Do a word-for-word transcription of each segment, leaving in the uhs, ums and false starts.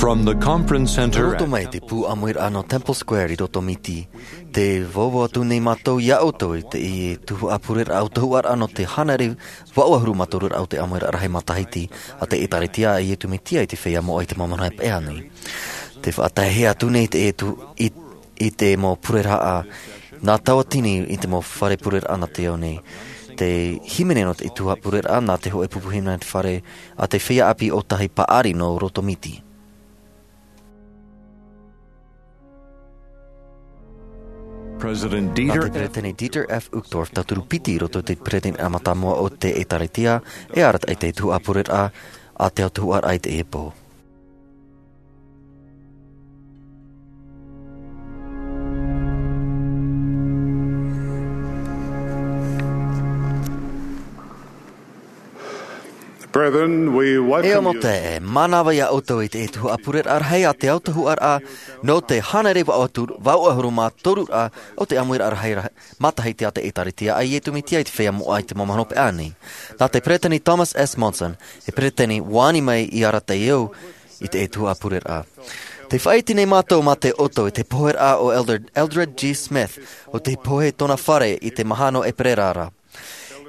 From the conference center. Roto mai te pū ʻāmuiraʻa nō Temple Square i roto Miti, tē vauvau atu nei mātou iā ʻoutou i te, i te tuhaʻa pureraʻa ʻautahuʻaraʻa nō te hānere vaʻu ʻahuru mā toru raʻa o te ʻāmuiraʻa rahi matahiti a te ʻĒtārētia a Iesu Mesia i te feiā moʻa i te mau mahana hopeʻa nei. Tē faʻataehia atu nei te, e tu, i, i te mau pureraʻa nā Tauatini i te mau fare pureraʻa nā te ao nei. Te hīmene nō te tuhaʻa pureraʻa nā te hōʻē pupu hīmene nā te fare a te feiā ʻāpī ʻōtahi paʻari nō roto Miti. President Nā te Dieter F. Peresideni Dieter F. Uchtdorf, tauturu piti i roto i te peresideni mātāmua o te ʻĒtārētia, e arataʻi i te tuhaʻa pureraʻa a te ʻautahuʻaraʻa i teie pō. Brethren, we welcome E you. ʻAmote, e mānava iā ʻoutou i te tuhaʻa pureraʻa rahi a te ʻautahuʻaraʻa nō te hānere vaʻu atu, vaʻu ʻahuru mā toru raʻa o te ʻāmuiraʻa rahi, rahi matahiti a te ʻĒtārētia a Iesu Mesia i te feiā moʻa i te mau mahana hopeʻa nei. Nā te peresideni Thomas S. Monson, e peresideni ʻua ani mai i arataʻi au i te tuhaʻa pureraʻa. Tē faʻaʻite nei mātou mā te ʻoto i te poheraʻa o Elder Eldred G. Smith, ʻo tei pohe tōna fare i te mahana nō ʻEperēra ra.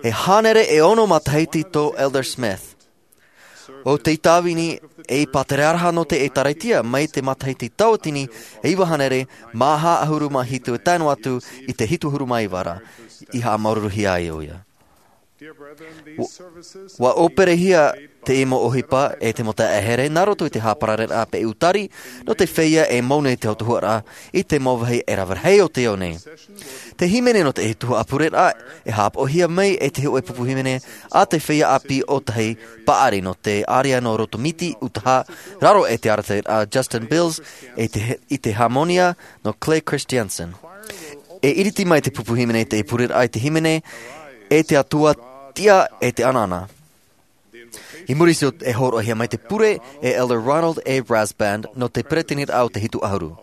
E hānere e ono matahiti tō Elder Smith. ʻO tei tāvini ei pātereraʻa nō te ʻĒtārētia mai te matahiti Tauatini e iva hānere mā hā ʻahuru mā hitu e tae noa atu i te hitu ʻahuru mā iva ra, i haʻamāuruuruhia ai ʻoia. ʻUa, ʻua ʻōperehia te mau ʻohipa e te mau taeaʻe here nā roto i te hāparareraʻa peʻutari nō te feiā e mau nei te ʻautahuʻaraʻa i te mau vāhi e rave rahi o te ao nei. Te hīmene nō te tuhaʻa pureraʻa e haʻapaʻohia mai e te hōʻē pupu hīmene a te feiā ʻāpī ʻōtahi paʻari nō te ārea nō roto Miti, Utaha, raro e te arataʻiraʻa Justin Bills, e te, i te hāmonia nō Clay Christensen. E iriti mai te pupu hīmene i te pureraʻa i te hīmene, e te Atua tiʻa e te anaana. I muri iho e hōroʻahia mai te pure e Elder Ronald A. Rasband nō te peresideni o te hitu ʻahuru.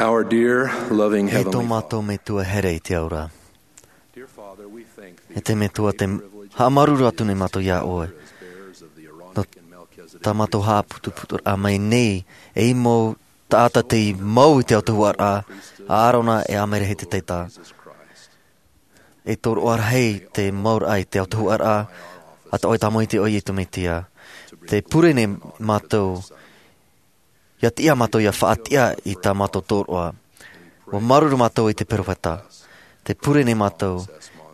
Our dear, loving E tō Heavenly mātou Metua here i te ao ra. Dear Father, we thank thee E te Metua, te haʻamāuruuru atu nei mātou iā ʻoe. Nō tā mātou haʻaputuputuraʻa mai nei, e mau taʻata tei mau i te autahuʻaraʻa, a Arona e a Merehete te taita. E tōroʻa rahi te mau raʻa i te autahuʻaraʻa, a te ʻoe tāmau i te ʻoe Iesu Mesia. Te pure nei mātou, ʻia tiʻa mātou ʻia faʻatiʻa i tā mātou tōroʻa. ʻUa māuruuru mātou i te peropheta. Te pure nei mātou,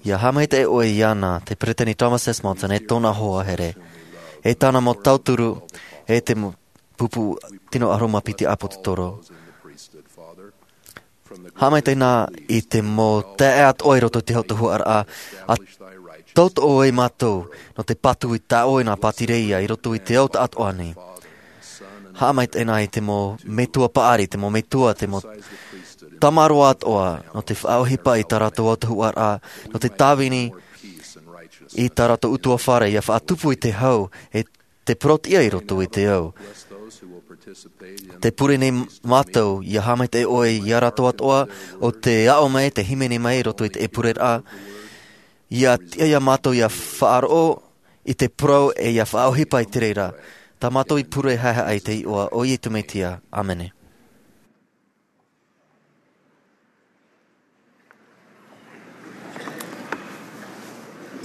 ʻia haʻamaitaʻi ʻoe iāna, te Peresideni Thomas S. Monson, e tōna hoa here. E tāna mau tauturu, e te mau pupu tino ʻahuru mā piti ʻāpōsetolo. Haʻamaitaʻi na i te mau taeaʻe atoʻa i roto i te autahuʻaraʻa, a tauturu ai mātou, nō te patu i tā ʻoe nā pātireia i roto i te ao taʻatoʻa nei. Haʻamaitaʻi na i te mau metua paʻari, te mau metua, te mau tamaroa atoʻa, nō te faʻaʻohipa i tā rātou autahuʻaraʻa, nō te tāvini i tā rātou ʻutuāfare, ʻia faʻatupu i te hau, e te porotiʻa i roto i te ao. Te pure nei mātou, ʻia haʻamaitaʻi ʻoe iā rātou atoʻa, ʻo tē aʻo mai, tē hīmene mai i roto i te ʻepureraʻa, ʻia tiʻa iā mātou ʻia faʻaroʻo i te parau e ʻia faʻaʻohipa i te reira. Tā mātou i pure haʻehaʻa i te iʻoa o Iesu Mesia. ʻĀmene.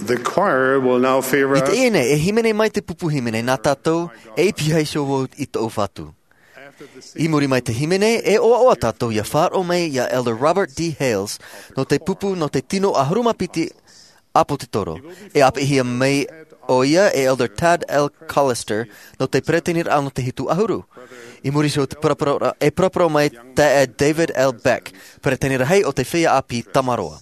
The choir will now favor I te us. ʻEne, e hīmene mai te pupu hīmene nā tātou, e i pīhaʻi iho vau i tōʻu Fatu. I muri mai te hīmene, e ʻoaʻoa tātou ʻia faʻaroʻo mai iā Elder Robert D. Hales, nō te pupu nō te tino ʻahuru mā piti ʻāpōsetolo. E ʻāpeʻihia mai ʻoia e Elder Tad L. Callister, nō te peretiteniraʻa nō te hitu ʻahuru. I muri iho te parapara, e parapara mai taeaʻe David L. Beck, peretiteni rahi o te feiā ʻāpī Tamaroa.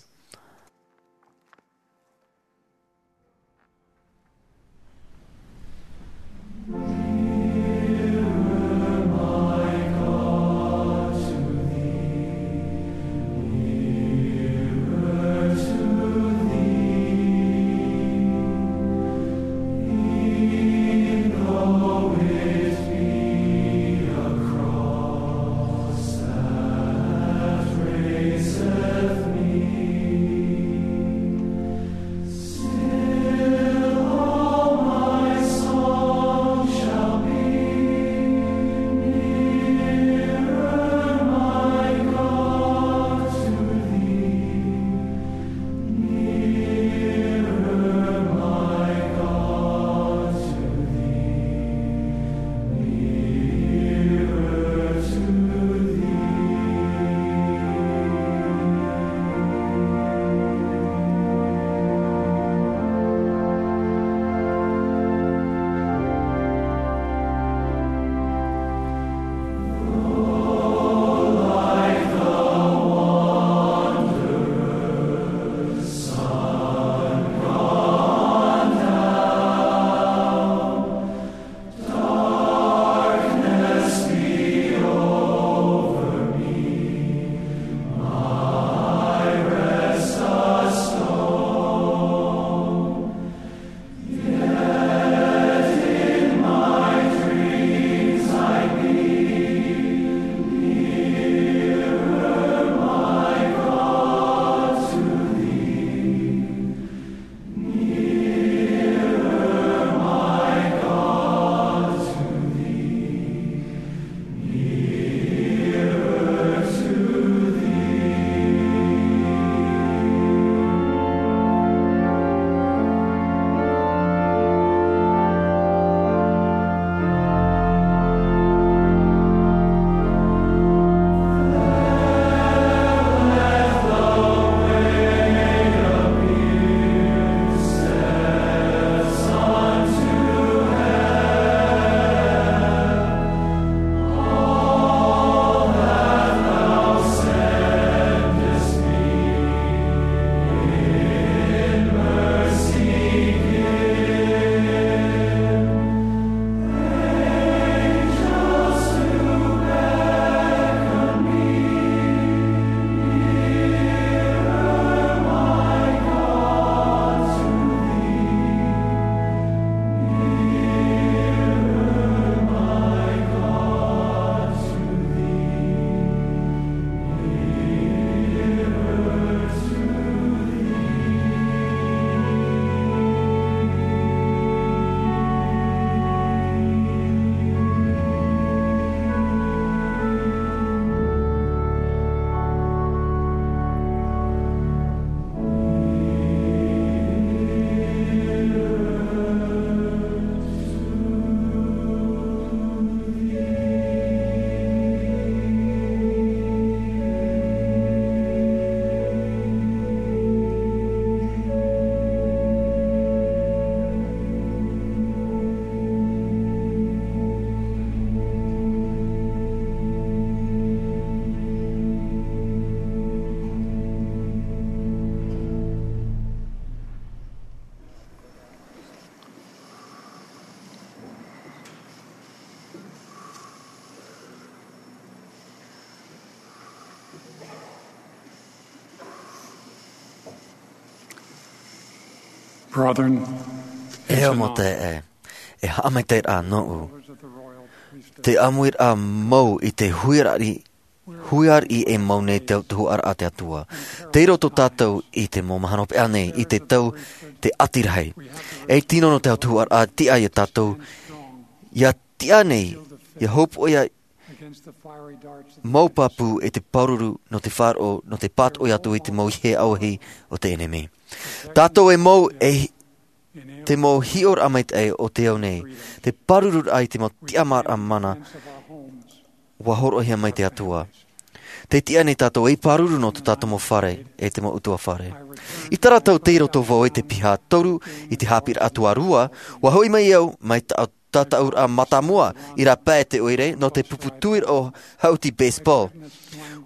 Brethren, e au mau taeaʻe, e haʻamaitaʻiraʻa nōʻu te ʻāmuiraʻa mau i te huiraʻi, huiraʻi e mau nei te autahuʻaraʻa a te Atua. Tei roto tātou i te mau mahana hopeʻa nei, i te tau te ʻati rahi. E tino nō te autahuʻaraʻa tiʻa ia tātou, ia tiʻa nei, ia hopoʻia mau pāpū e te pāruru nō te faʻaroʻo, nō te pātoʻi atu i te mau ihe auahi o te ʻenemi. Tātou e mau e te mau hiʻoraʻa maitaʻi o te ao nei, te pārururaʻa i te mau tiʻamāraʻa mana, ʻua hōroʻahia mai te Atua. Te tiʻa nei tātou ei pāruru nō tō tātou mau fare, e te mau ʻutuāfare. I terā tau tei roto vau i te piha toru, i te haʻapiʻiraʻa tuarua, ʻua hoʻi mai au, mai tā, tātaʻuraʻa mātāmua, i rāpae te ʻoire, nō te pupu tuiraʻa o haʻuti baseball.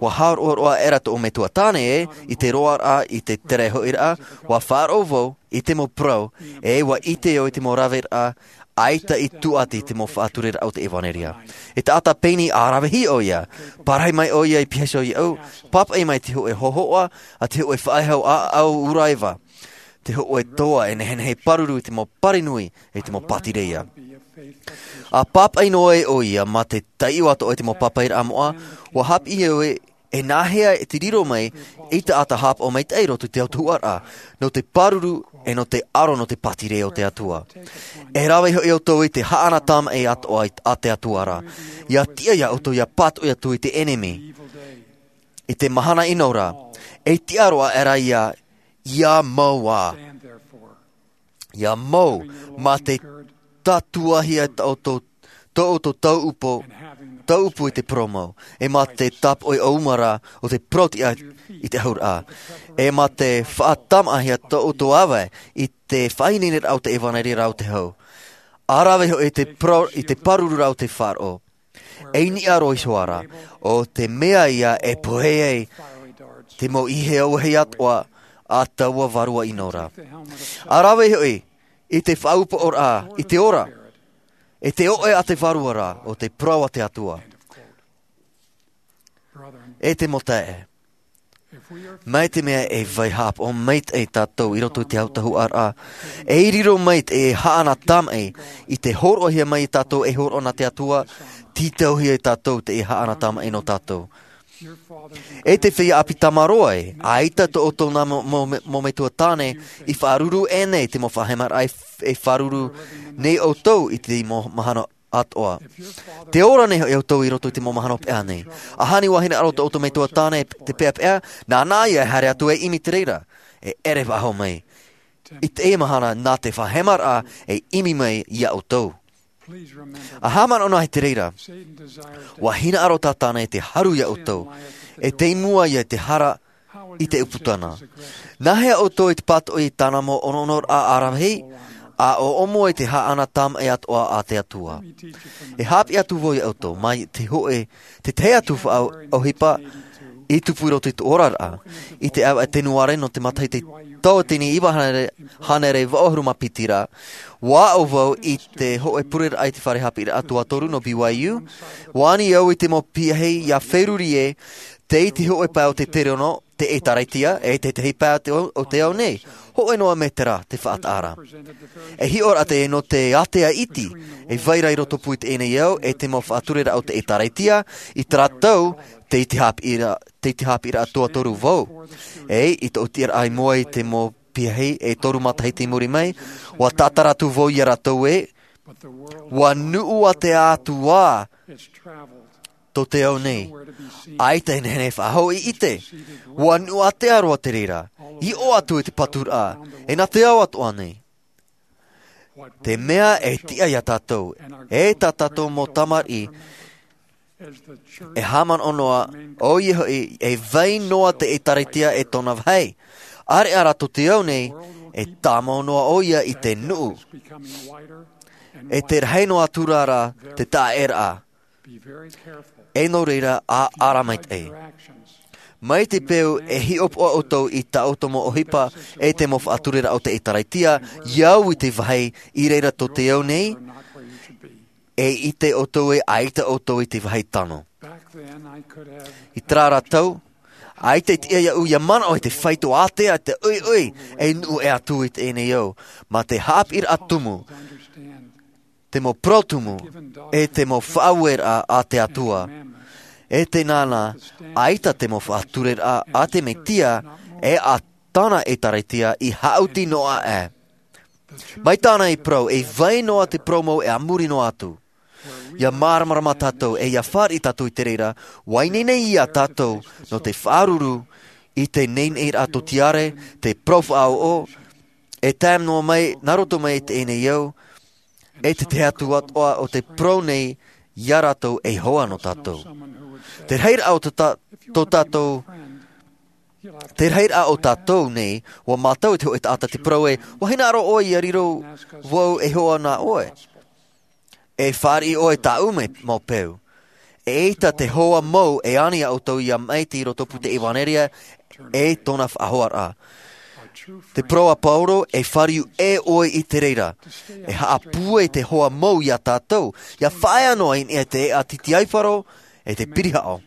ʻUa hāroʻaroʻa aʻera tōʻu metua tāne ē, i te roaraʻa, i te tere hoʻiraʻa, ʻua faʻaroʻo vau, i te mau parau, e ʻua ʻite au i te mau raveraʻa, ʻaita i tūʻati i te mau faʻatureraʻa o te ʻevanelia. E taʻata pēni ʻa rave hiʻo ʻoia, pārahi mai ʻoia i pihaʻi iho iāʻu, pāpaʻi mai te hōʻē hōhoʻa, a te hōʻē faʻehau ʻāʻau ʻuraeva. Te hōʻē toa e nehenehe pāruru i te mau pari nui, i te mau pātireia. ʻA pāpaʻi noa ē ʻoia mā te taiʻo atoʻa i te mau pāpaʻiraʻa moʻa, ʻua haʻapiʻi au ē, e nāhea e te riro mai, ei taʻata haʻapaʻo maitaʻi i roto i te autahuʻaraʻa, nō te pāruru, e nō te aro nō te pātireia o te Atua. E rave hoʻi ʻoutou i te haʻana tāmaʻi atoʻa i, a te Atua ra. ʻIa tiʻa iā ʻoutou ʻia pātoʻi atu i te ʻenemi. I te mahana ʻino ra, e tiʻa roa aʻera ʻia, ʻia mau ā. ʻIa mau, mā te tātuahia tō ʻoutou, tō ʻoutou tauʻupu, tauʻupu i te parau mau. E mā te tāpoʻi ʻōumara o te parau tiʻa i te ʻahuraʻa. E mā te faʻatāmaʻahia tō ʻoutou ʻāvae i te faʻaineineraʻa o te ʻevanelia ra o te hau. ʻA rave hoʻi i te parau, i te pārururaʻa o te faʻaroʻo. E niʻa roa iho ā ra, ʻo te mea ia e pohe ai te mau ihe auahi atoʻa a taua vārua ʻino ra. ʻA rave hoʻi i te faʻaupoʻoraʻa i te ora, e te oʻe a te vārua ra, ʻo te parau a te Atua. E te mau taeaʻe. Mai te mea e vai haʻapaʻo maitaʻi tātou i roto i te autahuʻaraʻa, e riro mai te haʻana tāmaʻi, i te hōroʻahia mai iā tātou e hōroʻa nā te Atua, tītauhia iā tātou te haʻana tāmaʻi nō tātou. E te feiā ʻāpī tāmāroa ē, ʻaita tō ʻoutou nā mau, mau, mau metua tāne i faʻaruru ʻē nei te mau faʻahemaraʻa e, e faʻaruru nei ʻoutou i te mau mahana atoʻa. Tē ora nei hoʻi ʻoutou i roto i te mau mahana hopeʻa nei. ʻAhani ʻua hinaʻaro tō ʻoutou metua tāne te peʻapeʻa, nāna ia e haere atu e ʻimi i te reira, e ʻere faʻahou mai. I teie mahana nā te faʻahemaraʻa e ʻimi mai iā ʻoutou. ʻA haʻamanaʻo noa i te reira. ʻUa hinaʻaro Sātana e te haru iā ʻoutou. E tei mua ia i te hara i te ʻūputa na. Nāhea ʻoutou i te pātoʻi i tāna mau ʻonoʻonoraʻa ʻaravihi, ʻa ʻōʻomo i te haʻana tāmaʻi atoʻa a te Atua. E haʻapiʻi atu vau iā ʻoutou, mai te hōʻē, te tahi atu faʻaʻohipa i tupu i roto i tō oraraʻa. I te ʻāvaʻe Tenuare nō te matahiti tauatini iva hānere, hānere vaʻu ʻahuru mā piti ra, ʻua aʻo vau i te hōʻē pureraʻa i te fare haʻapiʻiraʻa tuatoru nō B Y U, ʻua ani au i te mau piahi ʻia feruri ē, tei te hōʻē pae o te tereono, te ʻĒtārētia, e te tahi pae o te ao, o te ao nei, hōʻē noa mētera te faʻataʻa ra. E hiʻoraʻa teie nō te ātea iti, e vai ra i rotopū i teie nei ao, e te mau faʻatureraʻa o te ʻĒtārētia, i terā tau, tei te haʻapiʻiraʻa, tei te haʻapiʻiraʻa tuatoru vau. E, i tōʻu tiʻaraʻa i mua i te mau piahi, e toru matahiti i muri mai, ʻua tātara atu vau iā rātou ē, ʻua nuʻu ātea atu ā, tō te ao nei. ʻAita e nehenehe faʻahou i ʻite. ʻUa nuʻu ātea roa te reira. I ʻō atu i te paturaʻa. E nā te ao atoʻa nei. Te mea e tiʻa iā tātou. E tā tātou mau tamariʻi. E haʻamanaʻo noa, ʻoia hoʻi, e vai noa te ʻĒtārētia e tōna vāhi. ʻAreʻa rā tō te ao nei, e tāmau noa ʻoia i te nuʻu. E te rahi noa atu rā te taʻaʻēraʻa. E nō reira, ʻa, ʻa ara maitaʻi. Mai te peu e hiʻopoʻa ʻoutou i tā ʻoutou mau ʻohipa, e te mau faʻatureraʻa o te ʻĒtārētia, ʻia au i te vāhi i reira tō te ao nei, e ʻite ʻoutou ē ʻaita ʻoutou i te vāhi tano. I terā rā tau, ʻAita e tiʻa iāʻu ia manaʻo i te faito ātea, te ʻoiʻoi, e nuʻu ʻē atu i teie nei ao, mā te haʻapiʻiraʻa tumu, te mau parau tumu, e te mau faʻaueraʻa a te Atua. E te nānā, ʻaita te mau faʻatureraʻa a te Mesia, e a tāna ʻĒtārētia i haʻuti noa aʻe. Mai tāna i parau, e vai noa te parau mau e a muri noa atu. Ia māramarama tātou, e ia fāriʻi tātou i te reira, ʻua ineine ia tātou nō te faʻaruru i te neineiraʻa tōtiare, te parau faʻaʻoʻo, e tae noa mai, nā roto mai i teie nei ao, e te tahi atu atoʻa o te parau nei iā rātou e hoa nō tātou. Te rahiraʻa o tō tā-, tō tātou, te rahiraʻa o tātou nei, ʻua mātau e te hōʻē taʻata te parau ē, ʻua hinaʻaro ʻoe ia riro vau e hoa nā ʻoe. E fāriʻi ʻoe tāʻu mau peu. ʻEita te hoa mau e ani iā ʻoutou ia maʻiti i roto pū te ʻevanelia, e tōna faʻahoaraʻa. Te parau a Paulo, e fāriu ʻē ʻoe i te reira. E haʻapūai te hoa mau iā tātou, ia faʻaea noa i niʻa i te ʻēʻa titiaifaro, e te pirihaʻo.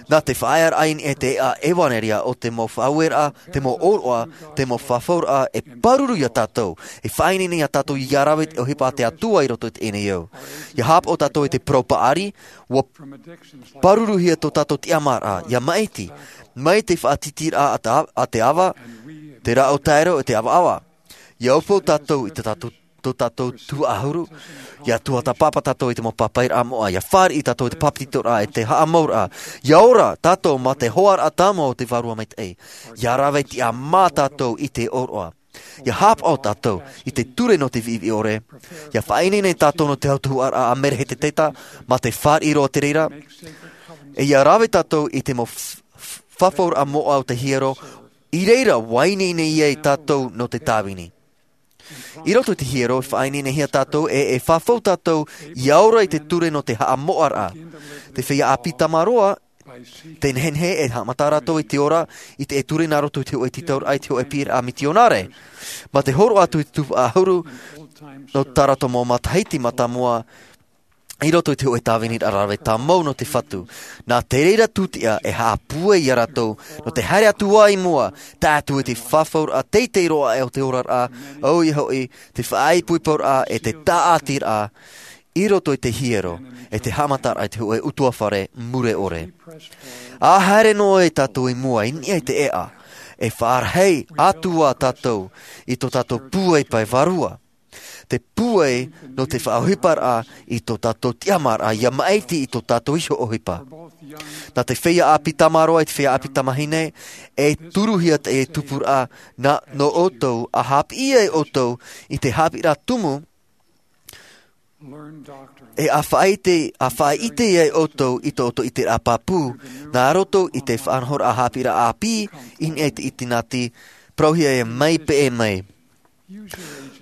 Nā te faʻaearaʻa i niʻa i te ʻēʻa ʻevanelia o te mau faʻaueraʻa, te mau ʻōroʻa, te mau fafauraʻa, e pāruru iā tātou, e faʻaineine iā tātou ia rave i te ʻohipa a te Atua i roto i teie nei ao. Ia haʻapaʻo tātou i te parau paʻari, ʻua pāruruhia tō tātou tiʻamāraʻa, ia maʻiti, mai te faʻatītīraʻa a te, a te ava, te rāʻau taero, e te ʻavaʻava. Ia ʻaufau tātou i tā tātou, tō tātou tuhaʻa ʻahuru, ia tuatāpapa tātou i te mau pāpaʻiraʻa moʻa, ia fāriʻi tātou i te bāpetizoraʻa, e te haʻamauraʻa, ia ora tātou mā te hoaraʻa tāmau o te Vārua Maitaʻi, ia rave tiʻamā tātou i te ʻōroʻa. Ia haʻapaʻo tātou i te ture nō te viʻiviʻi ʻore, ia faʻaineine tātou nō te autahuʻaraʻa a Merehēteteta, mā te fāriʻi roa te reira, e ia rave tātou i te mau f-, f-, fafauraʻa moʻa o te hiero, i reira ʻua ineine ai tātou nō te tāvini. I roto i te hiero, e faʻaineinehia tātou, e, e fafau tātou, ia ora i te ture nō te haʻamoʻaraʻa. Te feiā ʻāpī tamaroa, te nehenehe e haʻamata rātou i te ora, i te ture nā roto i te hōʻē tītauraʻa, i te hōʻē piʻiraʻa mitionare. Mā te hōroʻa atu i te tuhaʻa ʻahuru, nō tā rātou mau matahiti mātāmua, i roto i te hōʻē tāviniraʻa rave tāmau nō te Fatu. Nā te reira tūtiʻa e haʻapūai iā rātou, nō te haere atu ā i mua, tae atu i te fafauraʻa teitei roa aʻe o te oraraʻa, ʻoia hoʻi, te faʻaipoiporaʻa e te tāʻatiraʻa, i roto i te hiero, e te haʻamataraʻa i te hōʻē ʻutuāfare mure ʻore. ʻA haere noa tātou i mua, i niʻa i te ʻēʻa, e faʻarahi atu ā tātou i tō tātou pūai pae vārua. Te pūai nō te faʻaʻohiparaʻa i tō tātou tiʻamāraʻa, ia maʻiti i tō tātou iho ʻohipa. Nā te feiā ʻāpī tamaroa, i te feiā ʻāpī tamāhine, e turuhia te tupuraʻa, nā, nō ʻoutou, ʻa haʻapiʻi ai ʻoutou i te haʻapiʻiraʻa tumu, e ʻa faʻaʻite, ʻa faʻaʻite ai ʻoutou i tō ʻoutou ʻiteraʻa pāpū, nā roto i te faʻanahoraʻa haʻapiʻiraʻa ʻāpī, i niʻa i te ʻitinati, parauhia e mai peʻe mai.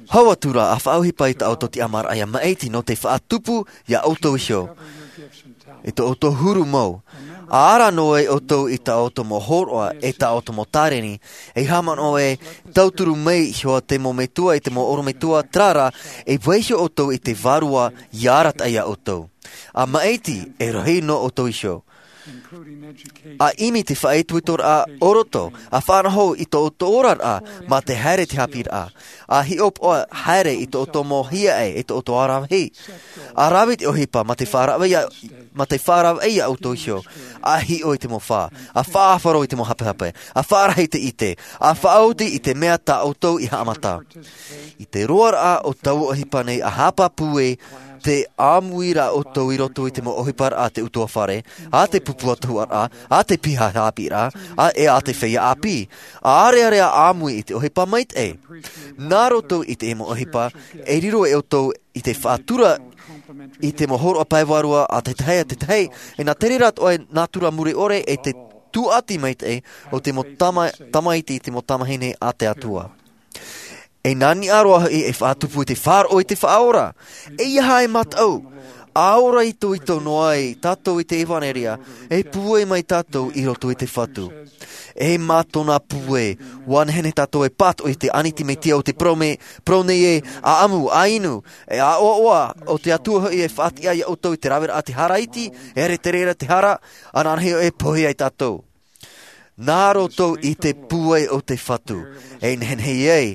Hau atu rā, ʻa faʻaʻohipa i tā ʻoutou tiʻamāraʻa ia maʻiti nō te faʻatupu iā ʻoutou iho. I tō ʻoutou huru mau. ʻA ara noa ai ʻoutou i tā ʻoutou mau hōroʻa, e tā ʻoutou mau tāreni, e haʻamanaʻo e tauturu mai iho ā te mau metua, e te mau ʻorometua, terā rā, e vaiiho ʻoutou i te Vārua ia arataʻi iā ʻoutou. ʻA maʻiti, e rahi nō ʻoutou iho. ʻA ʻimi te faʻaitoitoraʻa o roto, ʻa faʻanaho i tō ʻoutou oraraʻa, mā te haere i te haʻapiʻiraʻa. ʻA hiʻopoʻa haere i tō ʻoutou mau hiaʻai, e tō ʻoutou aravihi. ʻA rave i te ʻohipa, mā te faʻaravaʻi iā, mā te faʻaravaʻi iā ʻoutou iho. ʻA hiʻo i te mau fā. ʻA faʻaʻāfaro i te mau hapehape. ʻA faʻarahi i te ʻite. ʻA faʻaoti i te mea tā ʻoutou i haʻamata. I te roaraʻa o taua ʻohipa nei ʻa haʻapāpū ē, tē ʻāmui ra ʻoutou i roto i te mau ʻohiparaʻa a te ʻutuāfare, a te pupu atoʻaraʻa, a te piha haʻapiʻiraʻa, a, e a te feiā ʻāpī. ʻA ʻārearea ʻāmui i te ʻohipa maitaʻi. Nā roto i te mau ʻohipa, e riro e ʻoutou i te faʻatura i te mau hōroʻa pae vārua a te tahi, a te tahi, e nā te reira atoʻa e nātura mure ʻore e te tūʻati maitaʻi o te mau tama-, tamaiti, te mau tamāhine a te Atua. E nā niʻa roa hoʻi e faʻatupu i te faʻaroʻo i te Faʻaora. ʻEiaha e mataʻu, ʻa ora itoito noa ai tātou i te ʻevanelia, e pūai mai tātou i roto i te Fatu. E mā tōna pūai, ʻua nehenehe tātou e pātoʻi i te ʻāniti Mesia o te parau nei, parau nei ē, ʻa ʻamu, ʻa inu, e ʻa ʻoaʻoa, ʻo te Atua hoʻi e faʻatiʻa iā ʻoutou i te raveraʻa te hara iti, e ʻere te reira te hara, ananahi e pohe ai tātou. Nā roto i te pūai o te Fatu, e nehenehe ai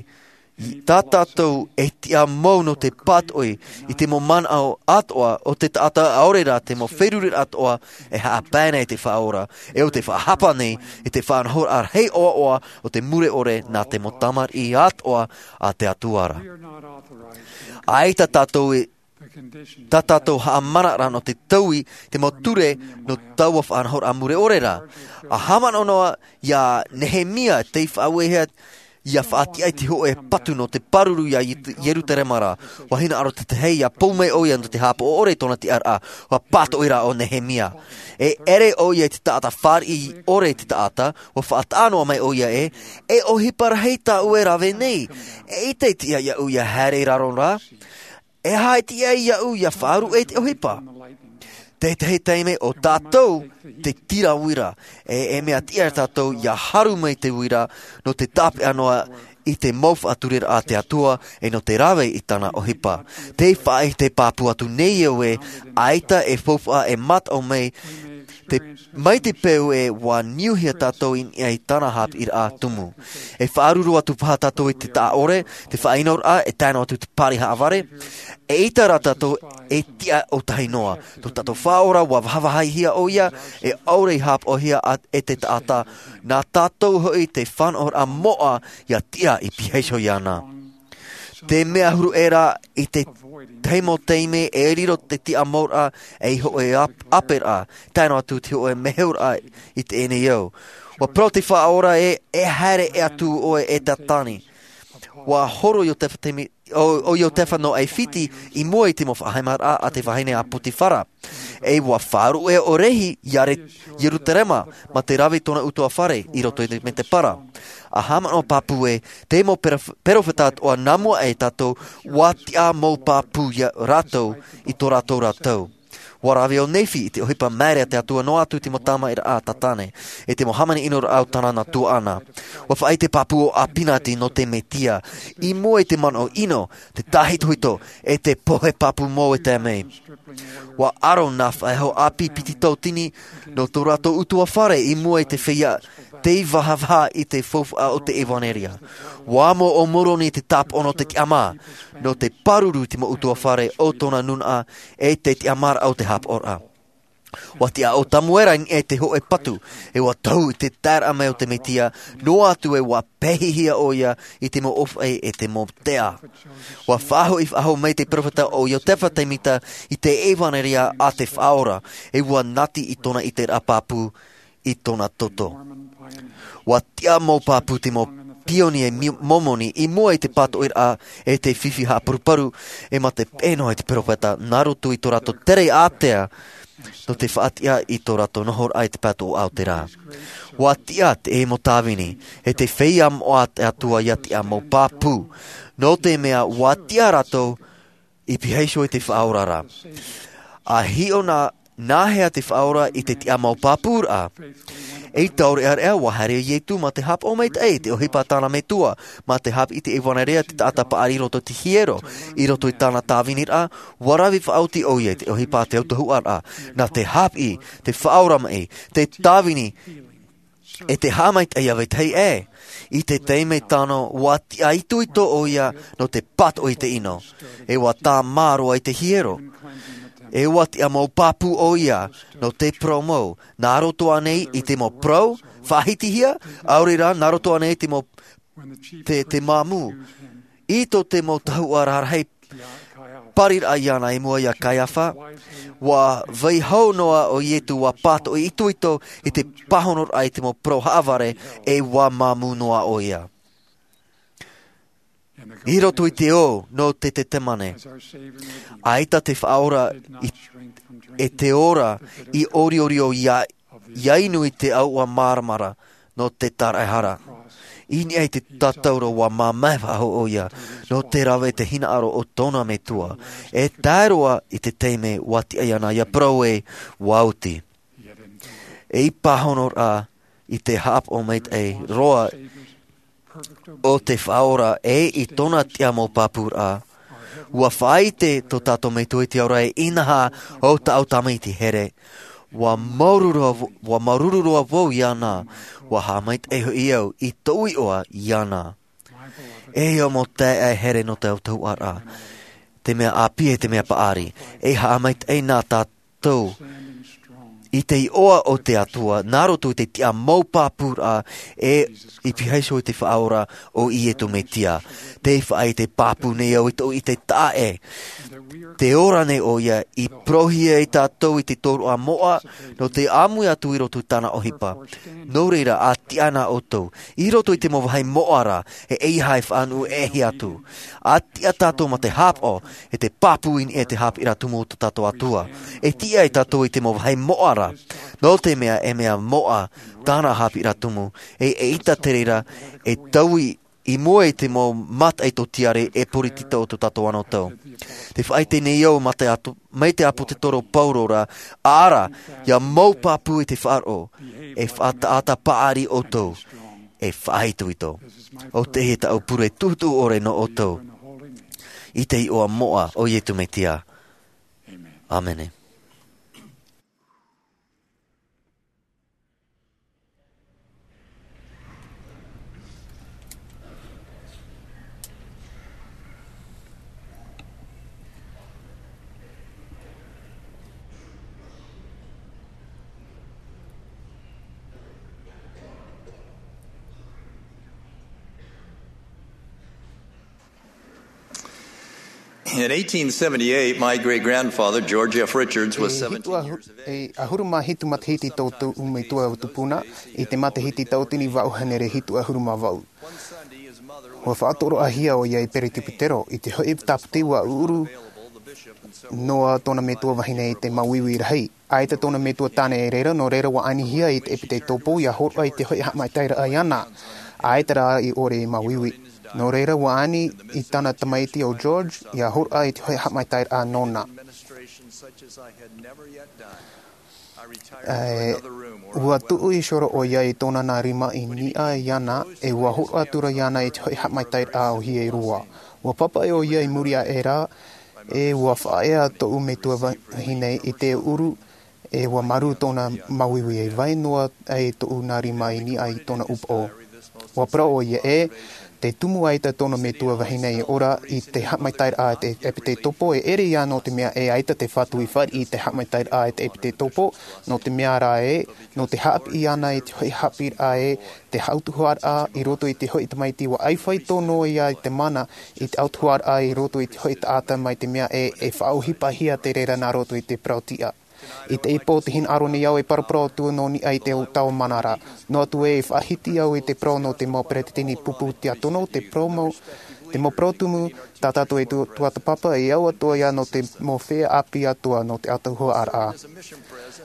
tā tātou e tiʻa mau nō te pātoʻi i te mau manaʻo atoʻa o te taʻata, ʻaore rā te mau feruriraʻa atoʻa e haʻapae nei i te Faʻaora, e ʻo tē faʻahapa nei i te faʻanahoraʻa rahi ʻoaʻoa o te mure ʻore nā te mau tamariʻi atoʻa a te Atua ra. ʻAita tātou e, tā tātou haʻamanaʻo ra nō te taui te mau ture nō taua faʻanahoraʻa mure ʻore ra. ʻA haʻamanaʻo noa iā Nehemia tei faʻauehia ʻia faʻatiʻa i te hōʻē patu nō te pāruru iā Ietu-, Ierutarema ra. ʻUa hinaʻaro te tahi ʻia pou mai ʻoia nō te haʻapaʻo ʻore i tōna tiʻaraʻa. ʻUa pātoʻi rā ʻo Nehemia. E ʻere ʻoia i te taʻata fāriʻi ʻore i te taʻata, ʻua faʻataʻa noa mai ʻoia ē, e ʻohipa rahi tāʻu e rave nei. ʻEita e tiʻa iāʻu ʻia haere i raro ra. E aha e tiʻa iāʻu ʻia faʻaruʻe i te ʻohipa? Tētahi taime ʻo tātou te tira uira, e, e mea tiʻa tātou ʻia haru mai te uira nō te tāpeʻa noa i te mau faʻatureraʻa a te Atua, e nō te rave i tāna ʻohipa. Tē faʻaʻite pāpū atu nei au ē, ʻaita e faufaʻa e mataʻu mai te, mai te peu ē ʻua niuhia tātou i niʻa i tāna haʻapiʻiraʻa tumu. E faʻaruru atu paha tātou i te taʻa ʻore, te faʻaʻinoraʻa, e tae noa atu te pārihaʻavare. ʻEita rā tātou e tiʻa ʻōtahi noa. Tō tātou Faʻaora ʻua vahavahaihia ʻoia, e ʻaore i haʻapaʻohia ā e te taʻata. Nā tātou hoʻi te fānaʻoraʻa moʻa ʻia tiʻa i piha iho iāna. Te mea huru ʻē rā i te tahi mau taime e riro te tiʻa mauraʻa ei hōʻē ap-, ʻāperaʻa, tae noa atu te hōʻē meheuraʻa i teie nei ao. ʻUa parau te Faʻaora ē, e haere ʻē atu ʻoe e Tātani. ʻUa horo Iotefa te mi-, ʻo, ʻo Iotefa nō ʻAifiti i mua i te mau faʻahaimaraʻa a te vahine a Potifara. E ʻua faʻaruʻe ʻoe rahi iā Re-, Ierutarema, mā te rave i tōna ʻutuāfare i roto i te mētēpara. ʻA haʻamanaʻo pāpū ē, te mau perof-, perofeta atoʻa nā mua aʻe iā tātou, ʻua tiʻa mau pāpū iā rātou i tō rātou ra tau. ʻUa rave ʻo Nephi i te ʻohipa māere a te Atua noa atu te mau tamariʻiraʻa a Tātane, e te mau hāmani ʻinoraʻa o tāna nā tuaʻana. ʻUa faʻaʻite pāpū ʻo Apinati nō te Mesia, i mua i te manaʻo ʻino, te tāhitohito, e te pohe pāpū mau e tae mai. ʻUa ʻaro nā faʻehau ʻāpī piti tautini nō tō rātou ʻutuāfare i mua i te feiā tei vahavaha i te faufaʻa o te ʻevanelia. ʻUa amo ʻo Moroni te tāpaʻo nō te tiʻamā, nō te pāruru i te mau ʻutuāfare o tōna nūnaʻa e te tiʻamāraʻa o te haʻapaʻoraʻa. ʻUa tiʻa ʻo Tamuera i niʻa i te hōʻē patu, e ʻua tohu i te taeraʻa mai o te Mesia, noa atu ē ʻua pēhihia ʻoia i te mau ʻōfaʻi e te mau tea. ʻUa faʻahoʻi faʻahou mai te perofeta ʻo Iotefa Tēmita i te ʻevanelia a te Faʻaora, e ʻua nati i tōna ʻiteraʻa pāpū i tōna toto. ʻUa tiʻa mau pāpū te mau pionie mi-, Momoni i mua i te pātoʻiraʻa e te fifi haʻaparuparu, e mā te peʻe noa i te perofeta, nā roto i tō rātou tere ātea, nō te faʻatiʻa i tō rātou nohoraʻa i te pātoʻi o te rā. ʻUa tiʻa te mau tāvini, e te feiā moʻa a te Atua ʻia tiʻa mau pāpū, nō te mea ʻua tiʻa rātou i piha iho i te Faʻaora ra. ʻA hiʻo nā, nāhea te Faʻaora i te tiʻa mau pāpūraʻa? Ei taureʻareʻa, ʻua haere ʻo Ietu mā te haʻapaʻo maitaʻi, te ʻohipa a tāna Metua, mā te haʻapiʻi i te ʻevanelia te taʻata paʻari i roto i te hiero, i roto i tāna tāviniraʻa, ʻua rave faʻaoti ʻoia i te ʻohipa a te autahuʻaraʻa, nā te haʻapiʻi, te faʻaora maʻi, te tāvini, e te haʻamaitaʻi iā vetahi ʻē. I te taime tāno, ʻua tiʻa itoito ʻoia nō te pātoʻi i te ʻino, e ʻua tāmā roa i te hiero. E ʻua tiʻa mau pāpū ʻoia nō te parau mau, nā roto ānei i te mau parau faʻahitihia, ʻaore rā, nā roto ānei i te mau, te, te māmū. I tō te mau tahuʻa rarahi pariraʻa iāna i mua iā Kaiafa, ʻua vai hau noa ʻo Ietu, ʻua pātoʻi itoito i te pāhonoraʻa i te mau parau haʻavare, e ʻua māmū noa ʻoia. I roto i te ō nō te Tetemane, ʻaita te Faʻaora i, e te ora i ʻoriʻori ʻoia, ʻia inu i te ʻauʻa māramarama nō te tāraʻehara. I niʻa i te tātauro, ʻua māmae faʻahou ʻoia nō te rave i te hinaʻaro o tōna Metua, e tae roa i te taime ʻua tiʻa iāna ʻia parau ē, ʻua oti. Ei pāhonoraʻa i te haʻapaʻo maitaʻi roa o te Faʻaora e i tōna tiʻa mau pāpūraʻa, ʻua faʻaʻite tō tātou Metua i te ao ra ē, inaha, ʻo tāʻu tamaiti here, Ua māuruuru roa vo-, ua māuruuru roa vau iāna. Ua haʻamaitaʻi hoʻi au i tōʻu iʻoa iāna. E ia mau taeaʻe here nō te autahuʻaraʻa, te mea ʻāpī e te mea paʻari, e haʻamaitaʻi na tātou i te iʻoa o te Atua, nā roto i te tiʻa mau pāpūraʻa, e i pihaʻi iho i te Faʻaora o Iesu Mesia. Tē faʻaʻite pāpū nei au i tōʻu ʻite taʻa ʻē. Tē ora nei ʻoia i parauhia ia tātou i te tōroʻa moʻa, nō te ʻāmui atu i roto i tāna ʻohipa. Nō reira, ʻa tiʻa na ʻoutou, i roto i te mau vāhi moʻa ra, e ʻeiaha e faʻanuʻu e ʻēhia atu. ʻA tiʻa tātou mā te haʻapaʻo, e te pāpū i niʻa i te haʻapiʻiraʻa tumu o tō tātou Atua. E tiʻa ia tātou i te mau vāhi moʻa ra, nō te mea e mea moʻa tāna haʻapiʻiraʻa tumu, e, e ʻaita te reira, e taui i mua i te mau mataʻi tōtiare e poritita o tō tātou anotau. Tē faʻaʻite nei au mā te atu-, mai te ʻāpōsetolo Paulo ra, ʻaʻara, ia mau pāpū i te faʻaroʻo, e faʻataʻata paʻari ʻoutou, e faʻaitoito. ʻO teie tāʻu pure tuʻutuʻu ʻore nō ʻoutou, i te iʻoa moʻa o Iesu Mesia. ʻĀmene. In eighteen seventy-eight, my great-grandfather, George F. Richards, was E hitu seventeen ahu-, years of age. E ʻahuru mā hitu matahiti tō tōʻu metua tupuna, i te matahiti tauatini vaʻu hānere hitu ʻahuru mā vaʻu. Ua faʻatoroʻahia ʻoia i te peresibutero, i te hoʻi tāpiti ua ʻuʻuru noa tōna metua vahine i te māuiui rahi. ʻAita tōna metua tāne i reira, nō reira ua anihia i te ʻepitetopo, ʻia hōroʻa i te hoʻi haʻamaitaʻiraʻa iāna. ʻAita rā i ʻore i māuiui. Nō reira ua ani i tāna tamaiti ʻo George, ʻia hōroʻa i te hoʻi haʻamaitaʻiraʻa nōna. E, ua tuʻu i horo ʻoia i tōna nā rima i niʻa iāna, e ua hōroʻa atu ra iāna i te hoʻi haʻamaitaʻiraʻa ʻōhie roa. Ua pāpaʻi ʻoia i muri aʻe ra, e ua faʻaea tōʻu metua vahine i te ʻuʻuru, e ua marū tōna māuiui, e vai noa ai tōʻu nā rima i niʻa i tōna ʻūpoʻo. Ua parau ʻoia ē, tē tumu ʻaita tōna metua vahine i ora i te haʻamaitaʻiraʻa i te ʻepitetopo, e ʻere ïa nō te mea ʻaita te Fatu i fāriʻi i te haʻamaitaʻiraʻa i te ʻepitetopo, nō te mea rā ē, nō te haʻapiʻi iāna i te hoʻi haʻapiʻiraʻa ē, te autahuʻaraʻa i roto i te hoʻi tamaiti, ua ʻaita faito noa ïa i te mana i te autahuʻaraʻa i roto i te hoʻi taʻata, mai te mea ē, e faʻaʻohipahia te reira nā roto i te parau-tiʻa. I teie pō, tē hinaʻaro nei au e paraparau atu nō niʻa i te tau mana ra. Noa atu ē, e faʻahiti au i te parau nō te mau peretiteni pupu tiakono, te parau mau, te mau parau tumu, tā tātou e tu-, tuatāpapa, e au atoʻa ïa nō te mau feiā ʻāpī atoʻa nō te autahuʻaraʻa.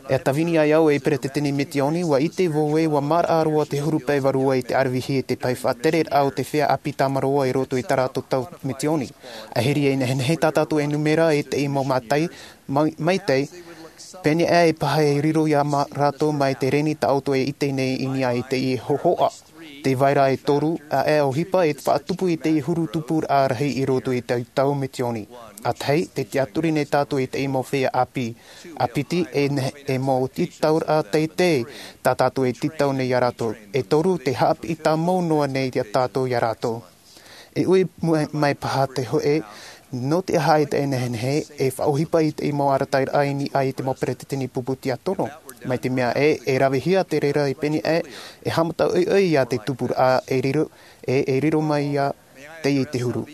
E tāvini ai au ei peretiteni misiōni, ua ʻite vau ē, ua maraʻa roa te huru pae vārua i te ʻaravihi i te pae faʻatereraʻa o te feiā ʻāpī tāmarō i roto i tā rātou tau misiōni. ʻAhiri e nehenehe tā tātou e nūmera i teie mau mataʻi, mai, maitaʻi, pēneiaʻe e paha e riro ia mā rātou mai te reni tā ʻoutou e ʻite nei i niʻa i teie hōhoʻa. Tē vai ra e toru aʻe ʻohipa e faʻatupu i teie huru tupuraʻa rahi i roto i te tau misiōni. ʻA tahi, tē tiʻaturi nei tātou i teie mau feiā ʻāpī. ʻA piti, e ne-, e mau tītauraʻa teitei tā tātou e tītau nei ia rātou. E toru, te haʻapiʻi tāmau noa nei ia tātou ia rātou. E ui mai, mai paha te hōʻē, nō te aha ʻaita e nehenehe e faʻaʻohipa i teie mau arataʻiraʻa i niʻa i te mau peretiteni pupu tiakono. Mai te mea ē, e ravehia te reira i pēneiaʻe, e haʻamata ʻoiʻoi ia te tupuraʻa e riro, e, e riro mai ia teie i te huru.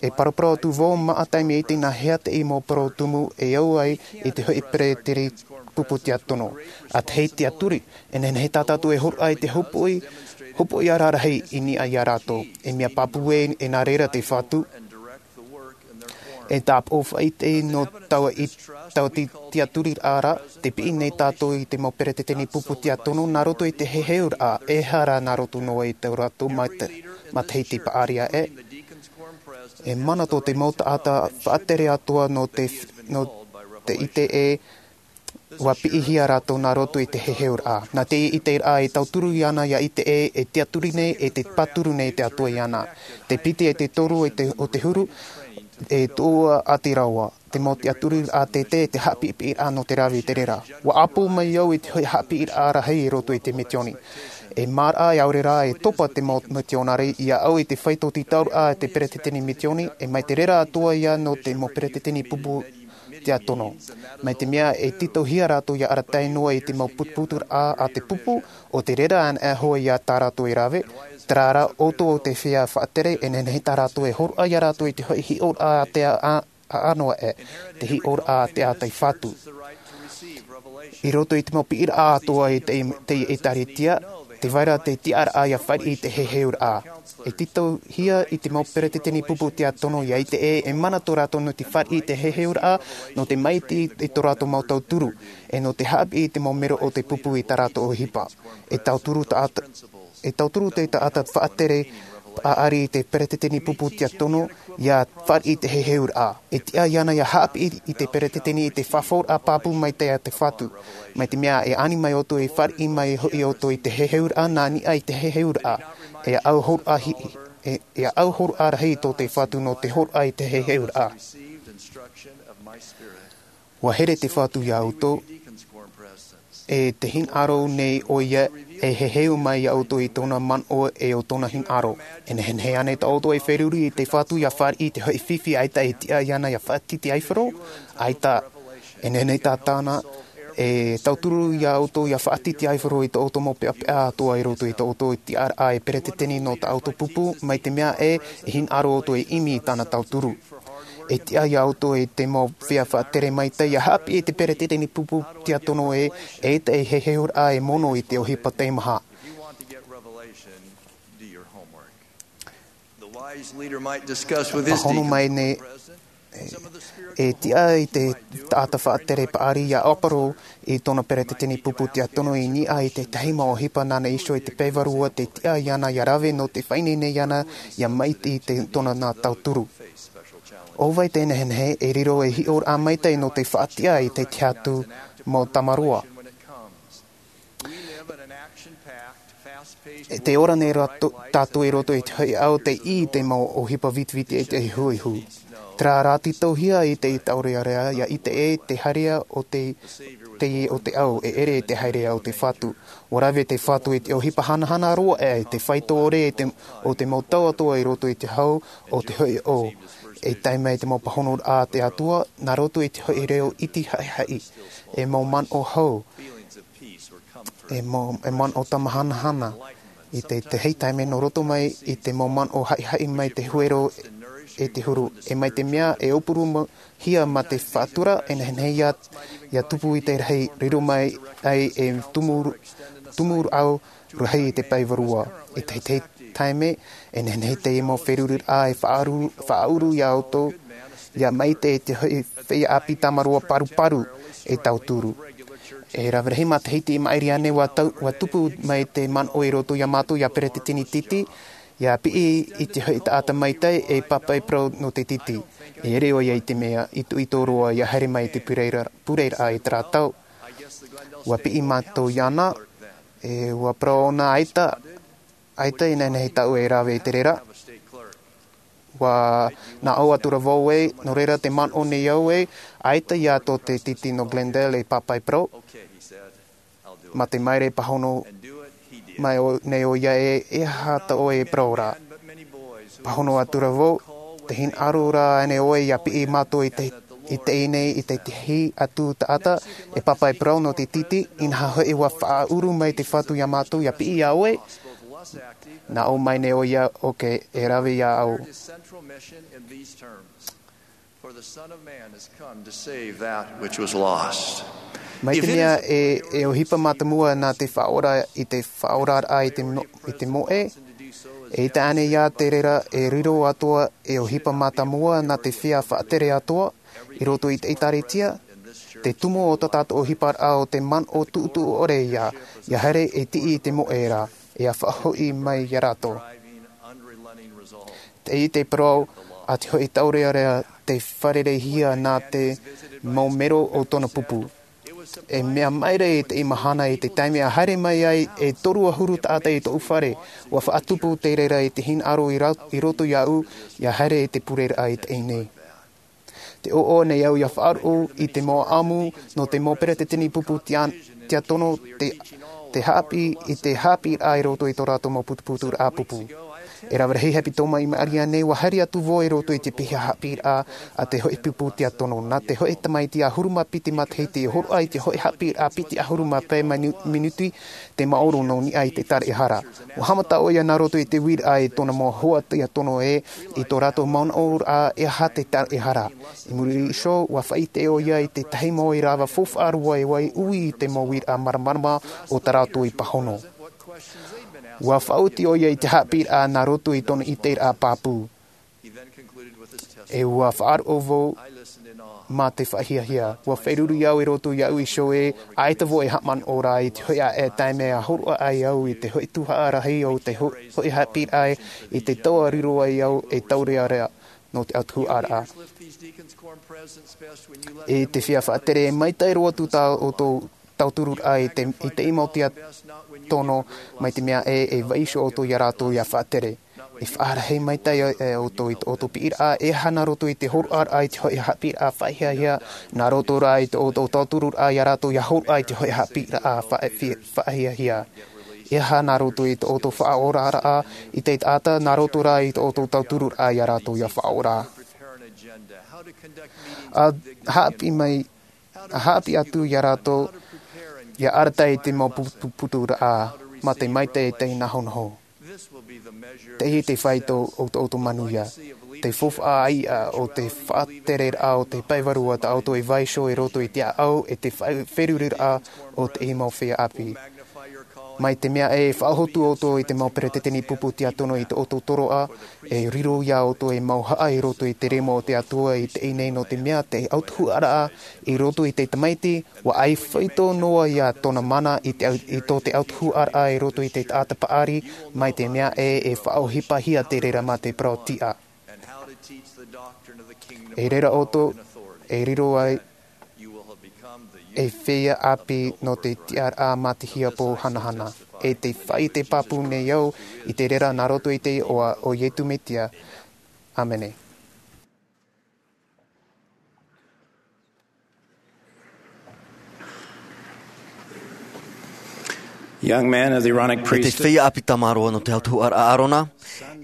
E paraparau atu vau, maʻa taime i teie nā hea teie mau parau tumu e au ai i te hoʻi peretiteni pupu tiakono. ʻA tahi, tiʻaturi, e nehenehe tā tātou e hōroʻa i te hopoʻi, hopoʻi ara rahi i niʻa ia rātou. E mea pāpū ē, e nā reira te Fatu e tāpaʻo faʻaʻite nō taua i, taua ti-, tiʻaturiraʻa ra, tē piʻi nei tātou i te mau peretiteni pupu tiakono nā roto i te heheuraʻa, ʻehara nā roto noa i tō rātou mata-, matahiti paʻari aʻe. E mana tō te mau taʻata faʻatere atoʻa nō te, nō te ʻite ē, ua piʻihia rātou nā roto i te heheuraʻa. Nā te ʻiteraʻa e tauturu iāna ia ʻite ē, e tiʻaturi nei, e te pāturu nei te Atua iāna. Te piti e te toru e te, o te huru, e tuʻu ʻati roa. Te mau tiʻaturiraʻa tētē, te haʻapiʻipiʻiraʻa nō te rave i te reira. Ua ʻāpō mai au i te hoʻi haʻapiʻiraʻa rahi i roto i te mitioni. E māraʻa e aore rā e topa te mau mitionare ia au i te faito tītauraʻa a te peretiteni mitioni, e mai te reira atoʻa ia nō te mau peretiteni pupu tiatono. Mai te mea e tītauhia rātou ia arataʻi noa i te mau putuputuraʻa a te pupu, ʻo te reira anaʻe hoʻi ia tā rātou e rave, terā rā ʻoutou o te feiā faʻatere, e nehenehe tā rātou e hōroʻa ia rātou i te hoʻi hiʻoraʻa a te a, a, ʻanoa ʻē, te hiʻoraʻa a te ʻātaʻifatu. I roto i te mau piʻiraʻa atoʻa i te, te ʻĒtārētia, tē vai ra te tiʻaraʻa ia fāriʻi i te heheuraʻa. E tītauhia i te mau peretiteni pupu tiatono ia ʻite ē, e mana tō rātou nō te fāriʻi i te heheuraʻa, nō te maʻiti i tō rātou mau tauturu, e nō te haʻapiʻi i te mau mero o te pupu i tā rātou ʻohipa. E tauturu taʻata, e tauturu te taʻata faʻatere paʻari i te peretiteni pupu tiatono, ia fāriʻi i te heheuraʻa. E tiʻa iāna ia haʻapiʻi i te peretiteni i te fafauraʻa pāpū mai te ʻātaʻifatu. Mai te mea e ani mai ʻoutou e fāriʻi mai hoʻi ʻoutou i te heheuraʻa nā niʻa i te heheuraʻa. E au hōroʻa hi-, e, e au hōroʻa rahi tō te Fatu nō te hōroʻa i te heheuraʻa. Ua here te Fatu ia ʻoutou, e te hinaʻaro nei ʻoia, e heheu mai ia ʻoutou i tōna manaʻo e ʻo tōna hinaʻaro. E nehenehe ānei tā ʻoutou e feruri i te Fatu ia fāriʻi i te hoʻi fifi ʻaita e tiʻa iāna ia faʻatitiaifaro? ʻAita. E nehenehe tā tāna e tauturu ia ʻoutou ia faʻatitiaifaro i tō ʻoutou mau peʻapeʻa atoʻa i roto i tō ʻoutou tiʻaraʻa e peretiteni nō tā ʻoutou pupu, mai te mea ē, e hinaʻaro ʻoutou e ʻimi i tāna tauturu. E tiʻa ia ʻoutou e te mau feiā faʻatere maitaʻi ia haʻapiʻi i te peretiteni pupu tiatono ē, e te heheuraʻa e mono i te ʻohipa teimaha. Pāhono mai nei, e tiʻa i te taʻata faʻatere paʻari ia ʻāparau i tōna peretiteni pupu tiatono i niʻa i te tahi mau ʻohipa nāna iho i te pae vārua tē tiʻa iāna ia rave nō te faʻaineine iāna ia maʻiti i te, tōna nā tauturu. ʻO vai te nehenehe e riro ei hiʻoraʻa maitaʻi nō te faʻatiʻa i te tahi atu mau tamaroa? E te ora nei rā to-, tātou i roto i te hoʻi ao tei ʻī i te mau ʻohipa vitiviti e te ihuihu. Terā rā tītauhia i te taurearea, ia ʻite ē te haerea o te, te, o te ao, e ʻere i te haerea o te Fatu. Ua rave te Fatu i te ʻohipa hanahana roa ʻē, te faito ʻore e te, o te mau tau atoʻa i roto i te hau o te hoʻi ao. E tae mai te mau pāhonoraʻa a te Atua, nā roto i te hoʻi reo iti haʻihaʻi. E mau manaʻo hau. E mau, e manaʻo tamahanahana. I te, te hei taime nō roto mai i te mau manaʻo haʻihaʻi mai te huero e te huru. E mai te mea e ʻōpuru ma-, hia mā te faʻatura, e nehenehe ia, ia tupu i te rahi, riro mai ai e tumu, tumu au rahi i te pae vārua. I te, te taime, e nehenehe te mau feruriraʻa e faʻaʻuru, faʻaʻuru ia ʻoutou, ia maʻiti i te hoʻi feiā ʻāpī tamaroa paruparu e tauturu. E rave rahi matahiti i maʻiri ānei ua tau, ua tupu mai te manaʻo i roto ia mātou ia peretiteni titi, ia piʻi i te hoʻi taʻata maitaʻi e pāpaʻi parau nō te titi. E ʻere ʻoia i te mea itoito roa ia haere mai i te pureraʻa, pureraʻa i terā tau. Ua piʻi mātou iāna, e ua parau ʻōna ʻaita, ʻaita e nehenehe tāʻu e rave i te reira. Ua, nā ʻō atu ra vau ē, nō reira tē manaʻo nei au ē, ʻaita ia tō te titi nō Glendale e pāpaʻi parau. Mā te maere pāhono mai ʻo, nei ʻoia ē, e aha tā ʻoe e parau ra? Pāhono atu ra vau, tē hinaʻaro ra ānei ʻoe ia piʻi mātou i te, i teie nei, i te tahi atu taʻata, e pāpaʻi parau nō te titi, inaha hoʻi ua faʻaʻuru mai te Fatu ia mātou ia piʻi ia ʻoe? Nā ʻō mai nei ʻoia, ʻoke, e rave ia au. For the Son of Man has come to save that which was lost. Mai te mea e, e ʻohipa mātāmua nā te Faʻaora i te faʻaoraraʻa i te mo-, i te moʻe, eʻita ānei ia te reira e riro atoʻa e ʻohipa mātāmua nā te feiā faʻatere atoʻa, i roto i te ʻĒtārētia, te tumu o tā tātou ʻohiparaʻa ʻo te manaʻo tuʻutuʻu ʻore ia, ia haere e tiʻi i te moʻe ra, e ia faʻahoʻi mai ia rātou. Tei te parau a te hoʻi taurearea tei fārereihia nā te mau mero o tōna pupu. E mea maere i teie mahana i te taime a haere mai ai e toru ʻahuru taʻata i tōʻu fare, ua faʻatupu te reira i te hinaʻaro i ra-, i roto iāʻu, ia haere i te pureraʻa i teie nei. Te ʻoaʻoa nei au ia faʻaroʻo i te mau ʻamu nō te mau peretiteni pupu tia-, tiatono te, te haʻapiʻi i te haʻapiʻiraʻa i roto i tō rātou mau putuputuraʻa pupu. E rave rahi haʻapiʻi tō mai Maria nei, ua haere atu vau i roto i te piha haʻapiʻiraʻa a te hōʻē pupu tiatono. Nā te hōʻē tamaiti ʻahuru mā piti matahiti i hōroʻa i te hōʻē haʻapiʻiraʻa piti ʻahuru mā pae manu-, minuti te maoro nō niʻa i te taraehara. Ua haʻamata ʻoia nā roto i te uiraʻa i tōna mau hoa tiatono ē, i tō rātou manaʻoraʻa e aha te taraehara. I muri iho, ua faʻaʻite ʻoia i te tahi mau ʻīrava faufaʻa roa e ʻua ui i te mau uiraʻa māramarama o tā rātou i pāhono. Ua faʻaoti ʻoia i te haʻapiʻiraʻa nā roto i tōna ʻiteraʻa pāpū. E ua faʻaroʻo vau mā te faʻahiahia. Ua feruri au i roto iāʻu iho ē, ʻaita vau e haʻamanaʻo ra i te hōʻē ʻāʻai taime ʻa hōroʻa ai au i te hōʻē tuhaʻa rahi o te hō-, hōʻē haʻapiʻiraʻa i te tau ʻa riro ai au e taureʻareʻa nō te ʻautuhuraʻa. I te feiā faʻatere, e maitaʻi roa atu tā ʻoutou tautururaʻa i te, i te mau tiatono, mai te mea ē, e vaiiho ʻoutou ia rātou ia faʻatere. E faʻarahi maitaʻi ʻoutou i tō ʻoutou piʻiraʻa, e aha nā roto i te hōroʻaraʻa i te hōʻē haʻapiʻiraʻa faʻahiahia, nā roto rā i tō ʻoutou tautururaʻa ia rātou ia hōroʻa i te hōʻē haʻapiʻiraʻa faʻa-, fi-, faʻahiahia. E aha nā roto i tō ʻoutou faʻaoraraʻa i te taʻata, nā roto rā i tō ʻoutou tautururaʻa ia rātou ia faʻaora. ʻA haʻapiʻi mai, ʻa haʻapiʻi atu ia rātou, ia arataʻi i te mau pu-, pu-, putuputuraʻa, mā te maitaʻi e te nahonaho. Teie te fāito o tō ʻoutou manuia. Te faufaʻa ʻāiʻa o te faʻatereraʻa o te pae vārua tā ʻoutou e vaiiho i roto i te ʻāʻau e te fa-, feruriraʻa o te mau feiā ʻāpī. Mai te mea ē, e faʻahotu ʻoutou i te mau peretiteni pupu tiatono i tō ʻoutou toroʻa, e riro ia ʻoutou ei mauhaʻa i roto i te rima o te Atua i teie nei, nō te mea te ʻautuhuraʻa i roto i te tamaiti, ʻua ʻaita faito noa ia tōna mana i te au-, i tō te ʻautuhuraʻa i roto i te taʻata paʻari, mai te mea ē, e faʻaʻohipahia te reira mā te parau tiʻa. E reira ʻoutou, e riro ai ei feiā ʻāpī nō te tiʻaraʻa mā te hiapo hanahana. E te faʻaʻite pāpū nei au i te reira nā roto i te iʻoa o Iesu Mesia. ʻĀmene. Young man of the Aaronic E te priesthood. Feiā ʻāpī tamaroa nō te ʻautuhuraʻa a ʻĀrona,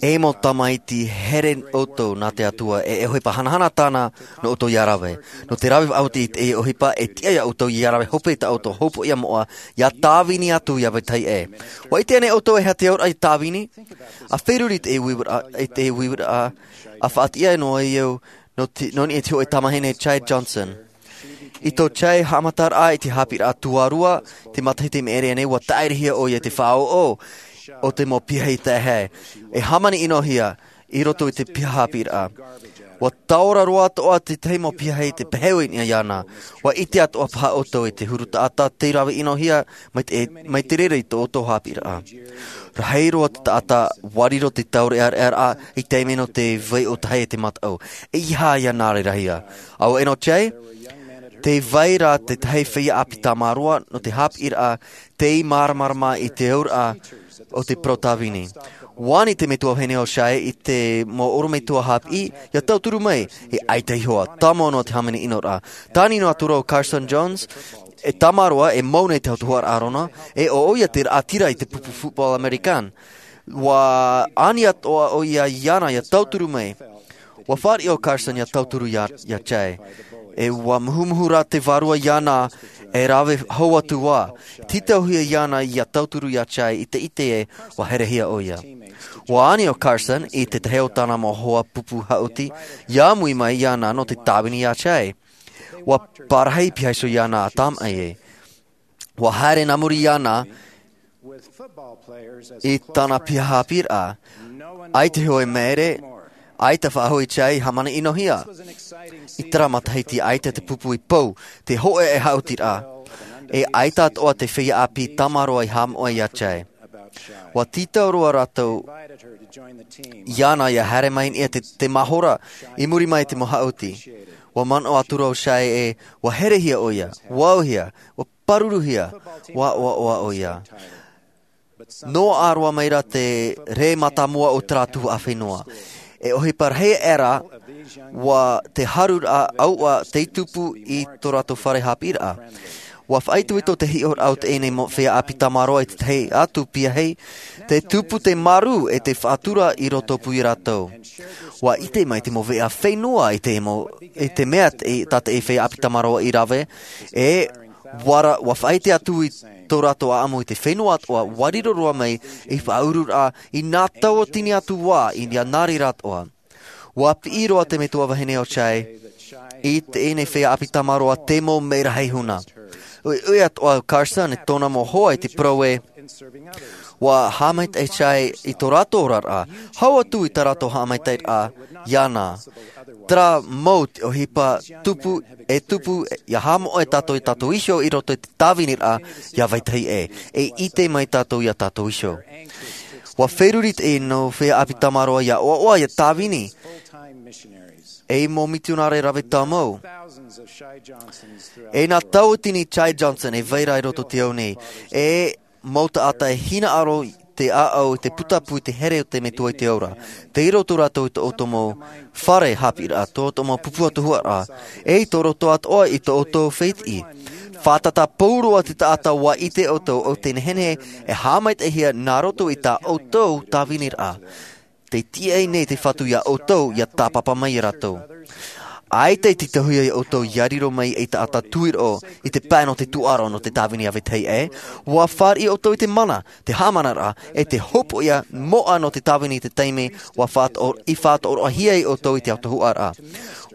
e mau tamaiti here ʻoutou nā te Atua, e, e ʻohipa hanahana tāna nō ʻoutou ia rave. Nō te rave faʻaoti i te ʻohipa, e tiʻa ia ʻoutou ia rave hope i tā ʻoutou hopoiʻa moʻa, ia tāvini atu ia vetahi ʻē. ʻUa ʻite ānei ʻoutou e aha te auraʻa i tāvini? ʻA feruri i te uiraʻa, i te uiraʻa, ʻa faʻatiʻa noa iho, nō te, nō niʻa i te hōʻē tamahine Chad Johnson. I tō Chad haʻamataraʻa i te haʻapiʻiraʻa tuarua, te matahiti i maʻiri aʻe nei, ʻua tāʻirihia ʻoia i te faʻaʻoʻo o te mau piahi taehae. E hāmani ʻinohia i roto i te piha haʻapiʻiraʻa. ʻUa taora roa atoʻa te tahi mau piahi i te peheui i niʻa iāna. ʻUa ʻite atoʻa paha ʻoutou i te huru taʻata tei rave ʻinohia mai te, mai te reira i tō ʻoutou haʻapiʻiraʻa. Rahi roa te taʻata, ʻua riro te taureʻareʻaraʻa i te taime nō te vai ʻōtahi e te mataʻu. ʻEiaha ia nā reira hia. ʻAuē nō Chad, tē vai ra te tahi feiā ʻāpī tamaroa nō te haʻapiʻiraʻa, tei māramarama i te auraʻa o te parau tāvini. ʻUa ani te metua vahine o Chad i te mau ʻorometua haʻapiʻi, ia tauturu mai, e ʻaita iho ā, tāmau noa te hāmani ʻinoraʻa. Tāni noa atu ra ʻo Carson Jones, e tamaroa, e mau nei te ʻautuhuraʻa a ʻĀrona, e ʻo ʻoia te raʻatira i te pupu football American. ʻUa ani atoʻa ʻoia iāna ia tauturu mai. ʻUa fāriʻi ʻo Carson ia tauturu ia, ia Chad. E ʻua muhumuhu ra te vārua iāna e rave hou atu ā. Tītauhia iāna ia tauturu ia Chad i te ʻite ē ʻua herehia ʻoia. ʻUa ani ʻo Carson i te tahi o tāna mau hoa pupu haʻuti, ia ʻāmui mai iāna nō te tāvini ia Chad. ʻUa parahi piha iho iāna ʻa tāmaʻi ē. ʻUa haere nā muri iāna i tāna piha haʻapiʻiraʻa. ʻAita iho e maere, ʻaita faʻahou i Chad i hāmani ʻinohia. I terā matahiti ʻaita te pupu i pou, te hōʻē haʻutiraʻa. E ʻaita atoʻa te feiā ʻāpī tamaroa i haʻamoʻe ia Chad. ʻUa tītau roa rātou iāna ia haere mai i niʻa i te, te mahora i muri mai i te mau haʻuti. ʻUa manaʻo atu ra ʻo Chad ē, ʻua herehia ʻoia, ʻua auhia, ʻua pāruruhia, ʻua ʻoaʻoa ʻoia. Noaʻa roa mai ra te rē mātāmua o terā tuhaʻa fenua. E ʻohipa rahi aʻe ra, ʻua te haruraʻa ʻauaʻa tei tupu i tō rātou fare haʻapiʻiraʻa. ʻUa faʻaitoito te hiʻoraʻa o teie nei mau feiā ʻāpī tamaroa i te tahi atu piahi, te tupu te marū e te faʻatura i roto pū ia rātou. ʻUa ʻite mai te mau veʻa fenua i te mau, i te mea te, tā teie feiā ʻāpī tamaroa i rave, e ʻua ra-, ʻua faʻaʻite atu i tō rātou ʻāʻamu i te fenua atoʻa, ʻua riro roa mai i faʻaururaʻa i nā tauatini atu vā, i nā reira atoʻa. ʻUa piʻi roa te metua vahine o Chai i teie nei feiā ʻāpī tamaroa te mau merahi huna. ʻUiʻui atoʻa Carson e tōna mau hoa i te parau ē, ʻua haʻamaitaʻi Chai i tō rātou oraraʻa, hau atu i tā rātou haʻamaitaʻiraʻa iāna. Terā mau te ʻohipa tupu, e tupu, ʻia haʻamoʻe tātou ia tātou iho i roto i te tāviniraʻa ia vetahi ʻē, e ʻite mai tātou ia tātou iho. ʻUa feruri teie nei feiā ʻāpī tamaroa ʻia ʻoaʻoa ʻia tāvini ei mau mitionare rave tāmau. E nā tauatini Chai Johnson e vai ra i roto i te ao nei, e mau taʻata e hinaʻaro i te ʻāʻau, i te putapū, i te here o te metua i te ao ra. Tei roto rātou i tō ʻoutou mau fare haʻapiʻiraʻa, tō ʻoutou mau pupu ʻautuharaʻa, e i tō roto atoʻa i tō ʻoutou fētiʻi. Fātata pauroa te taʻata ʻua ʻite ʻoutou ʻo tē nehenehe e haʻamaitaʻihia nā roto i tā ʻoutou tāviniraʻa. Tē tiʻa nei te Fatu ia ʻoutou, ʻia tāpapa mai ia rātou. ʻAita i te tauhia ia ʻoutou ʻia riro mai ei taʻata tuiroʻo i te pae nō te tūʻaro nō te tāvini ia vetahi ʻē, ʻua fāriʻi ʻoutou i te mana, te haʻamanaraʻa, e te hopoiʻa moʻa nō te tāvini i te taime ʻua faʻato-, i faʻatoʻoroʻahia ai ʻoutou i te ʻautuharaʻa.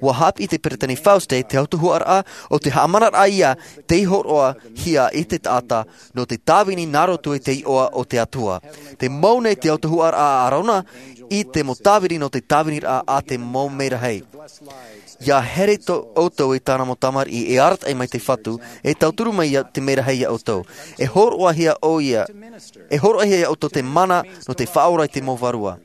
ʻUa haʻapiʻi te Peresideni Fauste te ʻautuharaʻa ʻo te haʻamanaraʻa ia tei hōroʻahia i te taʻata nō te tāvini nā roto i te iʻoa o te Atua. Tē mau nei te ʻautuharaʻa a Arona i te mau tāvini nō te tāviniraʻa a te mau merahi. ʻIa here tō ʻoutou i tāna mau tamariʻi e arataʻi mai te Fatu, e tauturu mai ia te merahi ia ʻoutou. E hōroʻahia ʻoia, e hōroʻahia ia ʻoutou te mana nō te faʻaora i te mau vārua.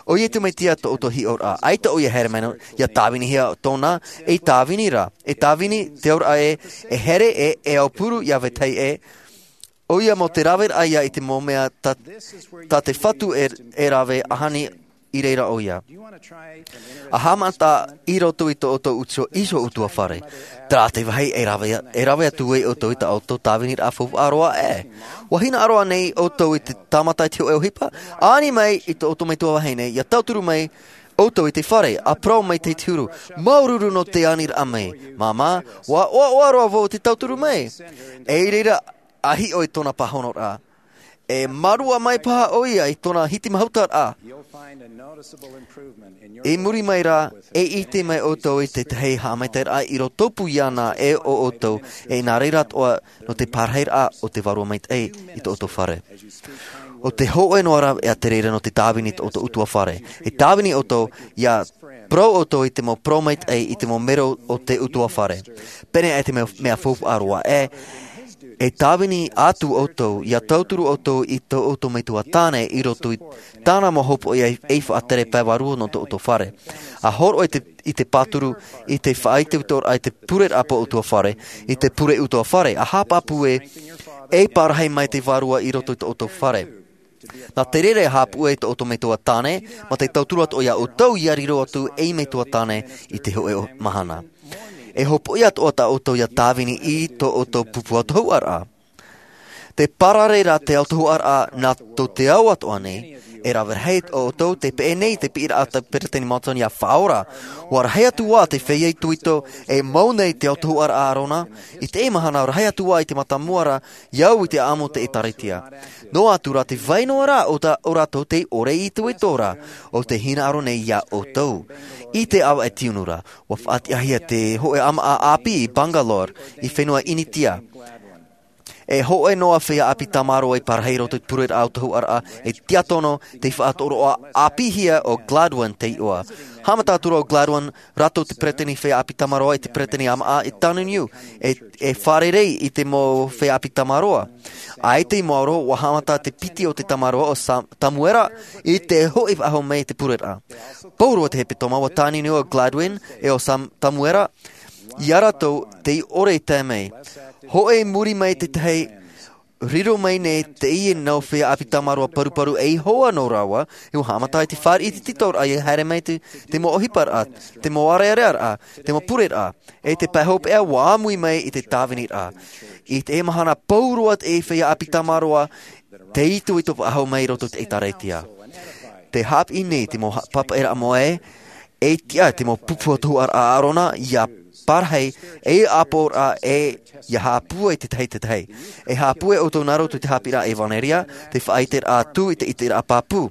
ʻOia te mea tiʻa tō ʻoutou hiʻoraʻa, ʻaita ʻoia e haere mai nō, ʻia tāvinihia tōna, e tāvini ra, e tāvini te auraʻa ē, e here ē, e aupuru ia vetahi ʻē, ʻoia mau te raveraʻa ia i te mau mea tā, tā te Fatu e, e rave ahani i reira ʻoia. ʻA haʻamata i roto i tō ʻoutou utu-, iho ʻutuāfare. Terā te vāhi e rave, e rave atu ai ʻoutou i tā ʻoutou tāviniraʻa faufaʻa roa ē. ʻUa hinaʻaro ānei ʻoutou i te tāmata i te hōʻē ʻohipa? Ani mai i tō ʻoutou metua vahine, ʻia tauturu mai ʻoutou i te fare, ʻa parau mai te huru, māuruuru nō te aniraʻa mai. Māmā, ʻua ʻoaʻoa roa vau te tauturu mai. E i reira, ʻa hiʻo i tōna pāhonoraʻa. E mārua mai paha ʻoia i tōna hitimahutaraʻa. I muri mai rā, e ʻite mai ʻoutou i te tahi haʻamaitaʻiraʻa i roto pū iāna e ʻo ʻoutou, e nā reira atoʻa nō te pārahiraʻa o te Vārua Maitaʻi i tō ʻoutou fare. ʻO te hōʻē noa rā e te reira nō te tāvini i tō ʻoutou ʻutuāfare. E tāvini ʻoutou, ʻia parau ʻoutou i te mau parau maitaʻi, i te mau mero o te ʻutuāfare. Pēnei aʻe te mea, mea faufaʻa roa ē, e tāvini atu ʻoutou, ʻia tauturu ʻoutou i tō ʻoutou metua tāne i roto i tāna mau hopoiʻa e, e faʻatere pae vārua nō tō ʻoutou fare. ʻA hōroʻa i te, i te pāturu, i te faʻaitoitoraʻa, i te pureraʻa pō ʻutuāfare, i te pure ʻutuāfare, ʻa haʻapāpū ē, e parahi mai te Vārua i roto i tō ʻoutou fare. Nā te reira e haʻapūʻe i tō ʻoutou metua tāne, mā te tauturu atoʻa ia ʻoutou ʻia riro atu ei metua tāne i te hōʻē o-, mahana. E hopoiʻa atoʻa tā ʻoutou ʻia tāvini i tō ʻoutou pupu ʻautuharaʻa. Tē parare ra te ʻautuharaʻa nā tō te ao atoʻa nei, e rave rahi ʻoutou tē peʻe nei te piʻiraʻa a te Peresideni Monson ʻia faʻaora. ʻUa rahi atu ā te feiā itoito e mau nei te ʻautuharaʻa a Arona, i teie mahana rahi atu ā i te mātāmua ra, ʻia au i te ʻāʻamu o te ʻĒtārētia. Noa atu rā te vai noa rā o tā, o rātou tei ʻore i te itoito ra, ʻo tē hinaʻaro nei ia ʻoutou. I te ʻāvaʻe tiunu ra, ʻua faʻatiʻahia te hōʻē ʻāmaʻa ʻāpī i Bangalore, i fenua Initia. E hōʻē noa feiā ʻāpī tamaroa i parahi i roto i te pureraʻa ʻautuharaʻa, e tiakono tei faʻatoroʻa ʻāpīhia ʻo Gladwin te iʻoa. Haʻamata atu ra ʻo Gladwin, rātou te peresideni feiā ʻāpī tamaroa i te peresideni ʻāmaʻa i Tāne Niu, e, e fārerei i te mau feiā ʻāpī tamaroa. ʻAita i maoro, ʻua haʻamata te piti o te tamaroa ʻo Sam-, Tamuera i te hoʻi faʻahou mai i te pureraʻa. Pauroa te hepetoma ʻua tāne noa ʻo Gladwin e ʻo Sam-, Tamuera, ia rātou tei ʻore i tae mai. Hōʻē i muri mai te tahi, Riro mai nei teie nau feiā ʻāpī tamaroa paruparu ei hoa nō rāua, e ua haʻamata i te fāriʻi i te tītauraʻa i haere mai te, te mau ʻohiparaʻa, te mau ʻārearearaʻa, te mau pureraʻa, e te pae hopeʻa ua ʻāmui mai i te tāviniraʻa. I te mahana pauroa te feiā ʻāpī tamaroa, te itoito faʻahou mai i roto i te ʻēkālesia. Te haʻapiʻi nei te mau ha-, papaʻiraʻa moʻa ē, e tiʻa te mau pupu atoʻa a ʻĀrona, ʻia parahi, e ʻāpoʻoraʻa, e ʻia haʻapūai te tahi te tahi. E haʻapūai ʻoutou nā roto i te haʻapiʻiraʻa ʻevanelia, te faʻaʻiteraʻa atu i te ʻiteraʻa pāpū.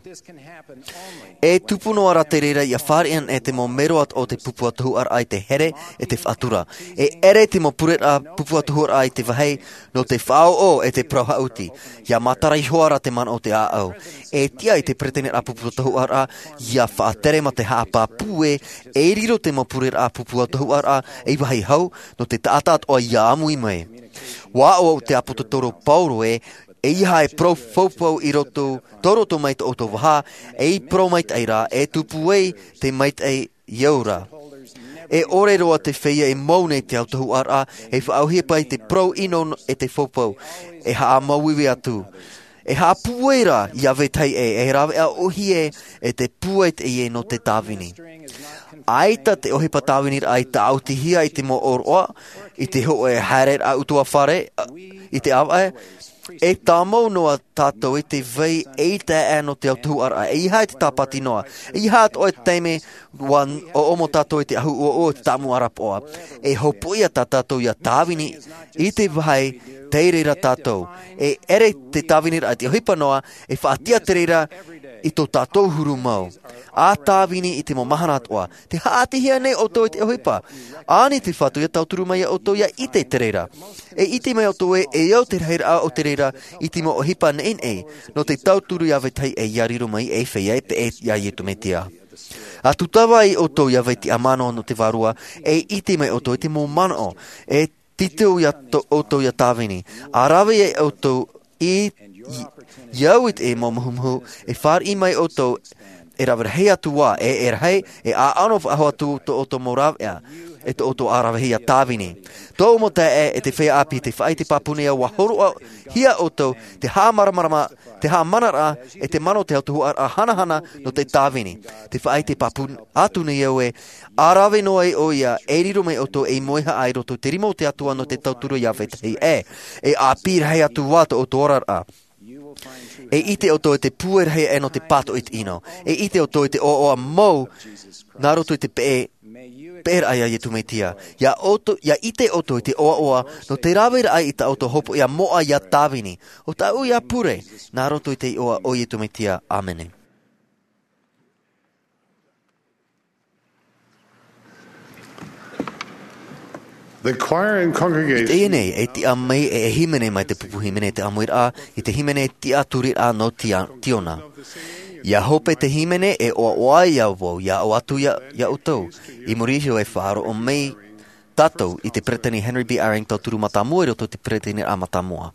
E tupu noa rā te reira ʻia fāriʻi anaʻe te mau mero atoʻa o te pupu atoʻa i te here, e te faʻatura. E ʻere te mau pureraʻa pupu atoʻa i te vāhi, nō te faʻaʻoʻo e te parau haʻuti, ʻia matara iho ā rā te mana o te ʻāʻau. E tiʻa i te peresideni pupu atoʻa, ʻia faʻatere mā te haʻapāpū ē, e riro te mau pureraʻa pupu atoʻa, ei vāhi hau, nō te taʻata atoʻa ʻia ʻāmui mai. Ua ʻoaʻoa te ʻāpōsetolo Paulo ē, ʻeiaha e parau faufaʻa i roto, tō roto mai tō ʻoutou vaha, ei parau maitaʻi rā, e tupu ai te maitaʻi ʻia ora. E ʻore roa te feiā e mau nei te autahuʻaraʻa, e faʻaʻohipa i te parau ʻino e te faufaʻa, e haʻamāuiui atu. E haʻapūai rā ia vetahi ʻē, e rāveʻa ʻōhie e te pūai teie nō te tāvini. ʻAita te ʻohipa tāviniraʻa i tāʻutihia i te mau ʻōroʻa, i te hōʻē haereraʻa utuafare, i te ʻāvaʻe, e tāmau noa tātou i te vai ʻeita aʻe nō te autahuʻaraʻa, ʻeiaha i te tāpati noa, ʻeiaha atoʻa i te taime ua ʻoʻomo tātou i te ahu ʻoaʻoa o te tāmau ʻarapoʻa. E hopoiʻa tā tātou ʻia tāvini i te vāhi tei reira tātou. E ʻere te tāviniraʻa i te ʻohipa noa, e faʻatiʻa te reira i tō tātou huru mau. ʻA tāvini i te mau mahana atoʻa, tē haʻaʻatihia nei ʻoutou i te ʻohipa. Ani te Fatu ʻia tauturu mai ia ʻoutou ʻia ʻite i te reira. E ʻite mai ʻoutou ē, e au te rahiraʻa o te reira i te mau ʻohipa neʻineʻi, nō te tauturu ia vetahi ʻē ʻia riro mai ei feiā e peʻe ia Iesu Mesia. ʻA tūtava ai ʻoutou ia vai tiʻamano nō te Vārua, e ʻite mai ʻoutou i te mau manaʻo, e tītau ia tō ʻoutou ia tāvini. ʻA rave ai ʻoutou i, i, i au i te mau muhumuhu, e fāriʻi mai ʻoutou, e rave rahi atu ā, e, e rahi, e ʻaʻano faʻahou atu tō ʻoutou mau rāveʻa, e tō ʻoutou ʻa rave ia tāvini. Tōʻu mau taeaʻe, e te feiā ʻāpī, te faʻaʻite pāpū nei ā, ua hōroʻahia ʻoutou, te haʻamāramarama, te haʻamanaraʻa, e te mana o te autahuʻaraʻa hanahana nō te tāvini. Te faʻaʻite pāpū atu nei au ē, ʻa rave noa ai ʻoia, e riro mai ʻoutou ei moehaʻa i roto i te rima o te Atua nō te tauturu ia vetahi ʻē, e ʻāpī rahi atu ā tō ʻoutou oraraʻa. E ʻite ʻoutou i te pūai rahi aʻe nō te pātoʻi i te ʻino. E ʻite ʻoutou i te ʻoaʻoa mau, nā roto i te peʻe, peʻeraʻa ia Iesu Mesia. ʻIa ʻoutou, ʻia ʻite ʻoutou i te ʻoaʻoa, nō te raveraʻa i tā ʻoutou hopoiʻa moʻa ʻia tāvini. ʻO tāʻu ia pure, nā roto i te iʻoa o Iesu Mesia. ʻĀmene. The choir and congregation. I teie nei, e tiʻa mai e, e hīmene mai te pupu hīmene te ʻāmuiraʻa, i te hīmene tiʻaturiraʻa nō Tia-, Tiona. ʻIa hope te hīmene e ʻoaʻoa ai ia vau, ʻia ʻoaʻoa atu ia, ia ʻoutou. I muri iho e faʻaroʻo mai tātou i te Peresideni Henry B. Eyring tauturu mātāmua i roto i te peresideniraʻa mātāmua.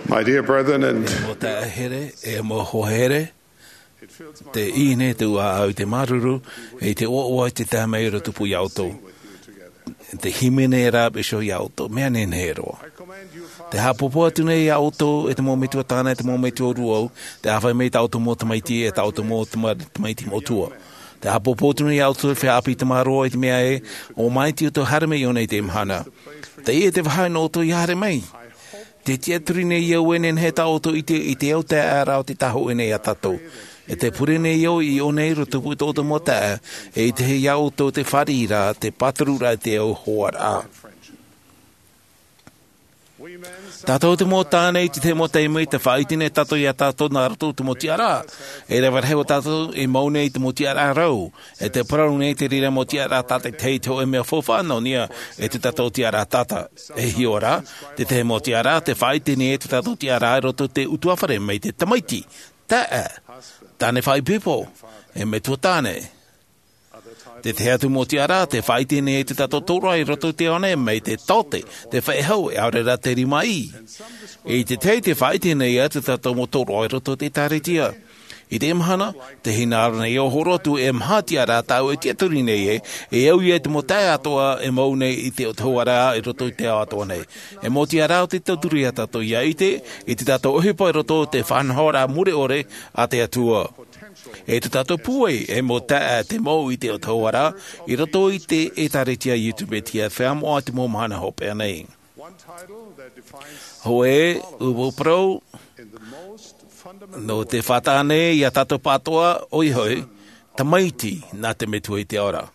My dear brethren and e mau taeaʻe here, e mau hoa here, te ʻī nei tōʻu ʻāʻau i te māuruuru, e i te ʻoaʻoa i te tae mai i roto pū iā ʻoutou. Te hīmene rā iho iā ʻoutou, mea nehenehe roa. Te haʻapāpū atu nei iā ʻoutou, e te mau metua tāne, e te mau metua rūʻau, te ʻāfaʻi mai tā ʻoutou mau tamaiti, e tā ʻoutou mau tama-, tamaiti moʻotua. Te haʻapāpū atu nei iā ʻoutou, e feiā ʻāpī tamāroa, i te mea ē, ʻo māiti ʻoutou haere mai iāna i teie mahana. Teie te vāhi nō ʻoutou ʻia haere mai. Te tiʻaturi nei au e nehenehe tā ʻoutou i te, i te ao taeaʻe ra o te tāhōʻē nei iā tātou. E te pure nei au i ʻō nei i roto pū i tō ʻoutou mau taeaʻe, e ʻite iā ʻoutou te fāriʻi ra, te pāturu ra, te ao hoa ra. Tātou te mau tāne i te tahi mau taime, te faʻaʻite nei tātou iā tātou nā roto i te mau tiʻaraʻa. E rave rahi o tātou e mau nei i te mau tiʻaraʻa rau. E te parau nei te reira mau tiʻaraʻa tātaʻitahi, te hōʻē mea faufaʻa nō niʻa i tō tātou tiʻaraʻa tata. E hiʻo ra, te tahi mau tiʻaraʻa, te faʻaʻite nei e tō tātou tiʻaraʻa i roto i te ʻutuāfare mai te tamaiti, taeaʻe, tāne faʻaipoipo, e metua tāne. Te tahi atu mau tiʻaraʻa, te faʻaʻite nei e tō tātou tōroʻa i roto i te ao nei mai te taote, te faʻehau, e ʻaore rā te rimaʻī. E i te tahi te faʻaʻite nei e tō tātou mau tōroʻa i roto i te ʻĒtārētia. I teie mahana, tē hinaʻaro nei au e hōroʻa atu e maha tiʻaraʻa tāʻu e tiʻaturi nei ē, e au ia i te mau taeaʻe atoʻa e mau nei i te, te hōʻē ra i roto i te ao atoʻa nei. E mau tiʻaraʻa o te tauturu iā tātou ʻia ʻite i tō tātou ʻohipa i roto i te faʻanahoraʻa mure ʻore a te Atua. E tō tātou pūai, e mau taeaʻe te mau i te, te hōʻē ra, i roto i te ʻĒtārētia YouTube e te feiā moʻa i te mau mahana hopeʻa nei. Hōʻē, ʻua parau, nō te faʻataʻa nei iā tātou pāʻatoʻa, ʻoia hoʻi, tamaiti nā te Metua i te ao ra.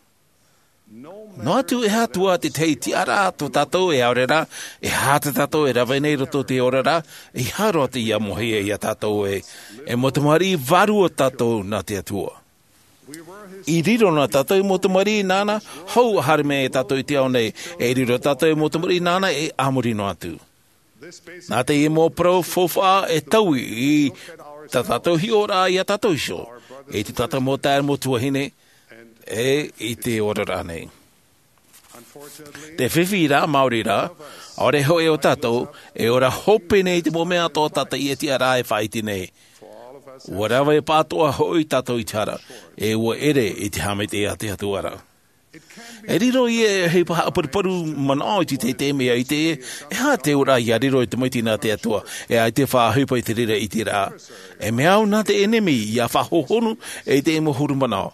Noa atu e aha atu ā te tahi tiʻaraʻa tō tātou e ʻaore rā, e aha tā tātou e rave nei i roto i te oraraʻa, ʻeiaha roa teie ʻia mōhia iā tātou ē, e mau tamariʻi vārua tātou nā te Atua. I riro na tātou i mau tamariʻi nāna, hou ʻa haere mai e tātou i te ao nei, e riro tātou i mau tamariʻi nāna e a muri noa atu. Nā teie mau parau faufaʻa e taui i tā tātou hiʻoraʻa iā tātou iho, i tō tātou mau taeaʻe mau tuahine, e i te oraraʻa nei. Te fifi rā, maori rā, ʻaore hoʻi o tātou, e ora hope nei i te mau mea atoʻa tā teie tiʻaraʻa e faʻaʻite nei. ʻUa rave pāʻatoʻa hoʻi tātou i te hara, e ʻua ʻere i te haʻamaitaʻi a te Atua ra. E riro ia e ʻohipa haʻaparuparu manaʻo i te teitei mea ʻite, e aha te auraʻa ʻia riro e tamaiti nā te Atua, e ʻaita e faʻaʻohipa i te reira ʻiteraʻa. E mea au nā te ʻenemi ʻia faʻahohonu e te mau huru manaʻo.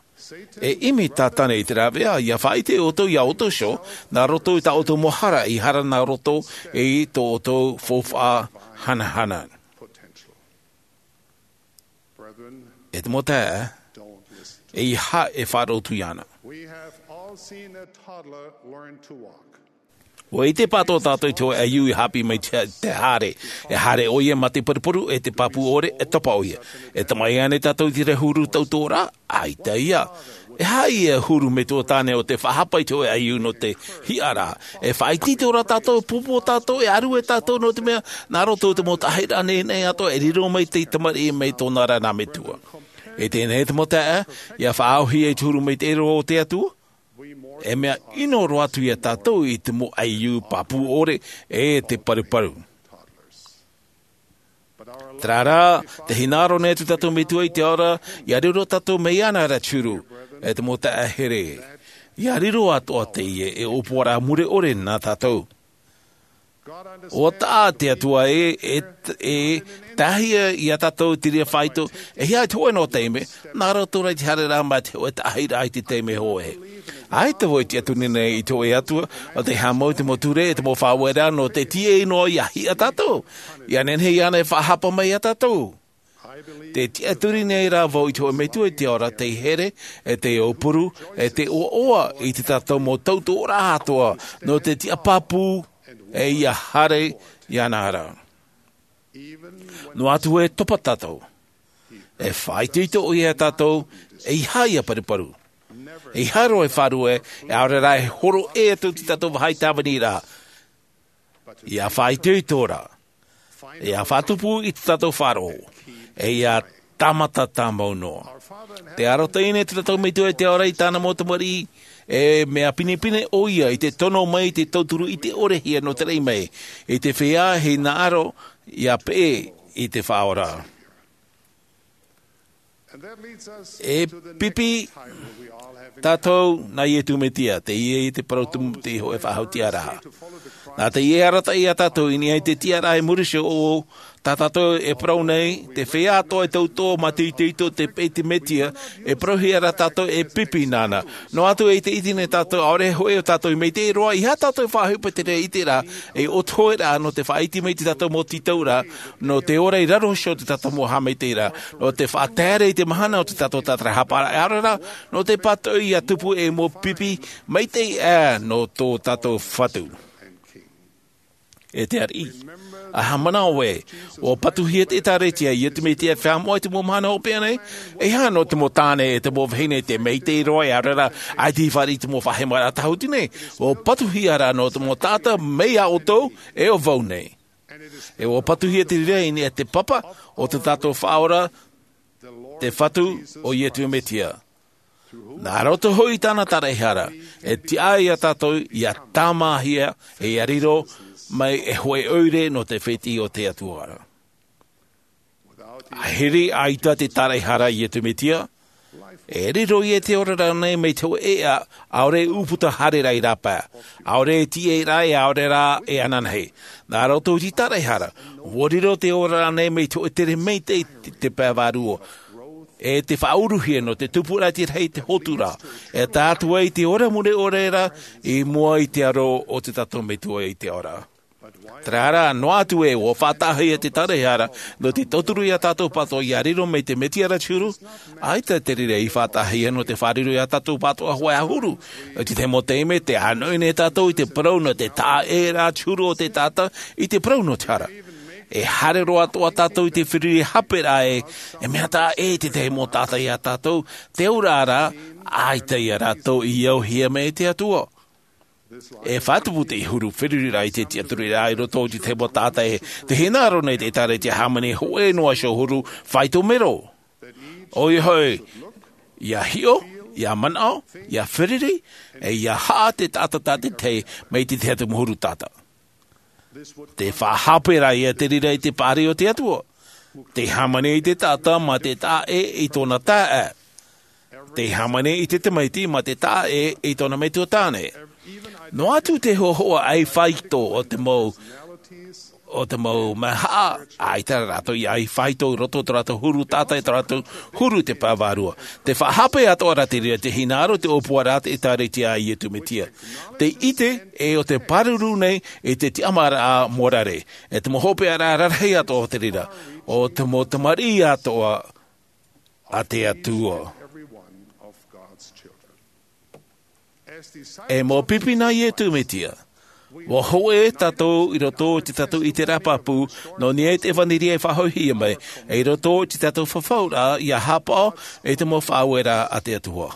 E ʻimi Tātane i te rāveʻa, ʻia faʻaʻite ʻoutou iā ʻoutou iho, nā roto i tā ʻoutou mau hara i hara nā roto i tō ʻoutou faufaʻa hanahana. E te mau taeaʻe, ʻeiaha e faʻaroʻo atu iāna. We have all seen a toddler learn to walk. ʻUa ʻite pāʻatoʻa tātou i te hōʻē ʻaiū i haʻapiʻi mai te, te haere. E haere ʻoia mā te paruparu, e te pāpū ʻore, e topa ʻoia. E tamaʻi ānei tātou i te huru tautoʻoraʻa? ʻAita ia. E aha ia e huru metua tāne o te faʻahapa i te hōʻē ʻaiū nō te hiʻaraʻa? E faʻaitoito ra tātou, pōpō tātou, e ʻārue tātou nō te mea, nā roto i te mau taʻahiraʻa nehenehe atoʻa e riro mai te tamariʻi mai tōna ra nā metua. E teie nei te mau taeaʻe, ʻia faʻaʻōhie i te huru maitaʻi roa o te Atua. E mea ʻino roa atu iā tātou i te mau ʻaiū pāpū ʻore, e te paruparu. Terā rā, tē hinaʻaro nei atu tātou Metua i te ao ra, ʻia riro tātou mai iāna ra te huru, e te mau taeaʻe here. ʻIa riro atoʻa teie e ʻōpuaraʻa mure ʻore nā tātou. ʻUa taʻa te Atua ē, e, e tahi iā tātou te reira faito, e hia te hōʻē noa taime, nā roto rā i te haereraʻa mā te hōʻē taʻahiraʻa i te taime hōʻē. ʻAita vau e tiʻaturi nei i te hōʻē Atua, ʻo tē haʻamau i te mau ture, e te mau faʻaueraʻa nō te tīaʻi noa ʻia hiʻa tātou. ʻIa nehenehe iāna e faʻahapa mai iā tātou. Tē tiʻaturi nei rā vau i te hōʻē Metua i te ao ra tei here, e tei aupuru, e tei ʻoaʻoa i tā tātou mau tautoʻoraʻa atoʻa, nō te tiʻa pāpū, e ʻia haere iāna ra. Noa atu e topa tātou. E faʻaitoito ʻoia iā tātou, ʻeiaha ia paruparu. ʻEiaha roa e faʻarue, e ʻaore rā e hōroʻa atu i tā tātou vāhi tāvini ra. ʻIa faʻaitoito ra. ʻIa faʻatupu i tā tātou faʻaroʻo. E ʻia tāmata tāmau noa. Tē arotaʻi nei tā tātou Metua i te ao ra i tāna mau tamariʻi, e mea pinepine ʻoia i te tono mai i te tauturu ʻite ʻore hia nō te raʻi mai. I te feiā e hinaʻaro, ia peʻe i te faʻaora. E pipi tātou nā Iesu Mesia, teie te parau tumu, te hōʻē faʻahou tiʻaraʻa. Nā teie arataʻi iā tātou i niʻa i te tiʻaraʻa i muri iho, tā tātou e parau nei, te feiā atoʻa e tauturu mā te itoito te peʻe i te Mesia, e parauhia ra tātou e pipi nāna. Noa atu e ʻite nei tātou, ʻaore hoʻi ʻo tātou i maitaʻi roa, ʻeiaha tātou e faʻaʻohipa i te reira ʻiteraʻa, e ʻoto hoʻi ra nō te faʻaʻite mai i tā tātou mau tītauraʻa, nō te ora i raro iho o tā tātou mau haʻamaitaʻiraʻa, nō te faʻataeraʻa i te mahana o tā tātou tātarahapa, ʻaore rā, nō te pātoʻi ia tupu ei mau pipi maitaʻi aʻe nō tō tātou Fatu. E te ariʻi, ʻa haʻamanaʻo ē, ʻua patuhia te ʻĒkālesia iā Iesu Mesia e feiā moʻa i te mau mahana hopeʻa nei, ʻeiaha nō te mau tāne e te mau vahine te maitaʻi roa, ʻaore rā, ʻaita i fāriʻi i te mau faʻahemaraʻa tāhuti nei, ʻua patuhia ra nō te mau taʻata mai iā ʻoutou, e ʻo vau nei. E ʻua patuhia te reira i niʻa i te Papa o tā tātou Faʻaora, te Fatu, ʻo Iesu Mesia. Nā roto hoʻi i tāna taraehara, e tiʻa iā tātou ia tāmāhia, e ia riro mai ei hōʻē ʻoire nō te fētiʻi o te Atua. ʻAhiri ʻaita te taraehara a Iesu Mesia, e riro ïa te oraraʻa nei mai te hōʻē ʻēʻa, ʻaore e ʻūputa haere ra i rāpae, ʻaore e tīaʻi ra, ʻaore rā e ananahi. Nā roto i te taraehara, ʻua riro te oraraʻa nei mai te hōʻē tere maitaʻi te, te pae vārua, e te faʻauruhia nō te tupuraʻa i te rahi i te hotu ra, e tae atu ai i te ora mure ʻore ra i mua i te aro o tā tātou Metua i te ao ra. Terā rā, noa atu ē ʻua faʻataʻahia te taraehara nō te tauturu iā tātou pātoʻa ia riro mai te Mesia ra te huru, ʻaita te reira i faʻataʻahia nō te fārerei iā tātou pātoʻa hōʻē ʻahuru. I te tahi mau taime, tē ʻānoʻi nei tātou i te parau nō te taʻa ʻē ra te huru o te taʻata i te parau nō te hara. E haere roa atoʻa tātou i te feruri hape ra ē, e mea taʻa ʻē te tahi mau taʻata iā tātou, te auraʻa rā, ʻaita ia rātou i auhia mai e te Atua. E faʻatupu te huru feruriraʻa i te tiʻaturiraʻa i roto i te tahi mau taʻata ē, tē hinaʻaro nei te ʻĒkālesia hāmani hōʻē noa iho huru faito mero. ʻOia hoʻi, ia hiʻo, ia manaʻo, ia feruri, e ia haʻa te taʻata tātaʻitahi mai te tahi atu mau huru taʻata. Tē faʻahape ra ïa te reira i te paʻari o te Atua. Tē hāmani i te taʻata mā te taʻa ʻē i tōna taeaʻe. Tē hāmani i te tamaiti mā te taʻa ʻē i tōna metua tāne. Noa atu te hōhoʻa ʻai faito o te mau, o te mau mahaʻa, ʻaita rātou i ʻai faito i roto i tō rātou huru taʻata, i tō rātou huru i te pae vārua. Tē faʻahape atoʻa ra te reira, tē hinaʻaro te ʻōpuaraʻa a te ʻĒkālesia a Iesu Mesia. Tē ʻite ē ʻo tē pāruru nei i te tiʻamāraʻa morare, e te mau hopeʻaraʻa rarahi atoʻa o te reira, ʻo te mau tamariʻi atoʻa a te Atua. E mau pipi nā Iesu Mesia, ʻua hōʻē tātou i roto i tō tātou ʻiteraʻa pāpū, nō niʻa i te ʻevanelia e faʻahoʻihia mai, e i roto i tō tātou fafauraʻa ia haʻapaʻo i te mau faʻaueraʻa a te Atua.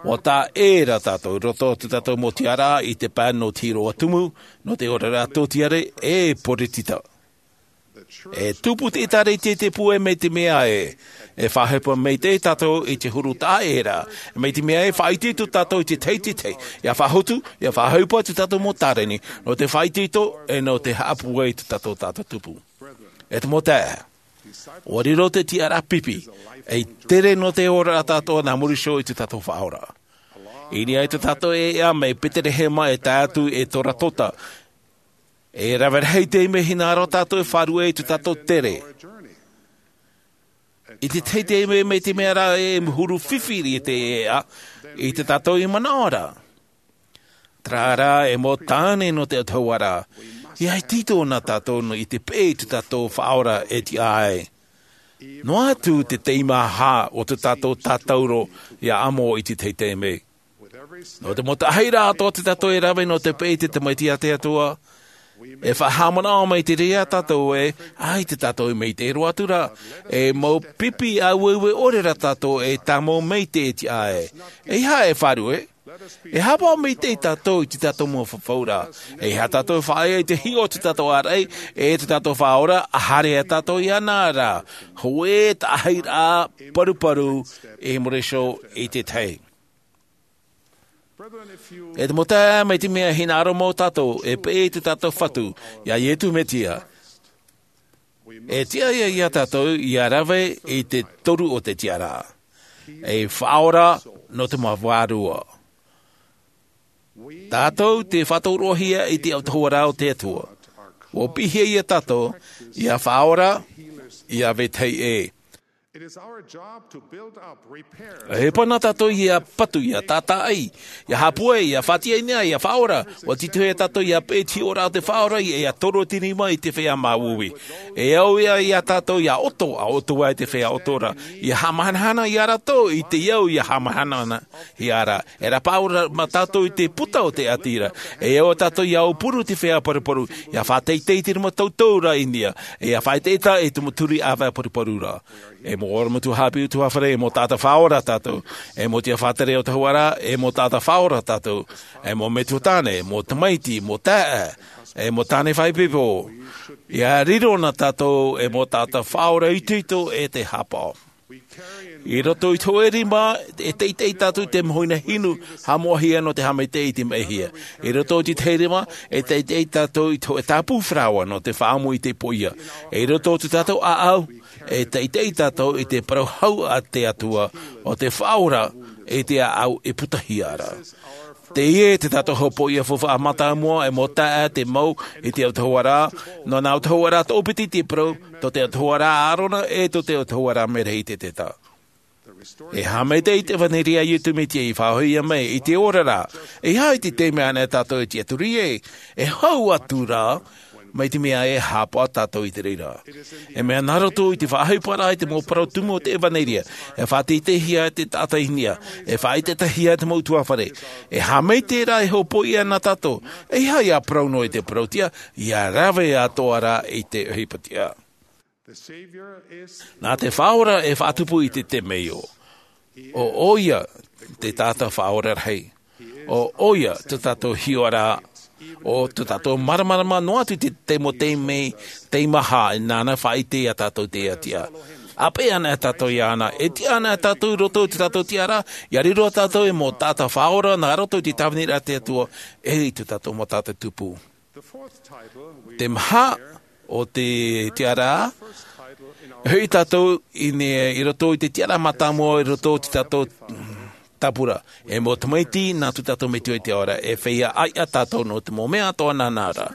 ʻUa taʻa ʻē rā tātou i roto i tō tātou mau tiʻaraʻa i te pae nō te hīroʻa tumu, nō te oraraʻa tōtiare, e poritita. E tupu te ʻĒkālesia i te pūai mai te mea ē, e faʻaʻohipa maitaʻi tātou i te huru taʻa ʻē ra, mai te mea ē, faʻaitoito tātou i te tahi i te tahi, ia faʻahotu, ia faʻaʻohipa i tō tātou mau tāreni, nō te faʻaitoito, e nō te haʻapūai i tō tātou taʻata tupu. E te mau taeaʻe, ʻua riro te tiʻaraʻa pipi, ei tere nō te oraraʻa atoʻa nā muri iho i tō tātou Faʻaora. I niʻa i tō tātou ʻēʻa mai Peterehema e tae atu i Saratoga, e rave rahi taime e hinaʻaro tātou e fārerei i tō tātou tere. I te tahi taime mai te mea ra e huru fifi i te ʻēʻa, i tā tātou i manaʻo ra. Terā rā, e mau tāne nō te Atua ra, ʻia itoito na tātou i te peʻe i tō tātou Faʻaora e tiʻa ai. Noa atu te teimaha o tō tātou tātauro ʻia amo i te tahi taime. Nō te mau taʻahiraʻa atoʻa tō tātou e rave nō te peʻe i te Tamaiti a te Atua, e faʻahaʻamanaʻo mai te reira tātou ē, ʻaita tātou e maitaʻi roa atu ra, e mau pipi ʻāueue ʻore rā tātou e tāmau maitaʻi e tiʻa ai. ʻEiaha e fārerei, e haʻapaʻo maitaʻi tātou i tō tātou mau fafauraʻa. ʻEiaha tātou e faʻaea i te hiʻo o tō tātou āraʻi, e tō tātou Faʻaora, ʻa haere ā tātou iāna ra. Hōʻē taʻahiraʻa paruparu i muri iho i te tahi. E te mau taeaʻe, mai te mea e hinaʻaro mau tātou e peʻe i tō tātou Fatu, iā Iesu Mesia, E tiʻa ia tātou ia rave i te toru o te tiʻaraʻa. E faʻaora nō te mau vārua. Tātou te faʻatoroʻahia i te autahuʻaraʻa o te Atua. Ua pīhia ia tātou ia faʻaora, ia vetahi ʻē. E pana tātou ia patu, ia tātaʻi, ia hāpue, ia faʻatiʻa i niʻa, ia faʻaora. Ua titohi ia tātou ia peʻe i te hiʻoraʻa o te Faʻaora, ia toru te rima i te feiā māuiui. E au ia ia tātou ia ʻoto, a ʻoto ai te feiā ʻoto ra. Ia haʻamahanahana ia rātou i te au ia haʻamahanahana ia rā. E rāpaʻo rā mā tātou i te puta o te ʻati ra. E au tātou ia aupuru te feiā paruparu, ia faʻateitei te rima toutou ra i niʻa, ia faʻaʻetaʻeta i te mau turi ʻāvae paruparu ra. E mau ʻorometua haʻapiʻi ʻutuāfare, e mau taʻata faʻaora tātou. E mau tiʻa faʻatere autahuʻaraʻa, e mau taʻata faʻaora tātou. E mau metua tāne, mau tamaiti, mau taeaʻe, e mau tāne faʻaipoipo. Ia riro na tātou e mau taʻata faʻaora itoito e te hāpaʻo. I roto i te hōʻē rima, e teitei tātou i te mau huaʻai hinu haʻamoʻahia nō te haʻamaitaʻi i te maʻihia. I roto i te tahi rima, e teitei tātou i te hōʻē tāpū faraoa nō te faʻaʻamu i te poʻia. I roto i tō tātou ʻāʻau, e teitei tātou i te parau hau a te Atua, ʻo te Faʻaora i te ʻāʻau e putahia ra. Teie te tātou hopoiʻa faufaʻa mātāmua, e mau taeaʻe, te mau i te autahuʻaraʻa, nō nā autahuʻaraʻa toʻopiti te parau, tō te autahuʻaraʻa a ʻĀrona, e tō te autahuʻaraʻa Merehiteta. E haʻamaitaʻi te ʻevaneria a Iesu Mesia i faʻahoʻihia mai i te oraraʻa. E aha te taime anaʻe tātou e tiʻaturi ai, e hau atu rā, mai te mea e hāpaʻo tātou i te reira. E mea nā roto i te faʻaʻohiparaʻa i te mau parau tumu o te ʻevaneria, e faʻateiteihia te taʻata i niʻa, e faʻaʻetaʻetahia te mau ʻutuāfare. E haʻamaitaʻi rā e hopoiʻa na tātou, e aha ia parau noa i te parauʻtiʻa, ia rave atoʻa rā i te ʻohipa tiʻa. Nā te Faʻaora e faʻatupu i te temeio. ʻO ʻoia te taʻata faʻaora rahi. ʻO ʻoia tō tātou hiʻoraʻa. ʻO tō tātou māramarama noa atu i te taime, taime, teimaha, nāna faʻaʻite ia tātou i te tiʻa. A peʻe anaʻe tātou iāna, e tiʻa anaʻe tātou i roto i tō tātou tiʻaraʻa, ia riro tātou e mau taʻata faʻaora nā roto i te tāviniraʻa a te Atua, e i tō tātou mau taʻata tupu. Te maha o te tiʻaraʻa, e hoʻi tātou i nei i roto i te tiʻaraʻa mātāmua i roto i tō tātou tāpura. E mau tamaiti nā tō tātou Metua i te ao ra, e feiā ʻāiʻa tātou nō te mau mea atoʻa nāna ra.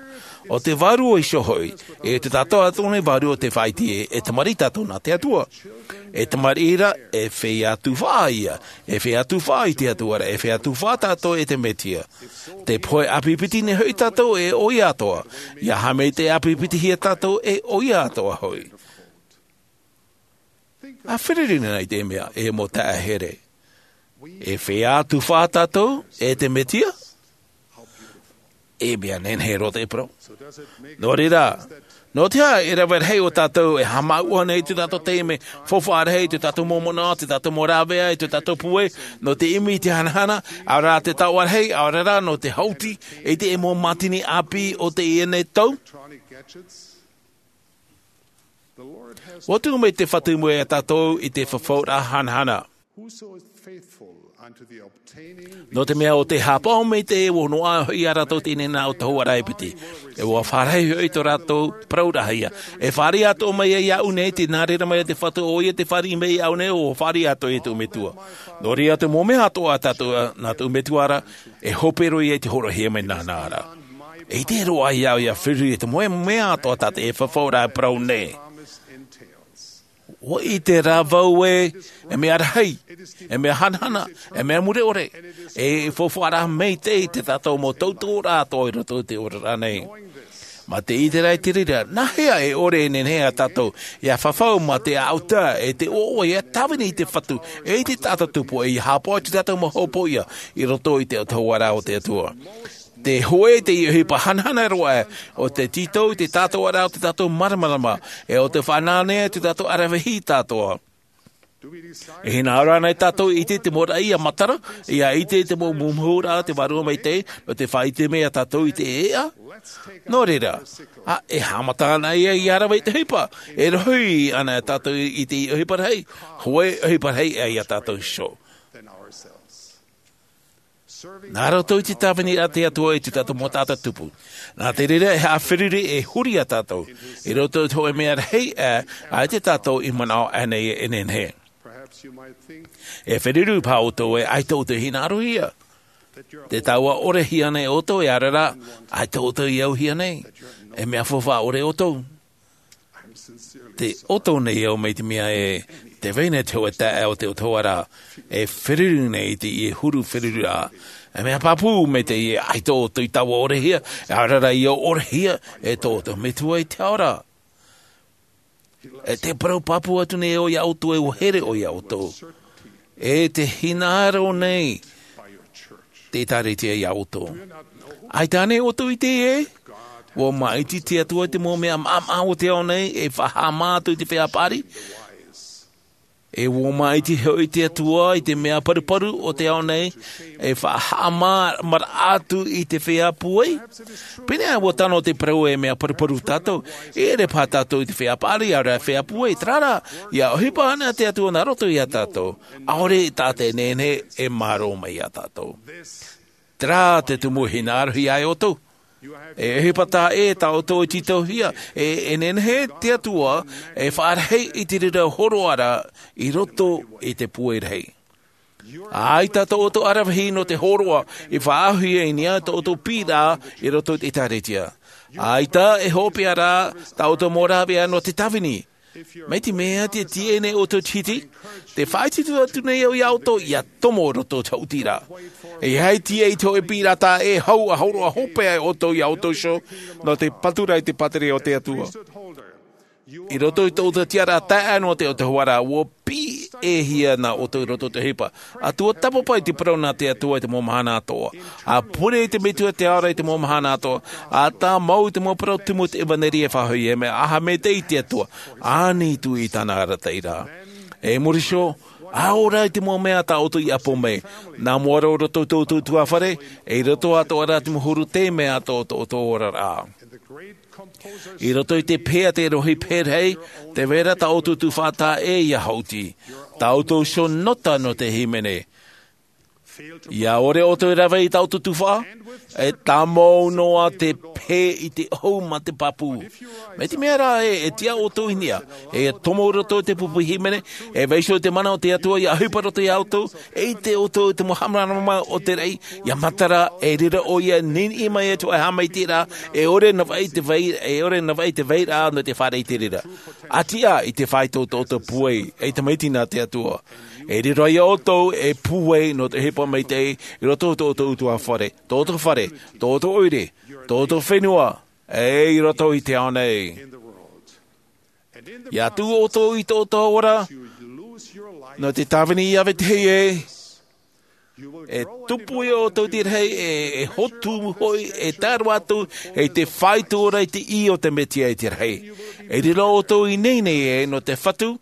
ʻO te Vārua Iho hoʻi, e tō tātou atoʻa nei vārua ʻo tē faʻaʻite, e tamariʻi tātou nā te Atua. E tamariʻi ra, e feiā tufaʻa ïa, e feiā tufaʻa i te Atua ra, e feiā tufaʻa tātou e te Mesia. Tē pohe ʻāpipiti nei hoʻi tātou e ʻoia atoʻa, ia haʻamaitaʻi ʻāpipitihia tātou e ʻoia atoʻa hoʻi. ʻA feruri na i te mea, e mau taeaʻe here. E feiā tufaʻa tātou e te Mesia? E mea nehenehe roa te parau. Nō reira, nō te aha e rave rahi ʻo tātou e haʻamāuʻa nei i tō tātou taime faufaʻa rahi, i tō tātou mau manaʻo, i tō tātou mau rāveʻa, i tō tātou puai, nō te ʻimi i te hanahana, ʻaore rā te taoʻa rahi, ʻaore rā nō te hauti i te mau mātini ʻāpī o teie nei tau? Ua tuʻu mai te Fatu mai ia tātou i te fafauraʻa hanahana. Nō te mea ʻo tē hāpaʻo maitaʻi, ʻua noaʻa hoʻi ia rātou i teie nei autahuʻaraʻa e piti. E ʻua fāriʻi hoʻi tō rātou parauraʻahia. E fāriʻi atoʻa mai ia iāʻu nei, tē nā reira mai te Fatu, ʻoia tē fāriʻi mai iāʻu nei, ʻua fāriʻi atoʻa ia tōʻu Metua. Nō reira te mau mea atoʻa a tātou, nā tōʻu Metua ra, e hope roa ia i te hōroʻahia mai nāna ra. E ʻite roa iāʻu ia feruri i te mau mea atoʻa tā te fafauraʻa e parau nei. ʻUa ʻite rā vau ē, e mea rahi, e mea hanahana, e mea mure ʻore, e faufaʻa rā maitaʻi i tā tātou mau tautoʻoraʻa atoʻa i roto i te oraraʻa nei. Mā te ʻite rā i te reira, nā hea e ʻore e nehenehe ia tātou ia fafau mā te ʻāʻau taʻa, e te ʻoaʻoa ia tāvini i te Fatu, e i te taʻata tupu, e ia hāpaʻo i tō tātou mau hopoiʻa i roto i te autahuʻaraʻa o te Atua. Tē hōʻē i te ʻohipa hanahana roa ʻo tē tītau i te taʻatoʻaraʻa o tō tātou māramarama, e ʻo tē fānaʻo nei i tō tātou ʻaravihi atoʻa. E hinaʻaro ānei tātou i ʻite i te mau raʻi ia matara, ia ʻite i te mau mumuraʻa a te Vārua Maitaʻi, nō te faʻaʻite mai ia tātou i te ʻēʻa? Nō reira, ā, e haʻamata anaʻe ia, ia rave i te ʻohipa, e rohi anaʻe tātou i te ʻohipa rahi, hōʻē ʻohipa rahi ia tātou iho. Nā roto i te tāvini a te Atua i tō tātou mau taʻata tupu. Nā te reira e haʻaferuri e huri iā tātou i roto i te hōʻē mea rahi aʻe i tō tātou i manaʻo aʻenei e nehenehe. E feruri paha ʻoutou e ʻaita ʻoutou e hinaʻarohia. Te taua ʻore hia nei ʻoutou e ʻaore rā, ʻaita ʻoutou e auhia nei. E mea faufaʻa ʻore ʻoutou. Tē ʻoutou nei au mai te mea e te vai nei te hōʻē taeaʻe o te ʻOtua ra e feruri nei i te huru feruri ra. E mea pāpū mai te ʻaita ʻoutou i taua ʻorehia, e ʻaore rā i ʻorehia e tō ʻoutou Metua i te ao ra. E te parau pāpū atu nei au iā ʻoutou e ʻua here ʻoe iā ʻoutou. E te hinaʻaro nei te ʻĒtārētia iā ʻoutou. ʻAita ānei ʻoutou i ʻite ē, ʻua māʻiti te Atua i te mau mea māʻamaʻa o te ao nei e faʻahaʻamā atu i te feiā paʻari? E ʻua māʻiti hoʻi te Atua i te mea paruparu o te ao nei e faʻahaʻamā atu i te feiā pūai? Pēneiaʻe ʻua tano te parau e mea paruparu tātou, e ʻere paha tātou i te feiā paʻari ʻaore rā feiā pūai, terā rā, ʻia ʻohipa ana te Atua nā roto iā tātou, ʻaore tātou e nehenehe e mārō mai iā tātou. Terā te tumu e hinaʻarohia ai ʻoutou. E ʻohipa taʻa ʻē tā ʻoutou e tītauhia, e, e nehenehe te Atua e faʻarahi i te reira hōroʻa ra i roto i te pūai rahi. ʻAita tō ʻoutou ʻaravihi nō te hōroʻa i faʻaauhia i niʻa i tō ʻoutou piʻiraʻa i roto i te ʻĒtārētia. ʻAita e hopeʻa rā tā ʻoutou mau rāveʻa nō te tāvini. Mai te mea tē tīaʻi nei ʻoutou i te hiti, tē faʻaitoito atu nei au iā ʻoutou ʻia tomo roto i te haʻutiraʻa. E ʻeiaha e tīaʻi i te hōʻē piʻiraʻa taʻa ʻē hau ʻa hōroʻa hopeʻa ai ʻoutou iā ʻoutou iho nō te patu ra i te pātireia o te Atua. I roto i tō ʻoutou tiʻaraʻa taeaʻe nō te ʻOtua ra, ʻua piʻihia nā ʻoutou i roto i te ʻohipa. ʻA tuatāpapa i te parau nā te Atua i te mau mahana atoʻa. ʻA pure i te Metua i te ao ra i te mau mahana atoʻa. ʻA tāmau i te mau parau tumu o te ʻevanelia e faʻahoʻi, e mea ʻaita maitaʻi te Atua, ʻānei atu i tāna arataʻiraʻa. E muri iho, ʻaore rā i te mau mea tā ʻoutou i ʻapo mai. Nā mua roa i roto i tō ʻoutou ʻutuāfare, e i roto atoʻa rā i te mau huru taime atoʻa o tō ʻoutou oraraʻa. I roto i te pehe a te rohi pehe rahi, tē vai ra tā ʻoutou tuhaʻa taʻa ʻē ʻia haʻuti. Tā ʻoutou iho nota nō te hīmene. ʻIa ʻore ʻoutou e rave i tā ʻoutou tuhaʻa, e tāmau noa te pehe i te ʻohu mā te pāpū. Mai te mea rā ē, e tiʻa ʻoutou i niʻa, e tomo i roto i te pupu hīmene, e vaiiho i te mana o te Atua ʻia ʻohipa i roto iā ʻoutou, e ʻite ʻoutou i te mau haʻamāramarama o te raʻi, ʻia matara, e reira ʻoia e niniʻi mai atu e haʻamaitaʻi ra, e ʻore e navaʻi te vai, e ʻore e navaʻi te vairaʻa nō te fāriʻi i te reira. ʻA tiʻa i te faito o tō ʻoutou pūai, ei tamaiti nā te Atua. E riro ai ʻoutou ei pūai nō te ʻohipa maitaʻi i roto i tō ʻoutou ʻutuāfare, tō ʻoutou fare, tō ʻoutou ʻoire, tō ʻoutou fenua, e i roto i te ao nei. ʻIa tuʻu ʻoutou i tō ʻoutou ora, nō te tāvini ʻia vetahi ē, e tupu ia ʻoutou i te rahi, e, e hotu hoʻi, e tae roa atu, e te faito ra i te ʻī o te Metia i te rahi. E riro ʻoutou i teie nei ē, nō te Fatu,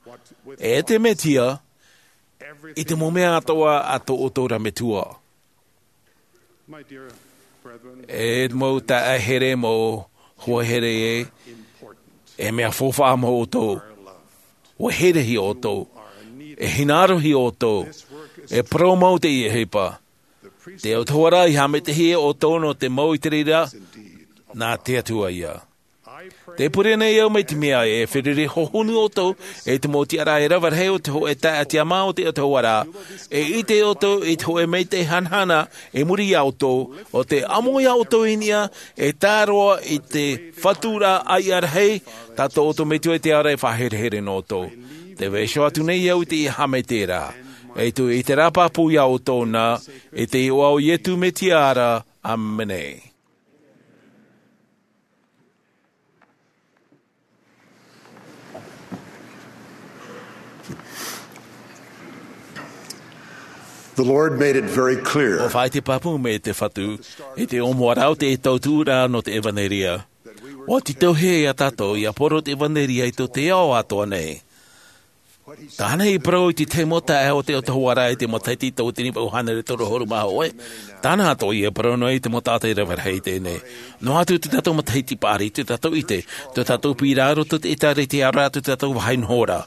e te Metia, i te mau mea atoʻa a tō ʻoutou ra Metua. E mau taeaʻe here, mau hoa here ē, e mea faufaʻa mau ʻoutou. ʻUa herehia ʻoutou. E hinaʻarohia ʻoutou. E parau mau teie ʻohipa. Te ʻOtua ra i haʻamaitaʻihia ʻoutou nō te mau i te reira, nā te Atua ïa. Tē pure nei au mai te mea e feruri hohonu ʻoutou, e te mau tiʻaraʻa e rave rahi o te hōʻē taeaʻe tiʻamā o te ʻOtua ra, e ʻite ʻoutou i te hōʻē maitaʻi hanahana i muri iā ʻoutou, ʻo tē amo iā ʻoutou i niʻa, e tae roa i te Fatu ra ʻāiʻa rahi, tā tō ʻoutou Metua i te ao ra e faʻaherehere nō ʻoutou. Tē vaiiho atu nei au i teie haʻamaitaʻiraʻa. E tuʻu i te reira pāpū iā ʻoutou na, i te iʻoa o Ietu Metia ra, ʻāmene. The Lord made it very clear. ʻUa faʻaʻite pāpū mai te Fatu, i te ʻōmuaraʻa o te tautuʻuraʻa nō te ʻevanelia. ʻUa tītauhia iā tātou ʻia poro te ʻevanelia i tō te ao atoʻa nei. Tāna i parau i te tahi mau taeaʻe o te ʻOtua ra i te matahiti tauatini vaʻu hānere toru ʻahuru mā hōʻē. Tāna atoʻa e parau noa i te mau taʻata e rave rahi i teie nei. Noa atu tō tātou matahiti paʻari, tō tātou ʻite, tō tātou piʻiraʻa i roto i te ʻĒtārētia ra, tō tātou vāhi noho ra.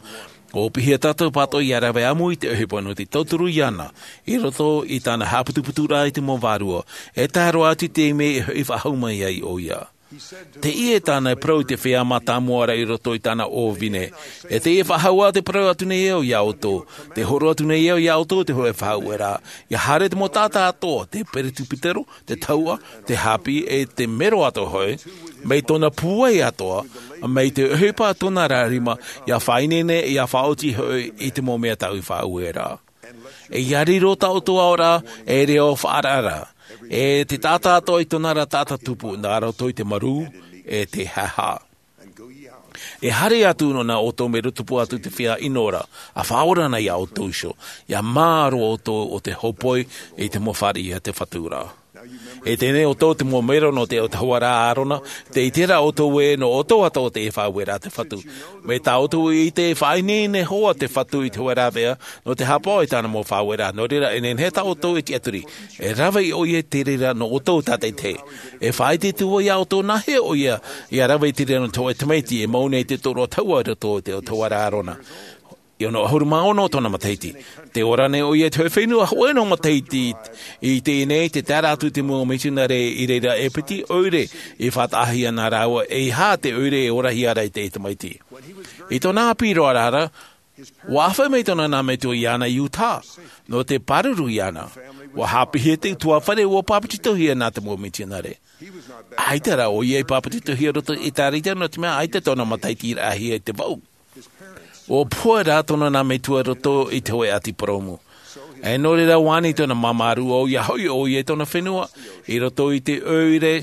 Ua piʻi tātou pātoʻi ia rave ʻāmui i te ʻohipa nō te tauturu iāna i roto i tāna haʻaputuputuraʻa i te mau vārua, e tae roa atu i te mea e hoʻi faʻahou mai ai ʻoia. Teie tāna e parau i te feiā mātāmua ra i roto i tāna ʻōvine. E teie faʻahou ā te parau atu nei au iā ʻoutou, te horo atu nei au iā ʻoutou te hōʻē faʻaueraʻa, ia haere te mau taʻata atoʻa, te peretiputero, te tahuʻa, te hāpī, e te mero atoʻa hoʻi, mai tōna pūai atoʻa, mai te ʻohipa tōna ra rima, ia faʻaineine, ia faʻaoti hoʻi i te mau mea tāʻu i faʻaueraʻa. E ia riro tā ʻoutou aʻoraʻa, e reo faʻaararaʻa, e te taʻata atoʻa i tōna ra taʻata tupu, nā roto i te marū, e te haʻehaʻa. E haere atu nō nā ʻoutou mero tupu atu te feiā ʻino ra, ʻa faʻaora na iā ʻoutou iho, ia mārō ʻoutou o te hōpoi i te mau fāriʻi a te Fatu ra. E teie nei ʻoutou te mau mero nō te ʻautahuʻaraʻa a ʻĀrona, tē ʻite ra ʻoutou ē, nō ʻoutou atoʻa te faʻaueraʻa a te Fatu. Mai tā ʻoutou i ʻite e faʻaineine hoʻi te Fatu i te hōʻē rāveʻa, nō te haʻapaʻo i tāna mau faʻaueraʻa, nō reira e nehenehe tā ʻoutou e tiʻaturi. E rave ʻoia i te reira nō ʻoutou tātaʻitahi. E faʻaʻite atu vau iā ʻoutou nāhea ʻoia, ia rave i te reira nō te hōʻē tamaiti, e mau nei te tōroʻa tahuʻa i roto i te ʻautahuʻaraʻa a ʻĀrona. E ono ʻahuru mā ono tōna matahiti. Tē ora nei ʻoia i te hōʻē fenua hōʻē noa matahiti, i teie nei, tē tae ra atu te mau mitionare i reira e piti ʻoire i faʻataʻahia nā rāua, e ʻeiaha te ʻoire e orahia ra i te tamaiti. I tōna ʻāpī roa ra, ua ʻāfaʻi mai tōna nā metua iāna i Utah, nō te pāruru iāna. Ua haʻapiʻihia te ʻutuāfare, ua pāpetitohia nā te mau mitionare. ʻAita rā ʻoia i pāpetitohia i roto i te ʻĒtārētia, nō te mea ʻaita tōna mataʻitiraʻahia i te vau. Ua pohe rā tōna nā metua i roto i te hōʻē ʻati purōmu. E nō reira, ua ani tōna māmā rūʻau, ia hoʻi ʻoia i tōna fenua, i roto i te ʻoire,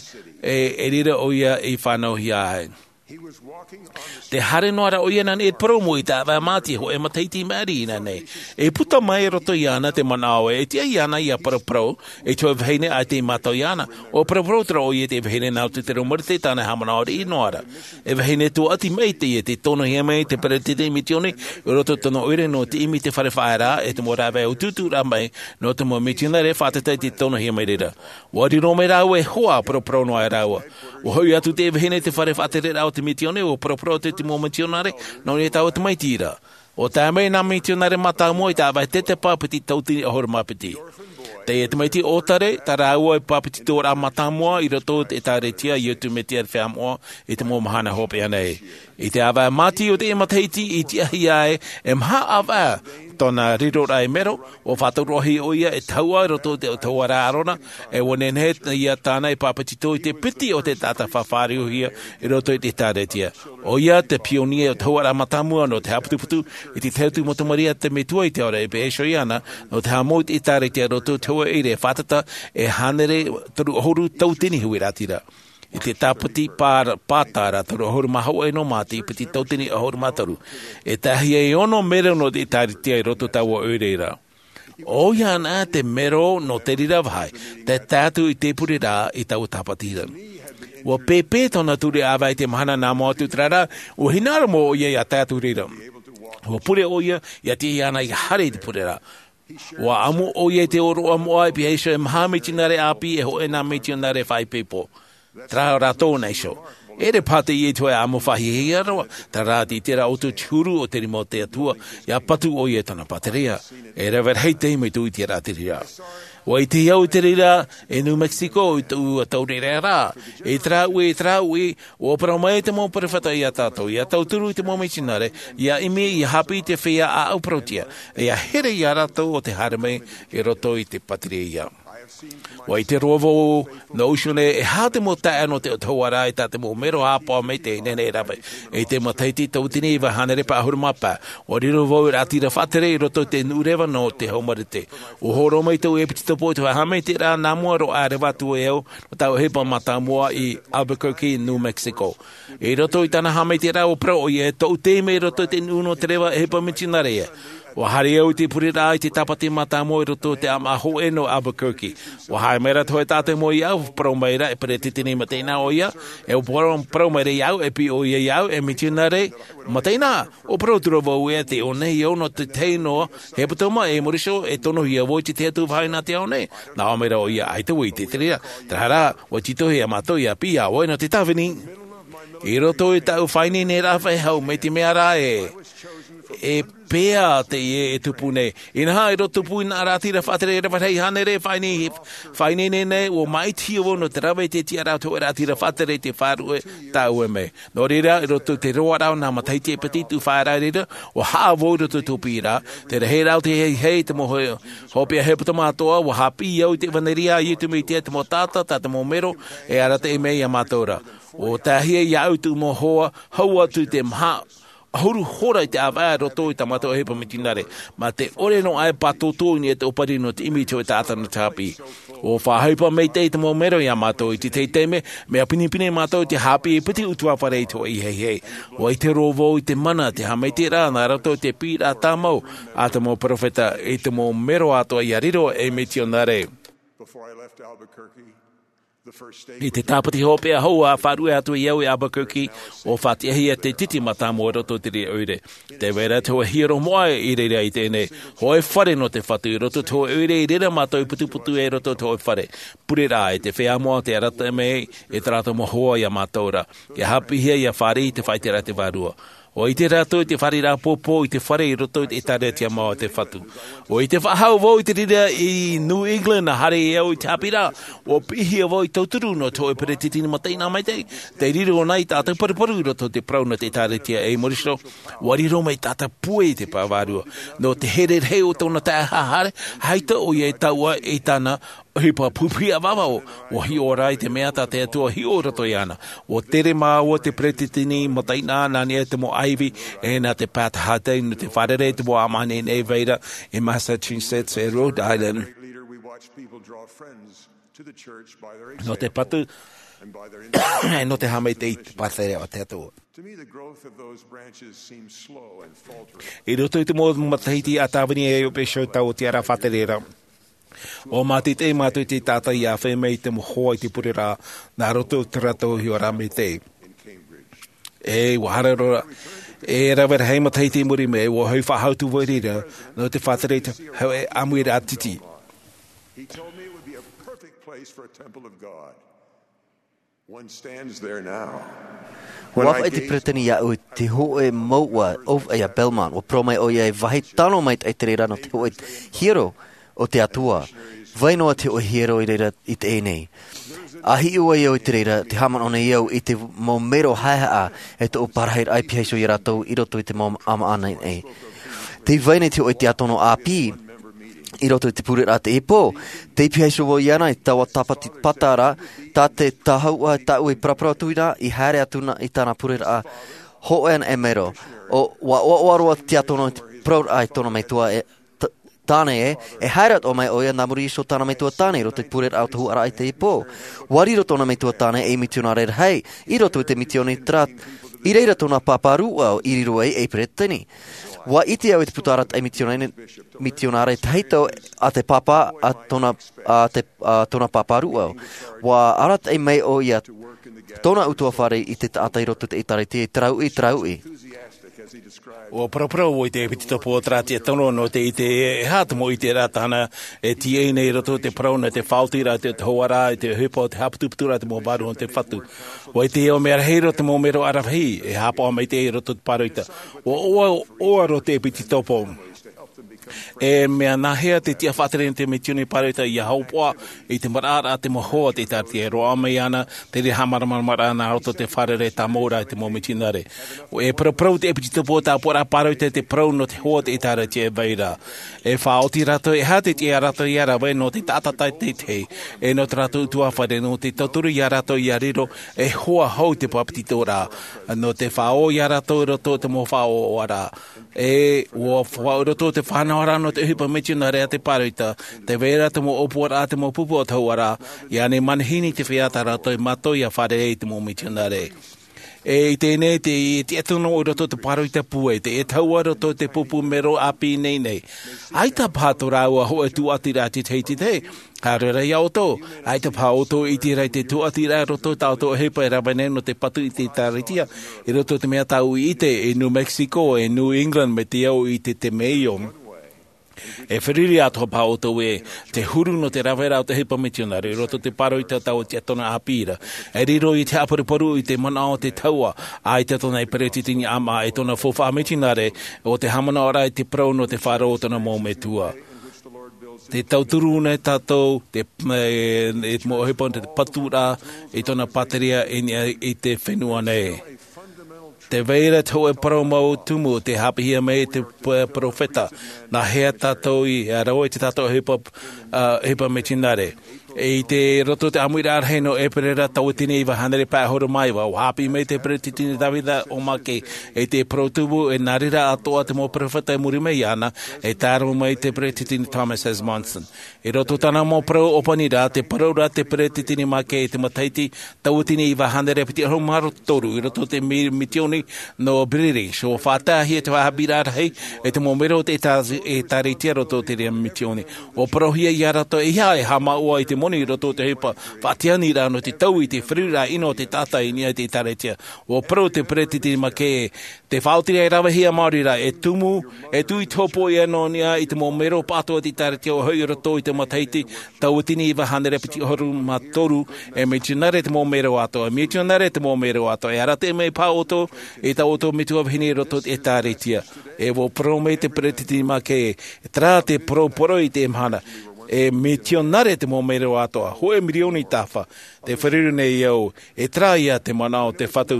e, i reira ʻoia i fānauhia ai. Tē haere noa ra ʻoia nā niʻa i te purōmu i te ʻāvaʻe māti, hōʻē matahiti maʻiri inānahi. E puta mai i roto iāna te manaʻo ē, e tiʻa iāna ia paraparau, e te hōʻē vahine ʻaita i mātau iāna. ʻUa paraparau terā ʻoia i te vahine nā roto i te reo Marite tāna e haʻamanaʻo riʻi noa ra. E vahine tuaʻati maitaʻi ē, tē tonohia mai te peretiteni mitioni, i roto i tōna ʻoire nō te ʻimi i te fare faʻaearaʻa, e te mau rāveʻa ʻutuʻutu rā mai, nō te mau mitionare fātata i te tonohia mai reira. ʻUa riro mai rāua e hoa, paraparau noa ai rāua. ʻUa hoʻi atu te vahine i te fare faʻatereraʻa o te mitioni, ʻua paraparau atu te mau mitionare, nō niʻa i taua tamaiti ra. ʻUa tae mai nā mitionare mātāmua i te ʻāvaʻe tetepa piti tauatini ʻahuru mā piti. Teie tamaiti ʻōtare, tā rāua e pāpetitoraʻa mātāmua i roto i te ʻĒtārētia a Iesu Mesia Feiā Moʻa i te mau mahana hopeʻa nei. I te ʻāvaʻe māti o teie matahiti i tiʻahia ai, e maha ʻāvaʻe tōna riroraʻa ei mero, ʻua faʻatauroʻohia ʻoia e tahuʻa i roto i te ʻautahuʻaraʻa a ʻĀrona, e ʻua nehenehe ia tāna e pāpetito i te piti o te taʻata faʻafāriuhia i roto i te ʻĒtārētia. ʻOia te pionia ʻautahuʻaraʻa mātāmua nō te haʻaputuputu i te tahi atu mau tamariʻi a te Metua i te ao ra e pēʻe iho iāna, nō te haʻamou i te ʻĒtārētia i roto i te hōʻē ʻoire fātata e hānere toru ʻahuru tauatini huiraʻatira. I te tāpati pā-, pātara toru ʻahuru mā hōʻē nō Mātiu piti tauatini ʻahuru mā toru. E tahi e ono mero nō te ʻĒtārētia i roto i taua ʻoire ra. ʻOia anaʻe te mero nō te reira vāhi, tē tae atu i te pureraʻa i taua tāpati ra. ʻUa pēpē tōna ture ʻāvaʻe i te mahana nā mua atu terā ra, ʻua hinaʻaro mau ʻoia ia tae atu i reira. ʻUa pure ʻoia, ia tiʻa iāna ia haere i te pureraʻa. ʻUa ʻamu ʻoia i te ʻōroʻa moʻa e pīhaʻi iho e maha mitionare ʻāpī e hōʻē nā mitionare faʻaipoipo. Terā rātou nā iho. ʻEʻere paha teie i te hōʻē ʻamu faʻahiahia roa, terā rā tē ʻite ra ʻoutou te huru o te rima o te Atua, ia patu ʻoia i tōna pātireia. E rave rahi te mea tē ʻite ra te reira. ʻUa ʻite au i te reira, i New Mexico, i tōʻu taureʻareʻa ra. I terā uʻi, i terā uʻi, ʻua parau mai te mau perofeta iā tātou, ia tauturu i te mau mitionare, ia ʻimi, ia haʻapiʻi i te feiā ʻāʻau parauʻtiʻa, ia here iā rātou ʻo tē haere mai i roto i te pātireia. ʻUa ʻite roa vau, nō ʻō nei, e aha te mau taeaʻe nō te ʻautahuʻaraʻa i tā te mau mero haʻapaʻo maitaʻi e nehenehe e rave. I te matahiti tauatini iva hānere pae ʻahuru mā pae, ʻua riro vau i te ʻātira faʻatere i roto i te nuʻu reva nō te hau Marite. ʻUa hōroʻa mai tōʻu ʻepitetopo i te hōʻē haʻamaitaʻiraʻa nā mua roa aʻe reva atu e au, nō taua ʻohipa mātāmua i Albuquerque, New Mexico. I roto i tāna haʻamaitaʻiraʻa ʻua parau ʻoia, tōʻu taime i roto i te nuʻu nō te reva, ʻohipa mitionare ia. ʻUa haere au i te pureraʻa i te tāpati mātāmua i roto i te ʻāmaʻa hōʻē nō Albuquerque. ʻUa haere mai ra te hōʻē taʻata mau iāʻu, parau mai ra e peretiteni mataʻeinaʻa ʻoia, e ʻua parau, parau mai ra iāʻu, e piʻi ʻoia iāʻu, e mitionare mataʻeinaʻa. ʻUa parau atu ra vau ē, tē ʻō nei au nō te tahi noa hepetoma, e muri iho e tonohia vau i te tahi atu vāhi nā te ao nei. Nā ʻō mai ra ʻoia, ʻaita vau i ʻite i te reira. Terā rā, ʻua tītauhia mātou ia piʻi iā ʻoe nō te tāvini. I roto i tāʻu faʻaineineraʻa faʻehau, mai te mea ra ē, E pea te ie e tupu nei. Inaha, i roto tupu i nā rātira faʻatere e rave rahi hānere, faʻaineinei nei, ua māʻitihia vau nō te rave i te tiʻaraʻa o te hoʻe rātira faʻatere i te faʻaruʻe tāʻue mai. Nō reira, i roto i te roaraʻa o nā matahiti e piti tuʻu faʻaʻera reira, ua haʻa vau i roto i tō piʻiraʻa, te rahiraʻa o te heihei, te mau hopeʻa hepetoma atoʻa, ua haʻapiʻi au i te ʻevaneria a Iesu Mesia, te mau taʻata, tā te mau mero, e arataʻi mai iā mātou ra. Ua taehia iāʻu tōʻu mau hoa, hau atu i te maha ʻahuru hora i te ʻāvaʻe i roto i tā mātou ʻohipa mitionare, mā te ʻore noa e pātōtō i niʻa i te ʻōpani nō te ʻimi i te hōʻē taʻata nō te haʻapiʻi. Ua faʻaʻohipa maitaʻi te mau mero iā mātou i te tahi taime, mea pinepine mātou i te haʻapiʻi e piti ʻutuāfare i te hōʻē heihei. Ua ʻite roa vau i te mana, te haʻamaitaʻiraʻa nā roto i te piʻiraʻa tāmau a te mau peropheta, i te mau mero atoʻa ia riro ei mitionare. Before I left Albuquerque, the first state I te tāpati hopeʻa hou a faʻaruʻe atu iāʻu i Albuquerque, ua faʻatiʻahia te titi mātāmua i roto i te reira ʻoire. Tē vai ra te hōʻē hiero moʻa i reira i teie nei, hōʻē fare nō te Fatu i roto i te hōʻē ʻoire, i reira mātou i putuputu ai i roto i te hōʻē fare. Pure rā, i te feiā moʻa te arataʻi mai e tā rātou mau hoa iā mātou ra. ʻIa haʻapiʻihia, ʻia fāriʻi i te faʻaʻiteraʻa a te Vārua. ʻUa ʻite rātou i te fāriʻiraʻa pōpō i te fare i roto i te ʻĒtārētia mau a te Fatu. ʻUa ʻite faʻahou vau i te reira i New England, nā haere ai au i te haʻapiʻiraʻa, ʻua piʻihia vau ei tauturu nō te hōʻē peresideni mataʻeinaʻa maitaʻi, tei riro nei tāʻu paruparu i roto i te parau nō te ʻĒtārētia ei Morisoro, ʻua riro mai tāʻu pūai i te Vārua. Nō te here rahi o tōna taeaʻe haʻahaere, ʻaita ʻoia e taʻua i tāna ʻohipa pupuhi ʻāvaʻe, ʻua hiʻo ra i te mea tā te Atua i hiʻo i roto iāna. ʻUa tere māua te peresideni mataʻeinaʻa nā niʻa i te mau ʻāivi, e nā te pātahatai nō te fārerei i te mau ʻāmaʻa nei e vai ra i Massachusetts e Rhode Island. Nō te patu, e nō te haʻamaitaʻi i te pātere o te Atua. To me, the growth of those branches seems slow and faltering. I roto i te mau matahiti a tāvini ai au e pēsio tāʻu tiʻaraʻa faʻatere ra, ʻua mātaitai mātou i te taʻata ʻia ʻāfaʻi mai i te mau hoa i te pureraʻa, nā roto i tō rātou hiʻoraʻa maitaʻi. E, ʻua haere roa, e rave rahi matahiti i muri mai, ʻua hoʻi faʻahou atu vau i reira, nō te faʻatere i te hōʻē ʻāmuiraʻa titi. He told me it would be a perfect place for a temple of God. One stands there now. ʻUa ʻāfaʻi te peresideni iāʻu i te hōʻē mouʻa ʻōfaʻi a Belmont. ʻUa parau mai ʻoia e vāhi tano maitaʻi te reira nō te hōʻē hiero o te Atua. Vai noa te hōʻē hiero i reira i teie nei. ʻA hiʻo ai au i te reira, tē haʻamanaʻo nei au i te mau mero haʻehaʻa e tōʻu parahiraʻa i pihaʻi iho iā rātou i roto i te mau ʻāmaʻa nei. Tē vai nei te hōʻē tiʻatono ʻāpī i roto i te pureraʻa teie pō. Tē pihaʻi iho vau iāna i taua tāpati pata ra, tā te tāuʻa tāʻu i paraparau atu i reira, i haere atu na i tāna pureraʻa hōʻē anaʻe mero. ʻUa ʻoaʻoa roa te tiʻatoro i te parauraʻa i tōna metua e t-, tāne ē, e haere atoʻa mai ʻoia nā muri iho i tōna metua tāne i roto i te pureraʻa o te huaraʻa i teie pō. ʻUa riro tōna metua tāne ei mitionare rahi i roto i te mitioni, terā i reira tōna pāpā rūʻau i riro ai ei peresideni. ʻUa ʻite au i te puta arataʻi mitionare, mitionare tahito a te pāpā a tōna, a te, a tōna pāpā rūʻau. ʻUa arataʻi mai ʻoia tōna ʻutuāfare i te taʻata i roto i te ʻĒtārētia i terā uʻi, terā uʻi. ʻUa paraparau au i te ʻepitetopo o terā tiʻatoro nō te ʻite e, e aha te mau ʻiteraʻa tāna e tīaʻi nei i roto i te parau nō te faʻaotiraʻa i te, te hoaraʻa, i te ʻohipa o te haʻaputuputuraʻa i te mau vārua o te Fatu. ʻUa ʻite au mea rahi roa te mau mero aravihi e haʻapaʻo maitaʻi i roto i te pāroita. ʻUa ʻoaʻoa roa te ʻepitetopo. E mea nāhea te tiʻa faʻatere nō te mitioni pāroita ʻia hopoiʻa i te maraʻaraʻa a te mau hoa o te ʻĒtārētia e roaʻa mai ana te reira haʻamāramaramaraʻa nā roto i te fārerei tāmau ra i te mau mitionare. E paraparau te ʻepitetopo o te ʻāpoʻoraʻa pāroita i te parau nō te hoa o te ʻĒtārētia e vai ra. E faʻaoti rātou e aha te tiʻa rātou ʻia rave nō te taʻata teitei, e nō tā rātou ʻutuāfare, nō te tauturu ia rātou ʻia riro ei hoa hou i te bāpetizoraʻa, nō te faʻaō ia rātou i roto i te mau faʻaoʻoraʻa. E ʻua faʻaoti roa te faʻanahoraʻa nō te ʻohipa mitionare a te pāroita, tē vai ra te mau ʻōpuaraʻa, te mau pupu o te hauʻaraʻa, ʻia ani manihini te feiā tā rātou e mātau ʻia fārerei i te mau mitionare. E i teie nei, te tiʻatoro i roto i te pāroita pūai, te taua i roto i te pupu mero ʻāpī nei nei. ʻAita paha tō rāua hōʻē tūʻatiraʻa i te tahi i te tahi, haere rā ia ʻoutou, ʻaita paha ʻoutou e ʻite ra i te tūʻatiraʻa i roto i tā ʻoutou ʻohipa e rave nei nō te patu i te ʻĒtārētia, i roto i te mea tāʻu i ʻite, i New Mexico, e New England, mai te au i te, te Maine. E feruri atoʻa paha ʻoutou e te huru nō te raveraʻa o te ʻohipa mitionare i roto i te pāroita tau tiatona ʻāpī ra. E riro i te haʻaparuparu i te manaʻo o te taua, ʻa i te tōna i peretiteni ʻāmaʻa e tōna faufaʻa mitionare o te haʻamanaʻoraʻa i te parau nō te faʻaroʻo o tōna mau metua. Te tauturu nei tātou te e, e mau ʻohipa te paturaʻa i tōna pāteria i niʻa i te fenua nei. Te vai ra te hōʻē parau mau tumu te haʻapiʻihia mai e te p- peropheta. Nā hea tātou i a rau i te tātou ʻohipa ʻohipa mitionare? I te roto o te ʻāmuiraʻa rahi nō ʻēperēra tauatini iva hānere pae ʻahuru mā iva ua haʻapiʻi mai te peretiteni davida o mackay i te parau tumu e nā reira atoʻa te mau peropheta i muri mai iāna, e tae roa mai te peretiteni thomas s monson. I roto i tāna mau parau ʻōpaniraʻa te parau ra te peretiteni mackay i te matahiti tauatini iva hānere piti ʻahuru mā toru i roto i te mitioni nō british ua faʻataʻahia te haʻapiʻiraʻa rahi i te mau mero o te ʻēkālesia i roto i te reira mitioni. Ua parauhia iā rātou e ia e haʻamāuʻa i te moni i roto i te ʻohipa faʻatianiraʻa nō te tau i te feruriraʻa ʻino o te taʻata i niʻa i te ʻēkālesia. Ua parau te peretiteni mackay e te faʻaotiraʻa e ravehia maori ra e tumu e tū i te hopoiʻa nō niʻa i te mau mero pātoa o te ʻēkālesia ua hoʻi i roto i te matahiti tauatini iva hānere piti ʻahuru mā toru. E mitionare te mau mero atoʻa e mitionare te mau mero atoʻa e arataʻi mai paha ʻoutou i tā ʻoutou metua vahine i roto i te ʻēkālesia. E ua parau mai te peretiteni mackay e terā te parau parau i te mahana e mitionare te mau mero atoʻa hōʻē mirioni tāfa. Te feruri nei au e terā ia te manaʻo o te fatu.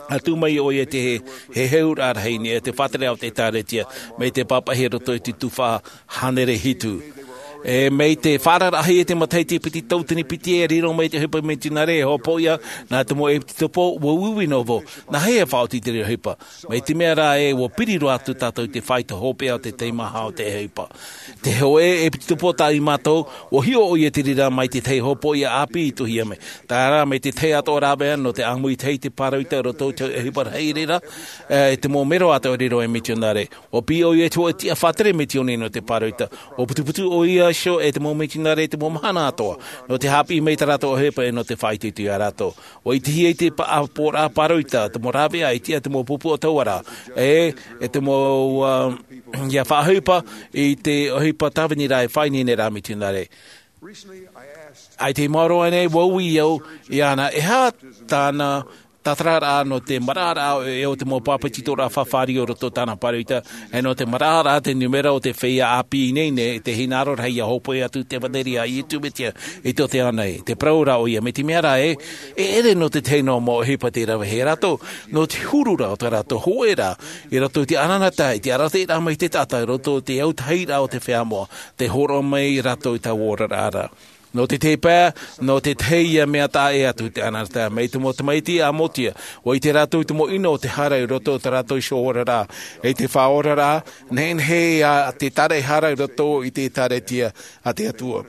Atu mai ʻoia te heheuraʻa rahi nei e te faʻatere o te ʻēkālesia mai te pāpaʻihia roto i te tuhaʻa hānere hitu. E mai te faʻaararaʻahia i te matahiti piti tauatini piti e riro mai te ʻohipa mitionare e hopoiʻa nā te mau ʻepitopo ua uiui noa vau. Nā hea e faʻaoti i te reira ʻohipa? Mai te mea rā e ua piri roa atu tātou i te faito hopeʻa o te teimaha o te ʻohipa. Te hōʻē ʻepitopo tā i mātou ua hiʻo ʻoia i te reira mai te tahi hopoiʻa ʻāpī i tuʻuhia mai. Tae rā mai te tahi atoʻa rāveʻa nō te ʻāmui i te hei te pāroita i roto i te ʻohipa rahi reira e te mau mero atoʻa e riro e mitionare. Ua piʻi ʻoia i te hōʻē tiʻa faʻatere mitioni nō te pāroita. Ua putuputu ʻoia iho e te mau mitionare i te mau mahana atoʻa nō te haʻapiʻi mai i tā rātou ʻohipa e nō te faʻaitoito iā rātou. Ua ʻitehia i te paʻaporaʻa pāroita te mau rāveʻa i tiʻa te mau pupu o taua rā e e te mau ia faʻaʻohipa i te ʻohipa tāvini rā e faʻaineine rā mitionare. ʻAi te maoro ʻanei ua ui au iāna e aha tāna tātararaʻa nō te maraʻaraʻa e o te mau pāpetitoraʻa fāfāriʻi o roto tāna pāroita e nō te maraʻaraʻa te numera o te feiā ʻāpī nei nei te hinaʻaro rahi ia hōpoi atu te ʻevanelia a iesu mesia i tō te ao nei. Te parau rā ʻoia mai te mea rā e e ʻere nō te tahi noa mau ʻohipa te ravehia rātou nō te huru rā o tā rātou hōʻē rā i roto i te ʻananata i te arataʻiraʻa mai te taʻata i roto i te autahiraʻa o te feiā moʻa te hōroʻa mai rātou i taua oraraʻa ra. Nō te tēpae nō te tahi ia mea taʻa ʻē atu te ʻananata mai te mau tamaiti a motia ua ʻite rātou i te mau ʻino o te hara i roto i tā rātou iho oraraʻa i te faʻaoraraʻa nehenehe ia te taraehara i roto i te ʻēkālesia a te atua.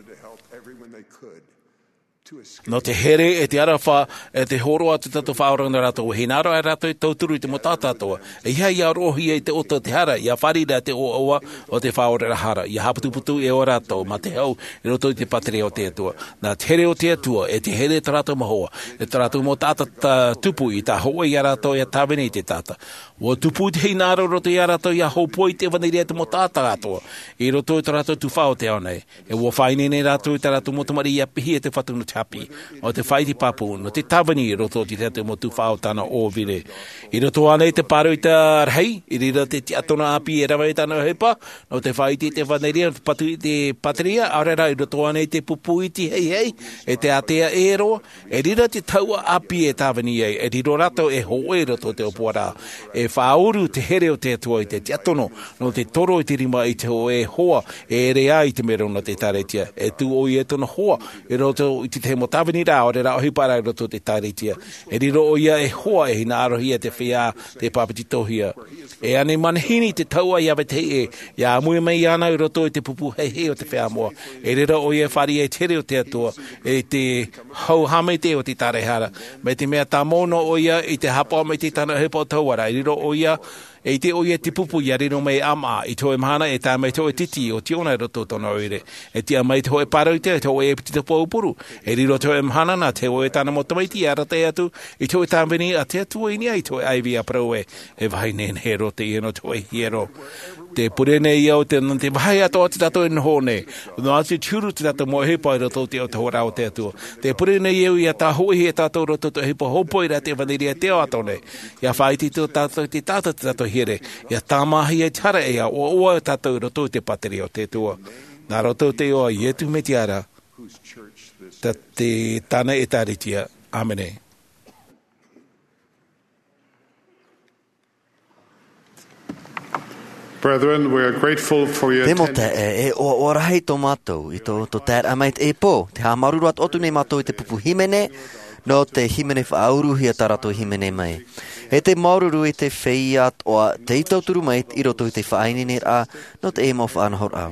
Nō te here e te aroha e te hōroʻa atu tātou faʻaora nō rātou e hinaʻaro ai rātou e tauturu i te mau taʻata atoʻa e ia ia roʻohia i te ʻota o te hara ia fāriʻi ra te ʻoaʻoa o te faʻaoraraʻa hara ia haʻaputuputu e o rātou mā te hau i roto i te pāteria o te atua. Nā te here o te atua e te here o tā rātou mau hoa e tā rātou mau taʻata tupu i tā hōʻē iā rātou ia tāvini i te taʻata ua tupu i te hinaʻaro i roto iā rātou ia hōpoi i te ʻevanelia i te mau taʻata atoʻa i roto i tā rātou tuhaʻa o te ao nei. E ua faʻaineine rātou i tā rātou mau tamariʻi ia piʻihia e te fatu nō te haʻapiʻi nō te faʻaiti pāpū nō te tāvini i roto i te tahi mau tuhaʻa o tāna ʻōviri. I roto ānei te pāroita rahi i reira te tiʻatona ʻāpī e rave i tāna ʻohipa nō te faʻaiti i te ʻevanelia nō te patu i te pāteria ʻaore rā i roto ānei te pupu iti heihei e te ātea ʻē roa. E reira te taua ʻāpī e tāvini ai e riro rātou e hōʻē i roto i te ʻōpuaraʻa e faʻauru te here o te atua i te tiʻatono nō te toro i te rima i te hōʻē hoa e ʻere ai i te mero nō te ʻēkālesia e tū ʻoia i tōna hoa i roto i te tahi mau tāviniraʻa ʻaore rā ʻohipa rā i roto i te ʻēkālesia. E riro ʻoia e hoa e hinaʻarohia te feiā te pāpetitohia. E ani manihini te taua ia vetahi ʻē ia ʻāmui mai iāna i roto i te pupu heihei o te feiā moʻa. E reira ʻoia e fāriʻi ai te here o te atua i te hau hāmete o te taraehara mai te mea tāmau noa ʻoia i te haʻapaʻo mai i te tāna ʻohipa o taua rā e riro ʻoia e ʻite ʻoia i te pupu ia riro mai e ʻāmaʻa i te hōʻē mahana e tae mai te hōʻē titi o tiona i roto i tōna ʻoire. E tiʻa mai te hōʻē pāroita i te hōʻē ʻepitopo aupuru e riro te hōʻē mahana nā te hōʻē tāna mau tamaiti ia arataʻi atu i te hōʻē tāvini a te atua i niʻa i te hōʻē ʻaivi ia parau ē e vāhi nehenehe roa teie nō te hōʻē hiero. Te pure nei au te, te vāhi atoʻa o tā tātou e noho nei. Noa atu te huru tā tātou mau ʻohipa i roto i te autahuʻaraʻa o te Atua. Te pure nei au ia tāhōʻihia tātou i roto i te ʻohipa hōpoiʻa te ʻevanelia e teo atu nei. Ia faʻaʻite tātou i te taʻata tā tātou here. Ia tāmāhia i te hara ʻē ʻoaʻoa tātou i roto i te pātireia o te Atua. Nā roto i te iʻoa o Iesu Mesia ra, tā te, tāna ʻēkālesia. ʻĀmene. Brethren, we are grateful for your Te mau attendance. Taeaʻe, e ʻoaʻoa rahi tō mātou i tō, tō taeraʻa mai i teie pō. Tē haʻamāuruuru atu nei mātou i te pupu hīmene, nō te hīmene faʻauruhia tā rātou hīmene mai. E te māuruuru i te feiā atoʻa tei tauturu mai i roto i te faʻaineineraʻa nō teie mau faʻanahoraʻa.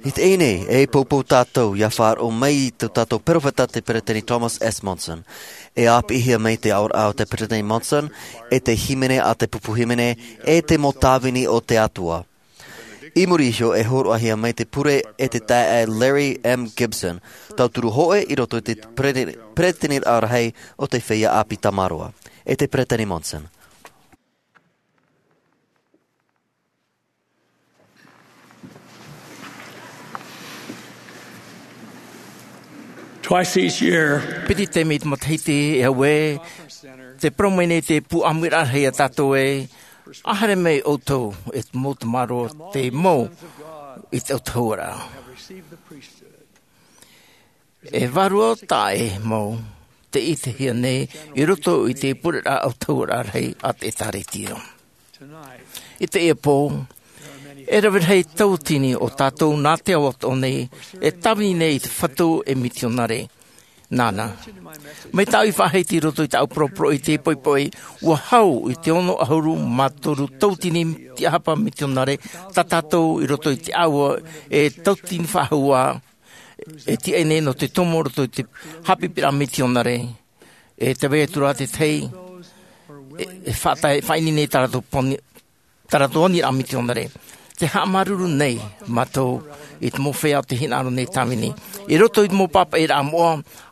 I teie nei, e poupou tātou, ia faʻaroʻo mai i tō tātou perofeta te Peresideni Thomas S. Monson. E ʻāpīhia mai te aʻoraʻa o te Peresideni Monson, e te hīmene a te pupu hīmene, e te mau tāvini o te Atua. I muri iho e hōroʻahia mai te pure e te taeaʻe Larry M. Gibson, tauturu hōʻē i roto i te pere-, Peresideni rahi o te feiā ʻāpī Tamaroa. E te Peresideni Monson. Twice each year, piti taime i te matahiti, e au ē, tē parau mai nei te pū ʻāmuiraʻa rahi ia tātou ē, ʻa haere mai ʻoutou, e te mau tamaroa, te mau i te autahuʻaraʻa. E vārua taʻa ʻē mau tē ʻitehia nei i roto i te pureraʻa autahuʻaraʻa rahi a te ʻĒtārētia. I teie pō, e rave rahi tauatini o tātou nā te ao atoʻa nei, e tāvini nei i te fatu ei mitionare. Nāna. Mai tāʻu i faʻahiti i roto i tāʻu poroporoʻi i te poʻipoʻi, ʻua hau i te ono ʻahuru mā toru tauatini tiʻahapa mitionare, tā tātou i roto i te ʻāua e tauatini faʻahou ā, e tiʻa nei nō te tomo roto i te haʻapiʻiraʻa mitionare. E te vai atu rā te tahi, e, e faʻatae, faʻaineine nei tā rātou poni-, tā rātou aniraʻa mitionare. Tē haʻamāuruuru nei mātou i te mau feiā o tē hinaʻaro nei tāvini. I roto i te mau pāpaʻiraʻa moʻa,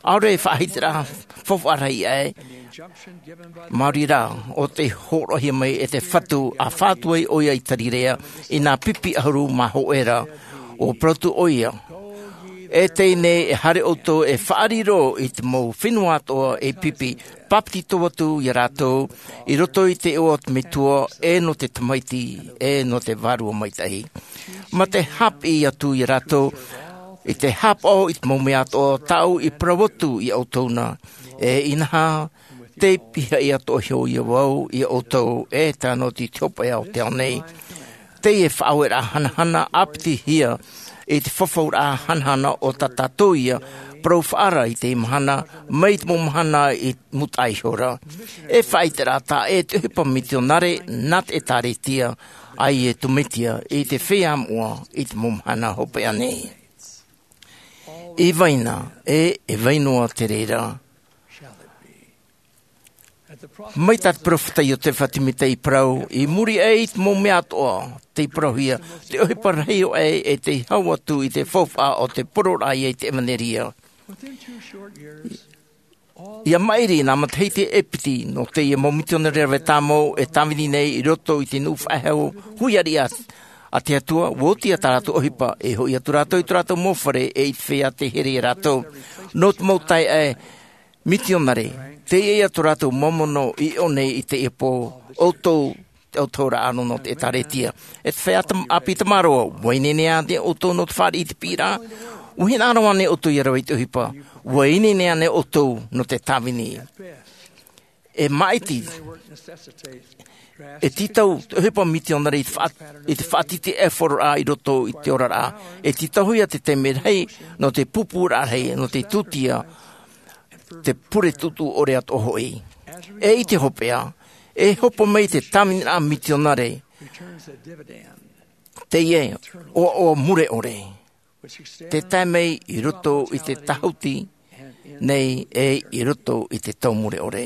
ʻaore e faʻahitiraʻa faufaʻa rahi aʻe, maori rā, ʻo tē hōroʻahia mai e te Fatu, ʻa fatu ai ʻoia i Tarirea, i nā pipi ʻahuru mā hōʻē ra, ʻua parau atu ʻoia. E teie nei e haere ʻoutou e faʻariro i te mau fenua atoʻa ei pipi, pāpetito atu ia rātou, i roto i te iʻoa o te Metua, e nō te Tamaiti, e nō te Vārua Maitaʻi. Mā te haʻapiʻi atu ia rātou, i te haʻapaʻo i te mau mea atoʻa tāʻu i parau atu ia ʻoutou na, e inaha, tei pihaʻi atoʻa iho ia vau ia ʻoutou, e tae noa atu i te hopeʻa o te ao nei. Teie faʻaueraʻa hanahana ʻāpitihia i te fafauraʻa hanahana o tā tātou ia parau faʻaara i teie mahana, mai te mau mahana i mūtaʻa iho ra. E faʻaʻiteraʻa taʻa ʻē te ʻohipa mitionare nā te ʻĒtārētia a Iesu Mesia i te feiā moʻa i te mau mahana hopeʻa nei. I vai na, e, e vai noa te reira. Mai tā te perofeta Iotefa Timita i parau, i muri aʻe i te mau mea atoʻa, tei parauhia, te ʻohipa rahi ʻoaʻe e tei hau atu i te faufaʻa o te poroʻraʻa ia i te ʻevanelia. ʻIa maʻiri nā matahiti e piti, nō teie mau mitionare rave tāmau e tāvini nei i roto i te nuʻu faʻehau hui ariʻi a te Atua, ʻua oti ā tā rātou ʻohipa, e hoʻi atu rātou i tō rātou mau fare, e i te feiā tei here ia rātou. Nō te mau taeaʻe, mitionare, teie ïa tō rātou māmāono i ʻō nei i teie pō, ʻoutou, te autahuʻaraʻa nō te ʻĒtārētia. E te feiā tam-, ʻāpī Tamaroa, ʻua ineine ānei ʻoutou nō te fāriʻi i te piʻiraʻa? ʻUa hinaʻaro ānei ʻoutou ʻia rave i te ʻohipa? ʻUa ineine ānei ʻoutou nō te tāvini? E maʻiti, e tītau te ʻohipa mitionare i te faʻa-, i te faʻatītīʻaifororaʻa i roto i te oraraʻa. E tītauhia te taime rahi nō te pūpūraʻa rahi, nō te tūtia, te pure tuʻutuʻu ʻore atoʻa hoʻi. E i te hopeʻa, e hopo mai te tāviniraʻa mitionare, teie ʻoaʻoa mure ʻore, tē tae mai i roto i te tāhuti nei e i roto i te tau mure ʻore.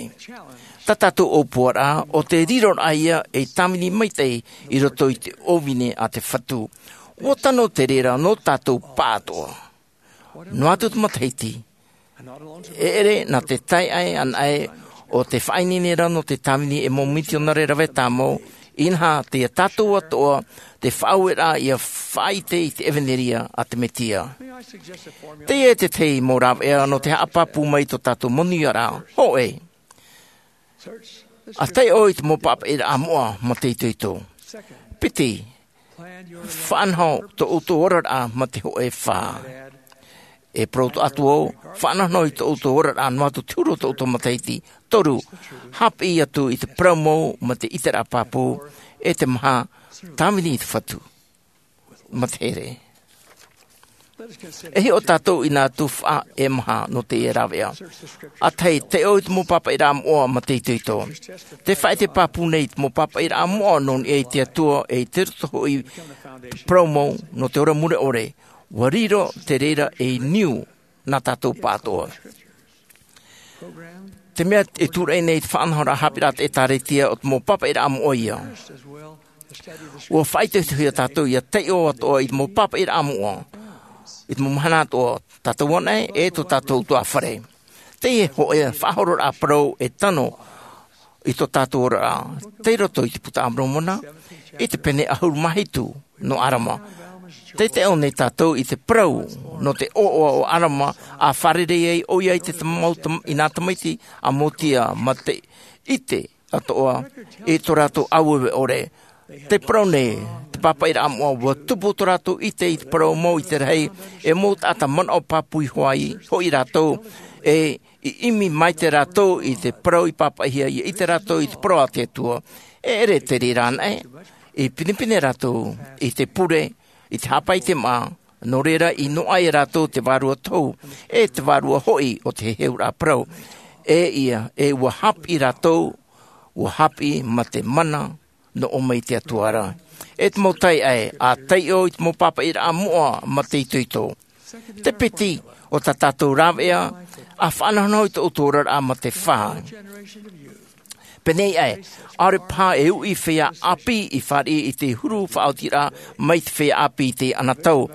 Tā tātou ʻōpuaraʻa, ʻo te riroraʻa ïa ei tāvini maitaʻi i roto i te ʻōvine a te Fatu. ʻUa tano te reira nō tātou pāʻatoʻa. Noa atu te matahiti, e ʻere nā te taeaʻe anaʻe ʻo tē faʻaineine ra nō te tāvini ei mau mitionare rave tāmau, Inaha, tei ia tātou atoʻa te faʻaueraʻa ia faʻaʻite i te ʻevanelia a te Mesia. Teie te tahi mau rāveʻa nō te haʻapāpū mai i tō tātou monūʻiaraʻa. Hōʻē, ʻa taiʻo i te mau pāpaʻiraʻa moʻa mā te itoito. Piti, faʻanaho tō ʻoutou oraraʻa mā te hōʻē. Fā, e parau atu au, faʻanahonaho i tō ʻoutou oraraʻa noa atu te huru o tō ʻoutou matahiti. Toru, haʻapiʻi atu i te parau mau mā te ʻiteraʻa pāpū, e te maha, tāvini i te Fatu mā te here. E hiʻo tātou i nā tuhaʻa e maha nō teie rāveʻa. ʻA tahi, taiʻo i te mau pāpaʻiraʻa moʻa mā te itoito. Te faʻaʻite pāpū nei i te mau pāpaʻiraʻa moʻa nō niʻa i te Atua, e i te roto hoʻi parau mau nō te ora mure ʻore, ʻua riro te reira ei niu nā tātou pāʻatoʻa. Te mea e tūraʻi nei te faʻanahoraʻa haʻapiʻiraʻa a te ʻĒtārētia, ʻo te mau pāpaʻiraʻa moʻa ia. ʻUa faʻaitoitohia tātou ia taiʻo atoʻa i te mau pāpaʻiraʻa moʻa, i te mau mahana atoʻa, tātou anaʻe, e tō tātou ʻutuāfare. Teie hōʻē faʻahororaʻa parau e tano i tō tātou oraraʻa, tei roto i te Buka a Moromona, i te pene ʻahuru mā hitu nō ʻAlama. Tei taiʻo nei tātou i te parau nō te ʻoaʻoa o ʻAlama, ʻa fārerei ai ʻoia i te mau tam-, i nā tamaiti a Mosia, mā te ʻite atoʻa i tō rātou ʻāueue ʻore. Te parau nei te pāpaʻiraʻa moʻa, ʻua tupu tō rātou ʻite i te parau mau i te rahi, e mau taʻata manaʻo pāpū iho ai hoʻi rātou, e i ʻimi maitaʻi rātou i te parau i pāpaʻihia, ia ʻite rātou i te parau a te Atua. E ʻere te reira anaʻe, i pinepine rātou i te pure, i te haʻapaʻo i te māʻa, nō reira i noaʻa ia rātou te Vārua Tohu, e te vārua hoʻi o te heheuraʻa parau. E ia, e ʻua haʻapiʻi rātou, ʻua haʻapiʻi mā te mana nō ʻō mai i te Atua ra. E te mau taiʻae, ʻa taiʻo i te mau pāpaʻiraʻa moʻa mā te itoito. Te piti o tā tātou rāveʻa, ʻa faʻanahonaho i tō ʻoutou oraraʻa mā te fā. Pēneiaʻe, ʻaore paha e uʻi feiā ʻāpī i fāriʻi i te huru faʻaotiraʻa mai te feiā ʻāpī i teie anotau.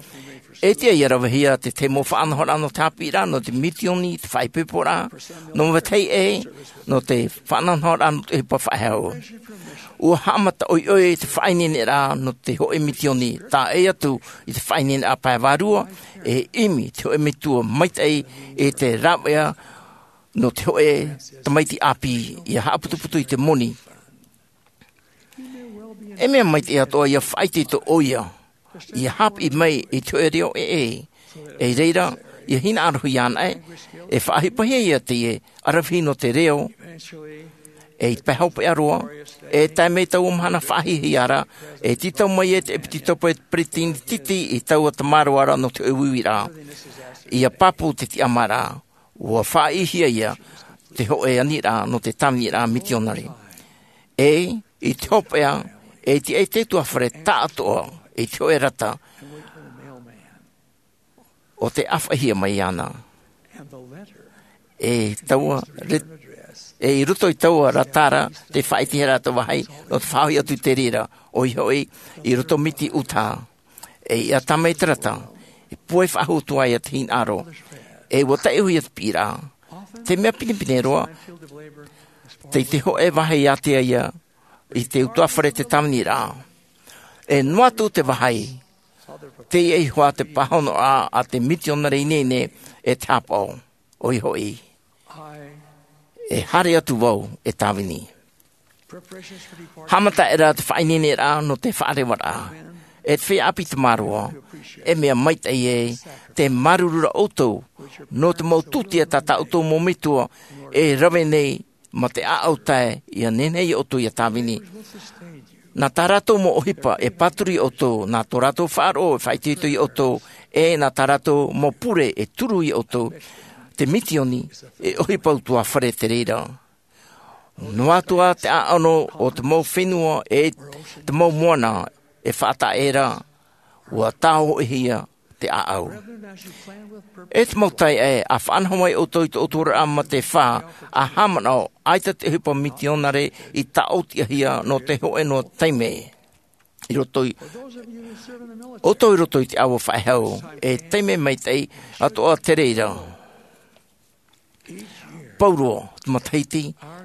E tiʻa ia ravehia te tahi mau faʻanahoraʻa nō te haʻapiʻiraʻa, nō te mitioni, te faʻaipoiporaʻa, nō vetahi ʻē, nō te faʻanahoraʻa nō te ʻohipa faʻehau. ʻUa haʻamata ʻoiʻoi te faʻaineineraʻa nō te hōʻē mitioni, tae atu i te faʻaineineraʻa pae vārua, e ʻimi te hōʻē metua maitaʻi i te rāveʻa nō te hōʻē tamaiti ʻāpī, ia haʻaputuputu i te moni. E mea maitaʻi atoʻa ia faʻaitoito ʻoia, ia haʻapiʻi mai i te hōʻē reo ʻē, ʻē, i reira, ia hinaʻarohia anaʻe, e faʻaʻohipahia ia teie ʻaravihi nō te reo, e i te pae hopeʻa roa, e tae mai taua mahana faʻahiahia ra, e tītau mai ai te ʻepitopo e te peresideni tītī i taua tamaroa ra nō te hōʻē uiuiraʻa. Ia pāpū te tiʻamāraʻa, ʻua faʻaʻitehia ia te hōʻē aniraʻa nō te tāviniraʻa mitionare. E, i te hopeʻa, e tiʻa i te ʻutuāfare taʻatoʻa, i te hōʻē rata, ʻo tē ʻāfaʻihia mai ana. E taua, re-, e i roto i taua rata ra, tē faʻaʻitehia ra te vāhi, nō te faʻahoʻi atu i te reira, ʻoia hoʻi, i roto miti Utaha. E ia tae mai te rata, e pūai faʻahou atu ai te hinaʻaro, e ʻua taiʻohia te piʻiraʻa. Te mea pinepine roa, tei te hōʻē vāhi ʻātea ia, i te ʻutuāfare te tāviniraʻa. E noa atu te vāhi, teie iho ā te pāhonoraʻa a te mitionare ineine e te haʻapaʻo, ʻoia hoʻi. E haere atu vau e tāvini. Haʻamataʻi ra te faʻaineineraʻa nō te faʻarevaraʻa. E te feiā ʻāpī tamaroa, e mea maitaʻi ē, tē māuruuru ra ʻoutou, nō te mau tūtia tā tā ʻoutou mau metua, e rave nei, mā te ʻāʻau tae, ia nehenehe ia ʻoutou ia tāvini. Nā tā rātou mau ʻohipa, e pāturu ia ʻoutou, nā tō rātou faʻaroʻo, e faʻaitoito ia ʻoutou, e nā tā rātou mau pure, e turu ia ʻoutou. Te mitioni, e ʻohipa ʻutuāfare te reira. Noa atu ā te ʻāʻano o te mau fenua, e te mau moana, e faʻataʻa ra, ʻua tāhoʻihia te ʻāʻau. E te mau taeaʻe, ʻa faʻanaho mai ʻoutou i tō ʻoutou oraraʻa mā te fā, ʻa haʻamanaʻo, ʻaita te ʻohipa mitionare i tāʻotiʻahia nō te hōʻē noa taime. I roto i, ʻoutou i roto i te ʻāua faʻehau, e taime maitaʻi atoʻa te reira. Pauroa te matahiti,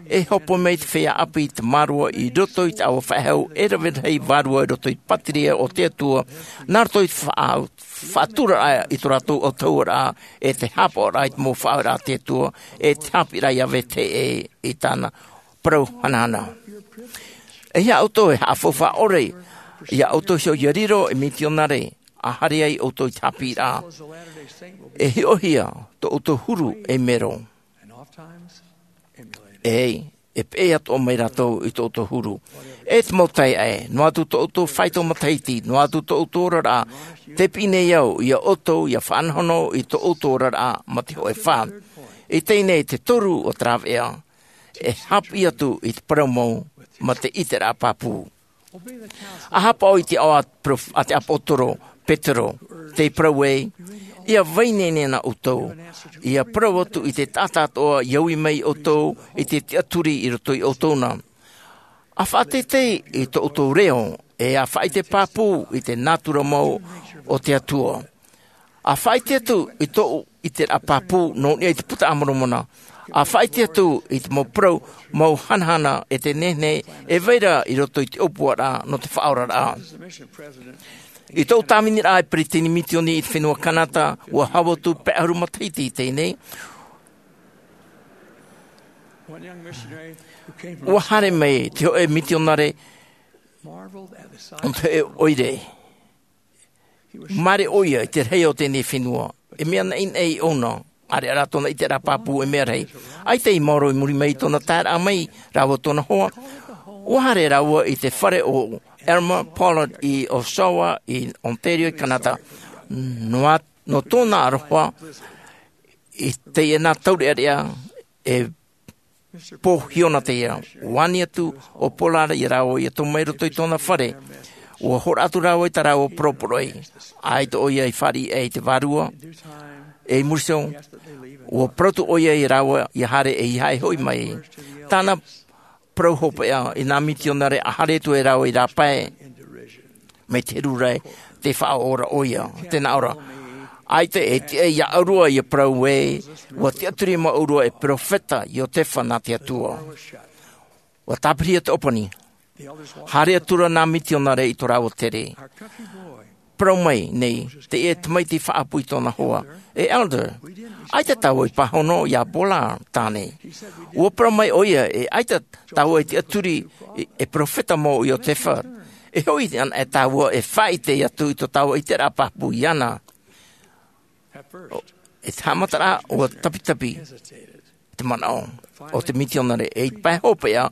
E hōpoi mai te feiā ʻāpī i te mārua i roto i te ʻāua faʻehau e rave rahi vārua i roto i te pātireia o te Atua, nā roto i te faʻa-, faʻaturaraʻa i tō rātou ʻautahuʻaraʻa, e te hāpaʻoraʻa i te mau faʻaoraraʻa a te Atua, e te haʻapiʻiraʻa i Iāvē te Heʻe i tāna parau hanahana. E hia ʻoutou e haʻafaufaʻa ʻore iā ʻoutou hoʻi ʻia riro ei mitionare, ʻa haere ai ʻoutou i te haʻapiʻiraʻa. E hiʻohia tō ʻoutou huru ei mero. E, e peʻe atoʻa mai rātou i tō ʻoutou huru. E te mau taeaʻe, noa atu tō ʻoutou faito matahiti, noa atu tō ʻoutou oraraʻa, tē piʻi nei au iā ʻoutou ʻia faʻanahonaho i tō ʻoutou oraraʻa ma te hōʻē fā. I teie nei te toru o te rāveʻa, e haʻapiʻi atu i te parau mau ma te ʻiteraʻa pāpū. ʻA haʻapaʻo i te aʻo a te prof-, a te ʻāpōsetolo Petero, tē parau ai, ʻia vai nei nei na ʻoutou, ʻia parau atu i te taʻata atoʻa ʻia ui mai ia ʻoutou i te tiʻaturi i roto iā ʻoutou na. ʻA faʻateitei i tō ʻoutou reo, e ʻa faʻaʻite pāpū i te nātura mau o te Atua. ʻA faʻaʻite atu i tō ʻoutou ʻiteraʻa pāpū nō niʻa i te Buka a Moromona. ʻA faʻaʻite atu i te mau parau mau hanahana e te nehenehe e vai ra i roto i te ʻōpuaraʻa nō te faʻaoraraʻa. I tōʻu tāviniraʻa e peretiteni misiōni i te fenua Kanata, ʻua hau atu pae ʻahuru matahiti i teie nei, ʻua haere mai te hōʻē mitionare nō te hōʻē ʻoire. Māere ʻoia i te rahi o teie fenua. E mea naʻinaʻi ʻōna, ʻāreʻa rā tōna ʻiteraʻa pāpū e mea rahi. ʻAita i maoro i muri mai i tōna taeraʻa mai rāua tōna hoa, ʻua haere rāua i te fare o Elmer Pollard i Oshawa, i Ontario, i Kanata. Noa, nō tōna aroha, i teie nā taureʻareʻa e pō hiona teie. ʻUa ani atu ʻo Pollard iā rāua ʻia tomo mai i roto i tōna fare. ʻUa hōroʻa atu rāua i tā rāua poroporoʻi. ʻAita ʻoia i fāriʻi aʻe i te Vārua, e i muri iho, ʻua parau atu ʻoia iā rāua ʻia haere ʻeiaha e hoʻi mai. Tāna parau hopeʻa i nā mitionare ʻa haere atu ai rāua i rāpae mai te heru ra, tē faʻaora ʻoia, tē nā ʻō ra. ʻAita e tiʻa iā ʻoe ʻia parau ē, ʻua tiʻaturi māua e perofeta Iosepha nā te Atua. ʻUa tāpiri te ʻōpani. Haere atu ra nā mitionare i tō rāua tere. Parau mai nei teie tamaiti faʻaʻapu i tōna hoa, "E Elder, ʻaita tāua i pāhono iā Pollard tāne." ʻUa parau mai ʻoia, "E ʻaita tāua i tiʻaturi e, e perofeta mau Iosepha. E hoʻi anaʻe tāua e faʻaʻite atu i tō tāua ʻiteraʻa pāpū iāna." ʻO, i te haʻamataraʻa, ʻua tapitapi te manaʻo o te mitionare, e i te pae hopeʻa,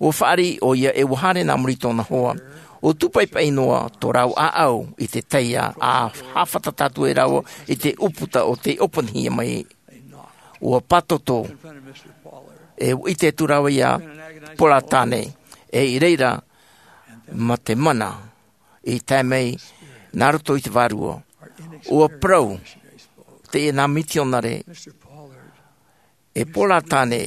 ʻua fāriʻi ʻoia e ʻua haere nā muri i tōna hoa. ʻUa tūpaipai noa tō rāua ʻāʻau i te taiā, ʻa haʻafātata atu ai rāua i te ʻūputa o tei ʻōpanihia mai. ʻUa pātoto, e ʻua ʻite atu rāua iā Pollard tāne, e i reira, ma te mana i tae mai nā roto i te Vārua. ʻUa parau teie nā mitionare, "E Pollard tāne,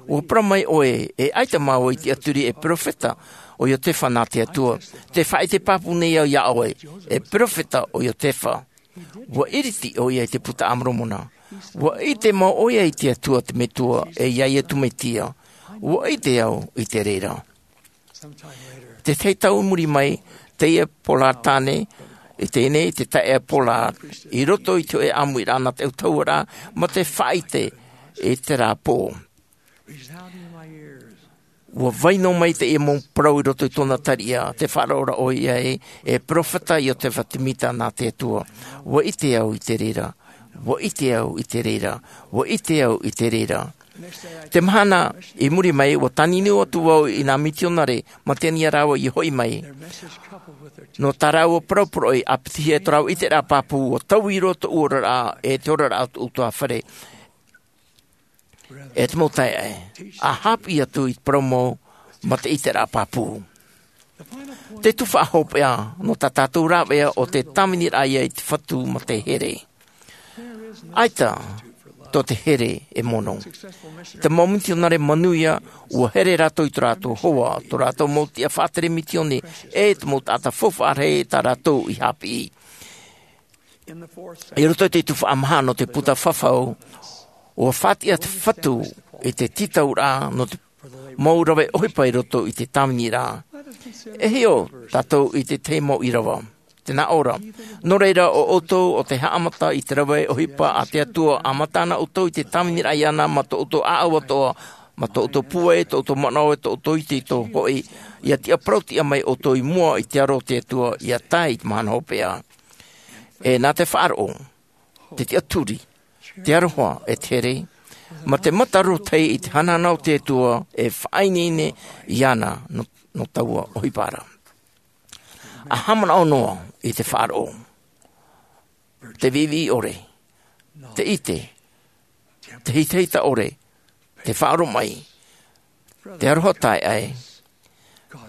ʻua parau mai ʻoe, e ʻaita māua i tiʻaturi e perofeta ʻo Iosepha nā te Atua. Tē faʻaʻite pāpū nei au iā ʻoe, e perofeta ʻo Iosepha." ʻUa ʻiriti ʻoia i te Buka a Moromona. ʻUa ʻite mau ʻoia i te Atua te Metua, e iā Iesu Mesia. ʻUa ʻite au i te reira. Tētahi tau i muri mai, teie Pollard tāne, i teie nei te taeaʻe Pollard, i roto i te hōʻē ʻāmuiraʻa nā te ʻautahuʻaraʻa, ma te faʻaʻite i terā pō. ʻUa vai noa mai teie mau parau i roto i tōna tariʻa, tē faʻaroʻo ra ʻoia ē, "E perofeta Iosepha Semita nā te Atua." ʻUa ʻite au i te reira. ʻUa ʻite au i te reira. ʻUa ʻite au i te reira. Te mahana i muri mai, ʻua tāniniu atu vau i nā mitionare, ma te ani ia rāua ʻia hoʻi mai. Nō tā rāua poroporoʻi, ʻa piti hia e tō rāua ʻiteraʻa pāpū, ʻua taui roa tōʻu oraraʻa, e te oraraʻa o tōʻu ʻutuāfare. E te mau taeaʻe, ʻa haʻapiʻi atu i te parau mau, ma te ʻiteraʻa pāpū. Te tuhaʻa hopeʻa nō tā tātou rāveʻa ʻo te tāviniraʻa ia i te fatu ma te here. ʻAita tō te here e mono. Te mau mitionare manuia, ʻua here rātou i tō rātou hoa, tō rātou mau tiʻa faʻatere misioni, e te mau taʻata faufaʻa rahi tā rātou i haʻapiʻi. I roto i te tuhaʻa maha nō te puta fafau, ʻua faʻatiʻa te fatu i te tītauraʻa nō te mau rave ʻohipa i roto i te tāviniraʻa. E hiʻo tātou i te tahi mau ʻīrava, te nā ʻō ra. Nō reira, ʻo ʻoutou ʻo te haʻamata i te rave ʻohipa a te Atua, ʻa mātā na ʻoutou i te tāviniraʻa iāna mā tō ʻoutou ʻāʻau atoʻa, mā tō ʻoutou pūai, tō ʻoutou manaʻo, tō ʻoutou itoito hoʻi, ʻia tiʻa parau-tiʻa mai ʻoutou i mua i te aro o te Atua, ʻia tae i te mahana hopeʻa. E nā te faʻaroʻo, te tiʻaturi, te aroha, e te here, mā te mata rōtahi i te hanahana o te Atua, e faʻaineine iāna nō, nō taua ʻohipa ra. ʻA haʻamanaʻo noa i te faʻaroʻo, te viʻiviʻi ʻore, te ʻite, te hitahita ʻore, te faʻaoromaʻi, te aroha taeaʻe,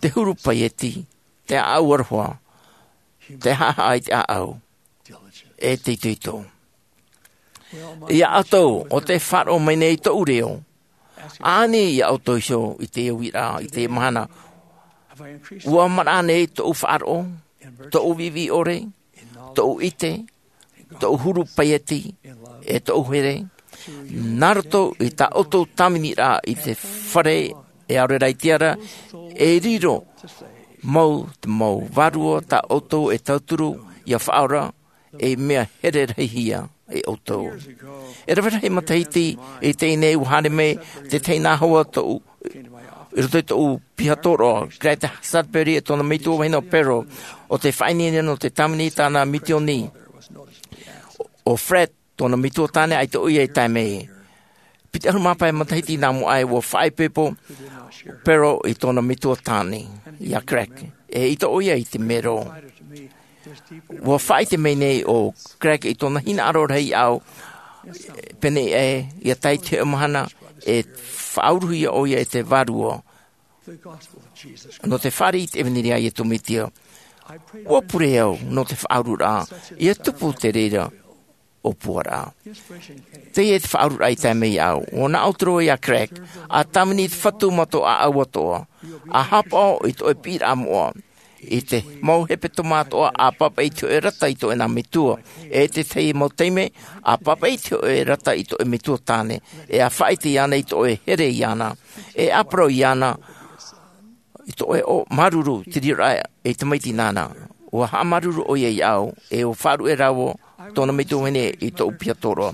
te huru paieti, te ʻāʻau aroha, te haʻahaʻa i te ʻāʻau, e te itoito. Ia ʻoutou ʻo tē faʻaroʻo mai nei i tōʻu reo, ʻa ani ia ʻoutou iho i te uiraʻa, i te mahana. ʻUa maraʻa nei tōʻu faʻaroʻo, tōʻu viʻiviʻi ʻore, tōʻu ʻite, tōʻu huru paieti, e tōʻu here, nā roto i tā ʻoutou tāviniraʻa i te fare, e ʻaore rā i te ara, e riro mau te mau vārua tā ʻoutou e tauturu ʻia faʻaora, ei mea here rahi hia e ʻoutou. E rave rahi matahiti i teie nei, ʻua haere mai te tahi nā hoa tōʻu, i roto i tōʻu piha tōroʻa, Greg Sudbury e tōna metua vahine ʻo Pearl, ʻo tē faʻaineine nō te tāvini i tāna mitioni. ʻO Fred, tōna metua tāne, ʻaita ʻoia i tae mai. Piti ʻahuru mā pae matahiti nā mua aʻe, ʻua faʻaipoipo Pearl i tōna metua tāne, iā Greg, e ʻite ʻoia i te mero. ʻUa faʻaʻite mai nei ʻo Greg i tōna hinaʻaro rahi iāʻu, pēnei aʻe, ʻia tae i te hōʻē mahana, e faʻauruhia ʻoia e te Vārua nō te fāriʻi i te ʻevanelia a Iesu Mesia. ʻUa pure au nō te faʻaururaʻa, ʻia tupu te reira ʻōpuaraʻa. Teie te faʻaururaʻa i tae mai iāʻu. ʻUa nā ʻō atu ra iā Greg, ʻa tāvini i te Fatu mā tō ʻāʻau atoʻa, ʻa haʻapaʻo i tō ʻoe piʻiraʻa moʻa, i te mau hepetoma atoʻa, ʻa pāpaʻi i te hōʻē rata i tō ʻoe nā metua, e te tahi mau taime, ʻa pāpaʻi i te hōʻē rata i tō ʻoe metua tāne, e ʻa faʻaʻite iāna i tō ʻoe here iāna, e ʻāparau iāna, i tō ʻoe ʻō māuruuru te riroraʻa ei tamaiti nāna. ʻUa haʻamāuruuru ʻoia iāʻu, e ʻua faʻaruʻe rāua tōna metua vahine i tōʻu piha tōroʻa.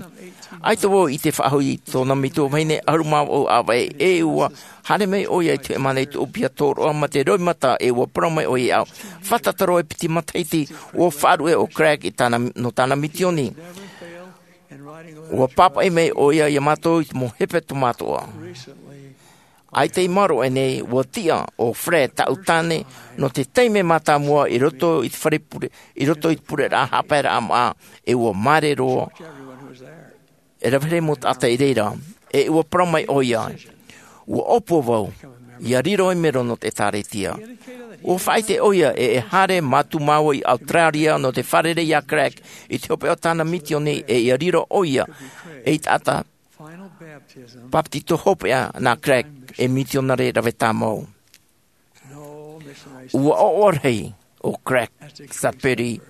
ʻAita vau i ʻite faʻahou i tōna metua vahine ʻahuru mā vaʻu ʻāvaʻe, e ʻua haere mai ʻoia i te hōʻē mahana i tōʻu piha tōroʻa mā te roimata, e ʻua parau mai ʻoia iāʻu, fātata roa e piti matahiti, ʻua faʻaruʻe ʻo Greg i tāna, nō tāna mitioni. ʻUa pāpaʻi mai ʻoia iā mātou i te mau hepetoma atoʻa. ʻAita i maoro aʻe nei, ʻua tiʻa ʻo Fred, tāʻu tāne, nō te taime mātāmua i roto i te fare pure, i roto i te pureraʻa haʻapaeraʻa māʻa, e ʻua māere roa. E rave rahi mau taʻata i reira, e ʻua parau mai ʻoia, ʻua ʻōpua vau ʻia riro ei mero nō te ʻĒtārētia. ʻUa faʻaʻite ʻoia ē e haere mātou māua i Australia nō te fārerei iā Greg i te hopeʻa o tāna mitioni, e ʻia riro ʻoia ei taʻata bāpetizo hopeʻa nā Greg, ei mitionare rave tāmau. ʻUa ʻoaʻoa rahi ʻo Greg Sudbury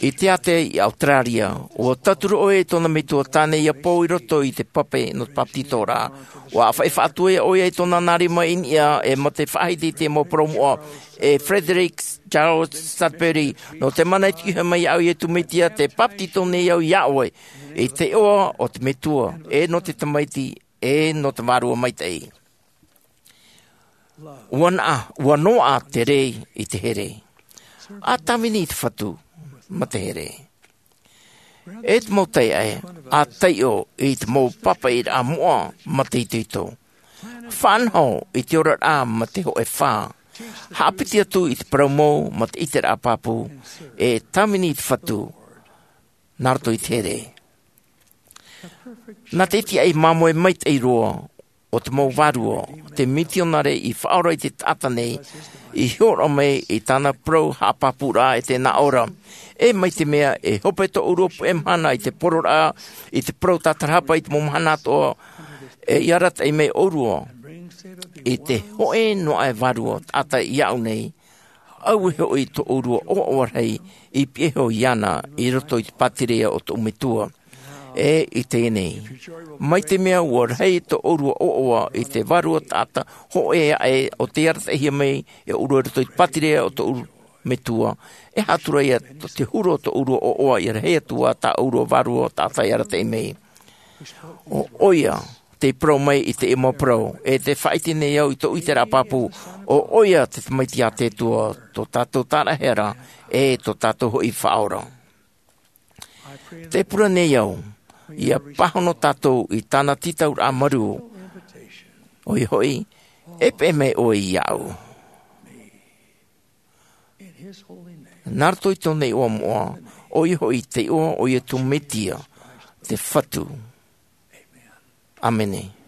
i te ātea i Australia. ʻUa tauturu ʻoia i tōna metua tāne ʻia pou i roto i te pape nō te bāpetizoraʻa. ʻUa ʻāfaʻi faʻatuaʻi ʻoia i tōna nā rima i niʻa, e mā te faʻahiti i te mau parau moʻa e Frederick Charles Sudbury, nō te mana i te ʻite mai iāʻu iā Iesu Mesia, tē bāpetizo nei au iā ʻoe i te iʻoa o te Metua, e nō te Tamaiti, e nō te Vārua Maitaʻi. ʻUa naʻa, ʻua noaʻa te rē i te here. ʻA tāvini i te Fatu mā te here. E te mau taiʻae, ʻa taiʻo i te mau pāpaʻiraʻa moʻa mā te itoito. Faʻanaho i te oraraʻa mā te hōʻē fā. Haʻapiti atu i te parau mau mā te ʻiteraʻa pāpū, e tāvini i te Fatu nā roto i te here. Nā te tiaʻi māmoe maitaʻi roa o te mau vārua, te mitionare i faʻaora i te taʻata nei, i hōroʻa mai i tāna parau haʻapāpūraʻa e tē nā ʻō ra. E mai te mea e hope tōʻu ʻōrua puʻe mahana i te pororaʻa, i te parau tātarahapa i te mau mahana atoʻa, e ʻia arataʻi mai ʻōrua i te hōʻē noa aʻe vārua taʻata iāʻu nei, auē hoʻi tōʻu ʻōrua ʻoaʻoa rahi i pihaʻi iho iāna i roto i te pātireia o tōʻu Metua. E i teie nei, mai te mea ua rahi tō ʻōrua ʻoaʻoa i te vārua taʻata hōʻē aʻe o tei arataʻihia mai e ʻōrua i roto i te pātireia o tō ʻōrua Metua, e aha atu ra ia tō te huru o tō ʻōrua ʻoaʻoa ia rahi atu ā tā ʻōrua vārua taʻata e arataʻi mai. ʻO ʻoia tei parau mai i teie mau parau, e tē faʻaʻite nei au i tōʻu ʻiteraʻa pāpū, ʻo ʻoia te Tamaiti a te Atua, tō tātou Tāraʻehara, e tō tātou hoʻi Faʻaora. Te pure nei au, ia pāhono tātou i tāna tītauraʻa marū, ʻoia hoʻi, e peʻe mai ʻoe iāʻu. Nā roto i tōna iʻoa moʻa, ʻoia hoʻi te iʻoa o Iesu Mesia, te Fatu. ʻĀmene.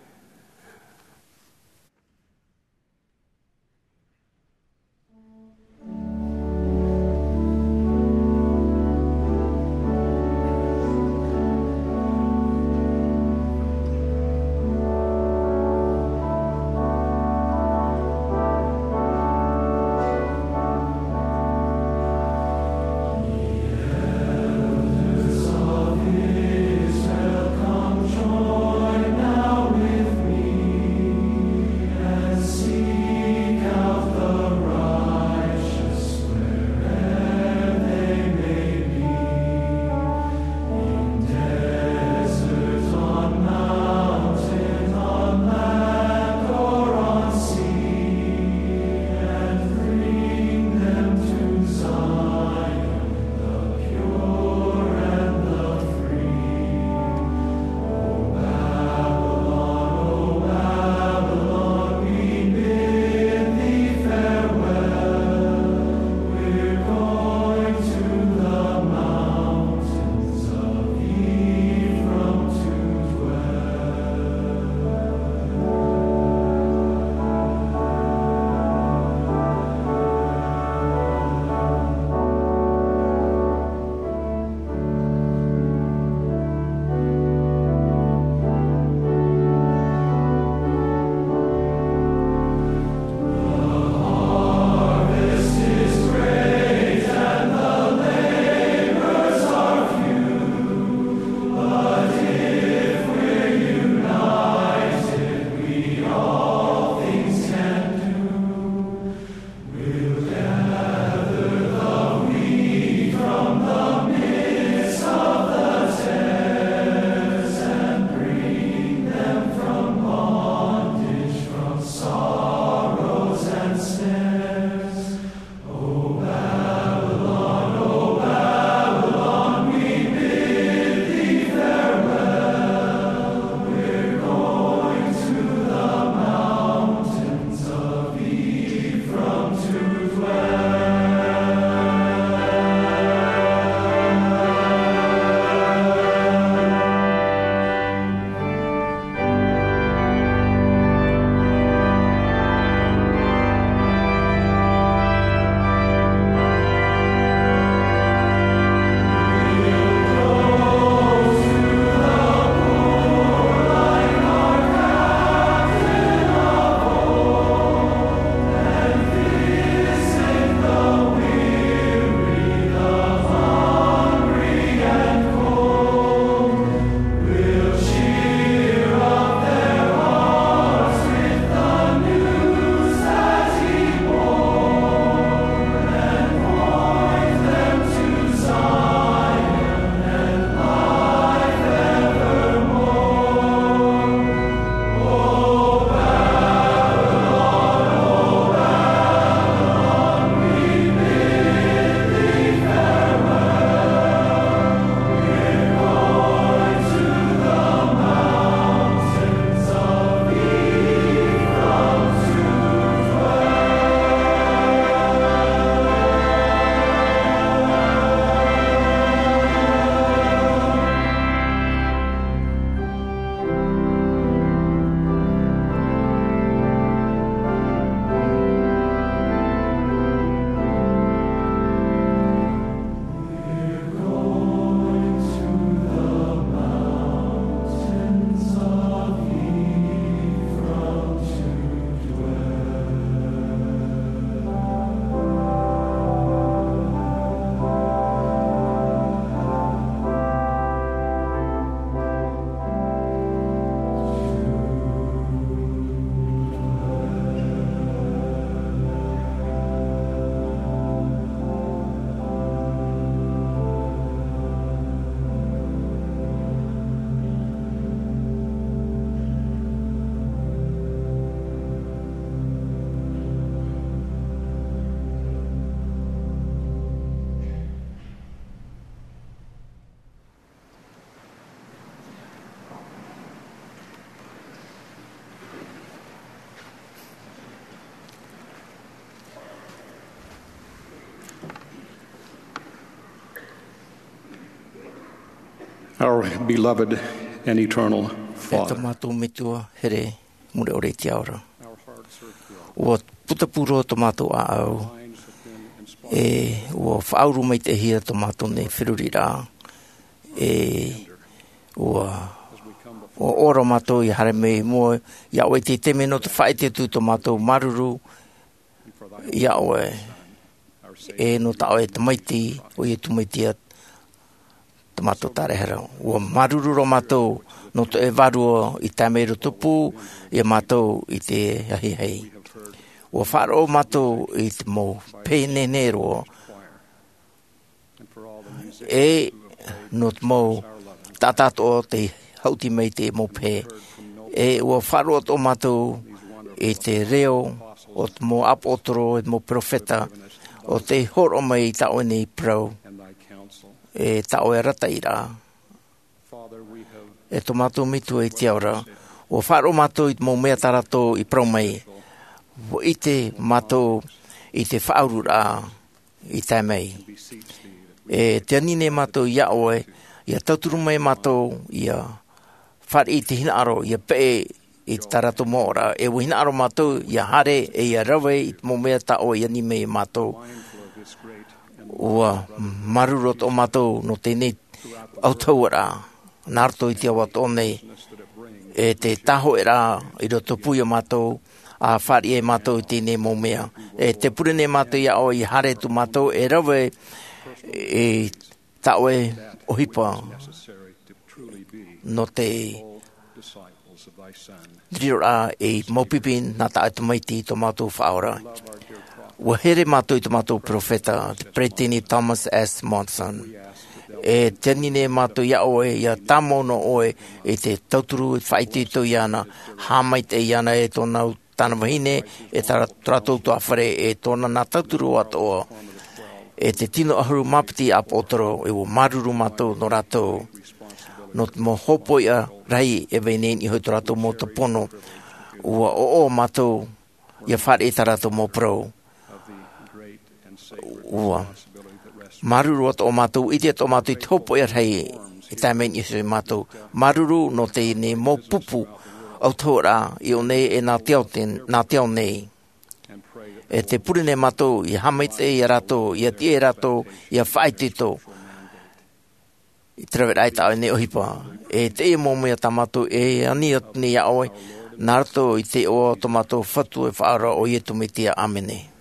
Our beloved and eternal Father. E tō mātou Metua here mure ʻore i te ao ra. Ua putapū roa tō mātou ʻāʻau, e ua faʻauru maitaʻihia tō mātou nei feruriraʻa, e ua, ua ora mātou ia haere mai i mua iā ʻoe i te taime nō te faʻaʻite atu i tō mātou māuruuru iā ʻoe, e nō tā ʻoe tamaiti, ʻo Iesu Mesia, tō mātou Tāraehara. Ua māuruuru roa mātou nō tō ʻoe Vārua i tae mai i roto pū iā mātou i te ahiahi. Ua faʻaroʻo mātou i te mau pehe nehenehe roa, e nō te mau taʻata atoʻa tei haʻuti mai i te mau pehe. E ua faʻaroʻo atoʻa mātou i te reo o te mau ʻāpōsetolo, e te mau perofeta, ʻo tei hōroʻa mai i tā ʻoe nei parau, e tā ʻoe arataʻiraʻa. E tō mātou Metua i te ao ra, ua faʻaroʻo mātou i te mau mea tā rātou i parau mai. Ua ʻite mātou i te faʻauruuraʻa i tae mai. E tē ani nei mātou iā ʻoe, ia tauturu mai mātou, ia fāriʻi i te hinaʻaro, ia peʻe i tā rātou mau ora, e ua hinaʻaro mātou ia haere, e ia rave i te mau mea tā ʻoe i ani mai iā mātou. Ua māuruuru atoʻa mātou nō teie nei autahuʻaraʻa, nā roto i te ao atoʻa nei, e te tāhōʻēraʻa i roto pū iā mātou, ʻa fāriʻi ai mātou i teie nei mau mea. E tē pure nei mātou iā ʻoe ia haere atu mātou e rave i tā ʻoe ʻohipa nō te riroraʻa ei mau pipi nā tā ʻoe tamaiti tō mātou Faʻaora. Ua here mātou i tō mātou perofeta, te Peresideni Thomas S. Monson. E tē ani nei mātou iā ʻoe, ia tāmau noa ʻoe i te tauturu, i te faʻaitoito iāna, haʻamaitaʻi iāna e tōna, tāna vahine, e tā, tō rātou ʻutuāfare, e tōna nā tauturu atoʻa, e te tino ʻahuru mā piti ʻāpōsetolo, e ua māuruuru mātou nō rātou. Nō te mau hōpoiʻa rahi e vai nei i niʻa i tō rātou mau tupu pono, ua ʻoaʻoa mātou ia fāriʻi i tā rātou mau parau. Ua māuruuru atoʻa mātou, ʻite atoʻa mātou i te hōpoiʻa rahi e tae mai i niʻa iho iā mātou. Māuruuru nō teie nei mau pupu autahuʻaraʻa i ʻō nei e nā te ao te-, nā te ao nei. E tē pure nei mātou ia haʻamaitaʻi iā rātou, ia tiʻa iā rātou, ia faʻaitoito i te raveraʻa i tā ʻoe nei ʻohipa. E teie mau mea tā mātou e ani atu nei iā ʻoe, nā roto i te iʻoa o tō mātou Fatu e Faʻaora, ʻo Iesu Mesia. ʻĀmene.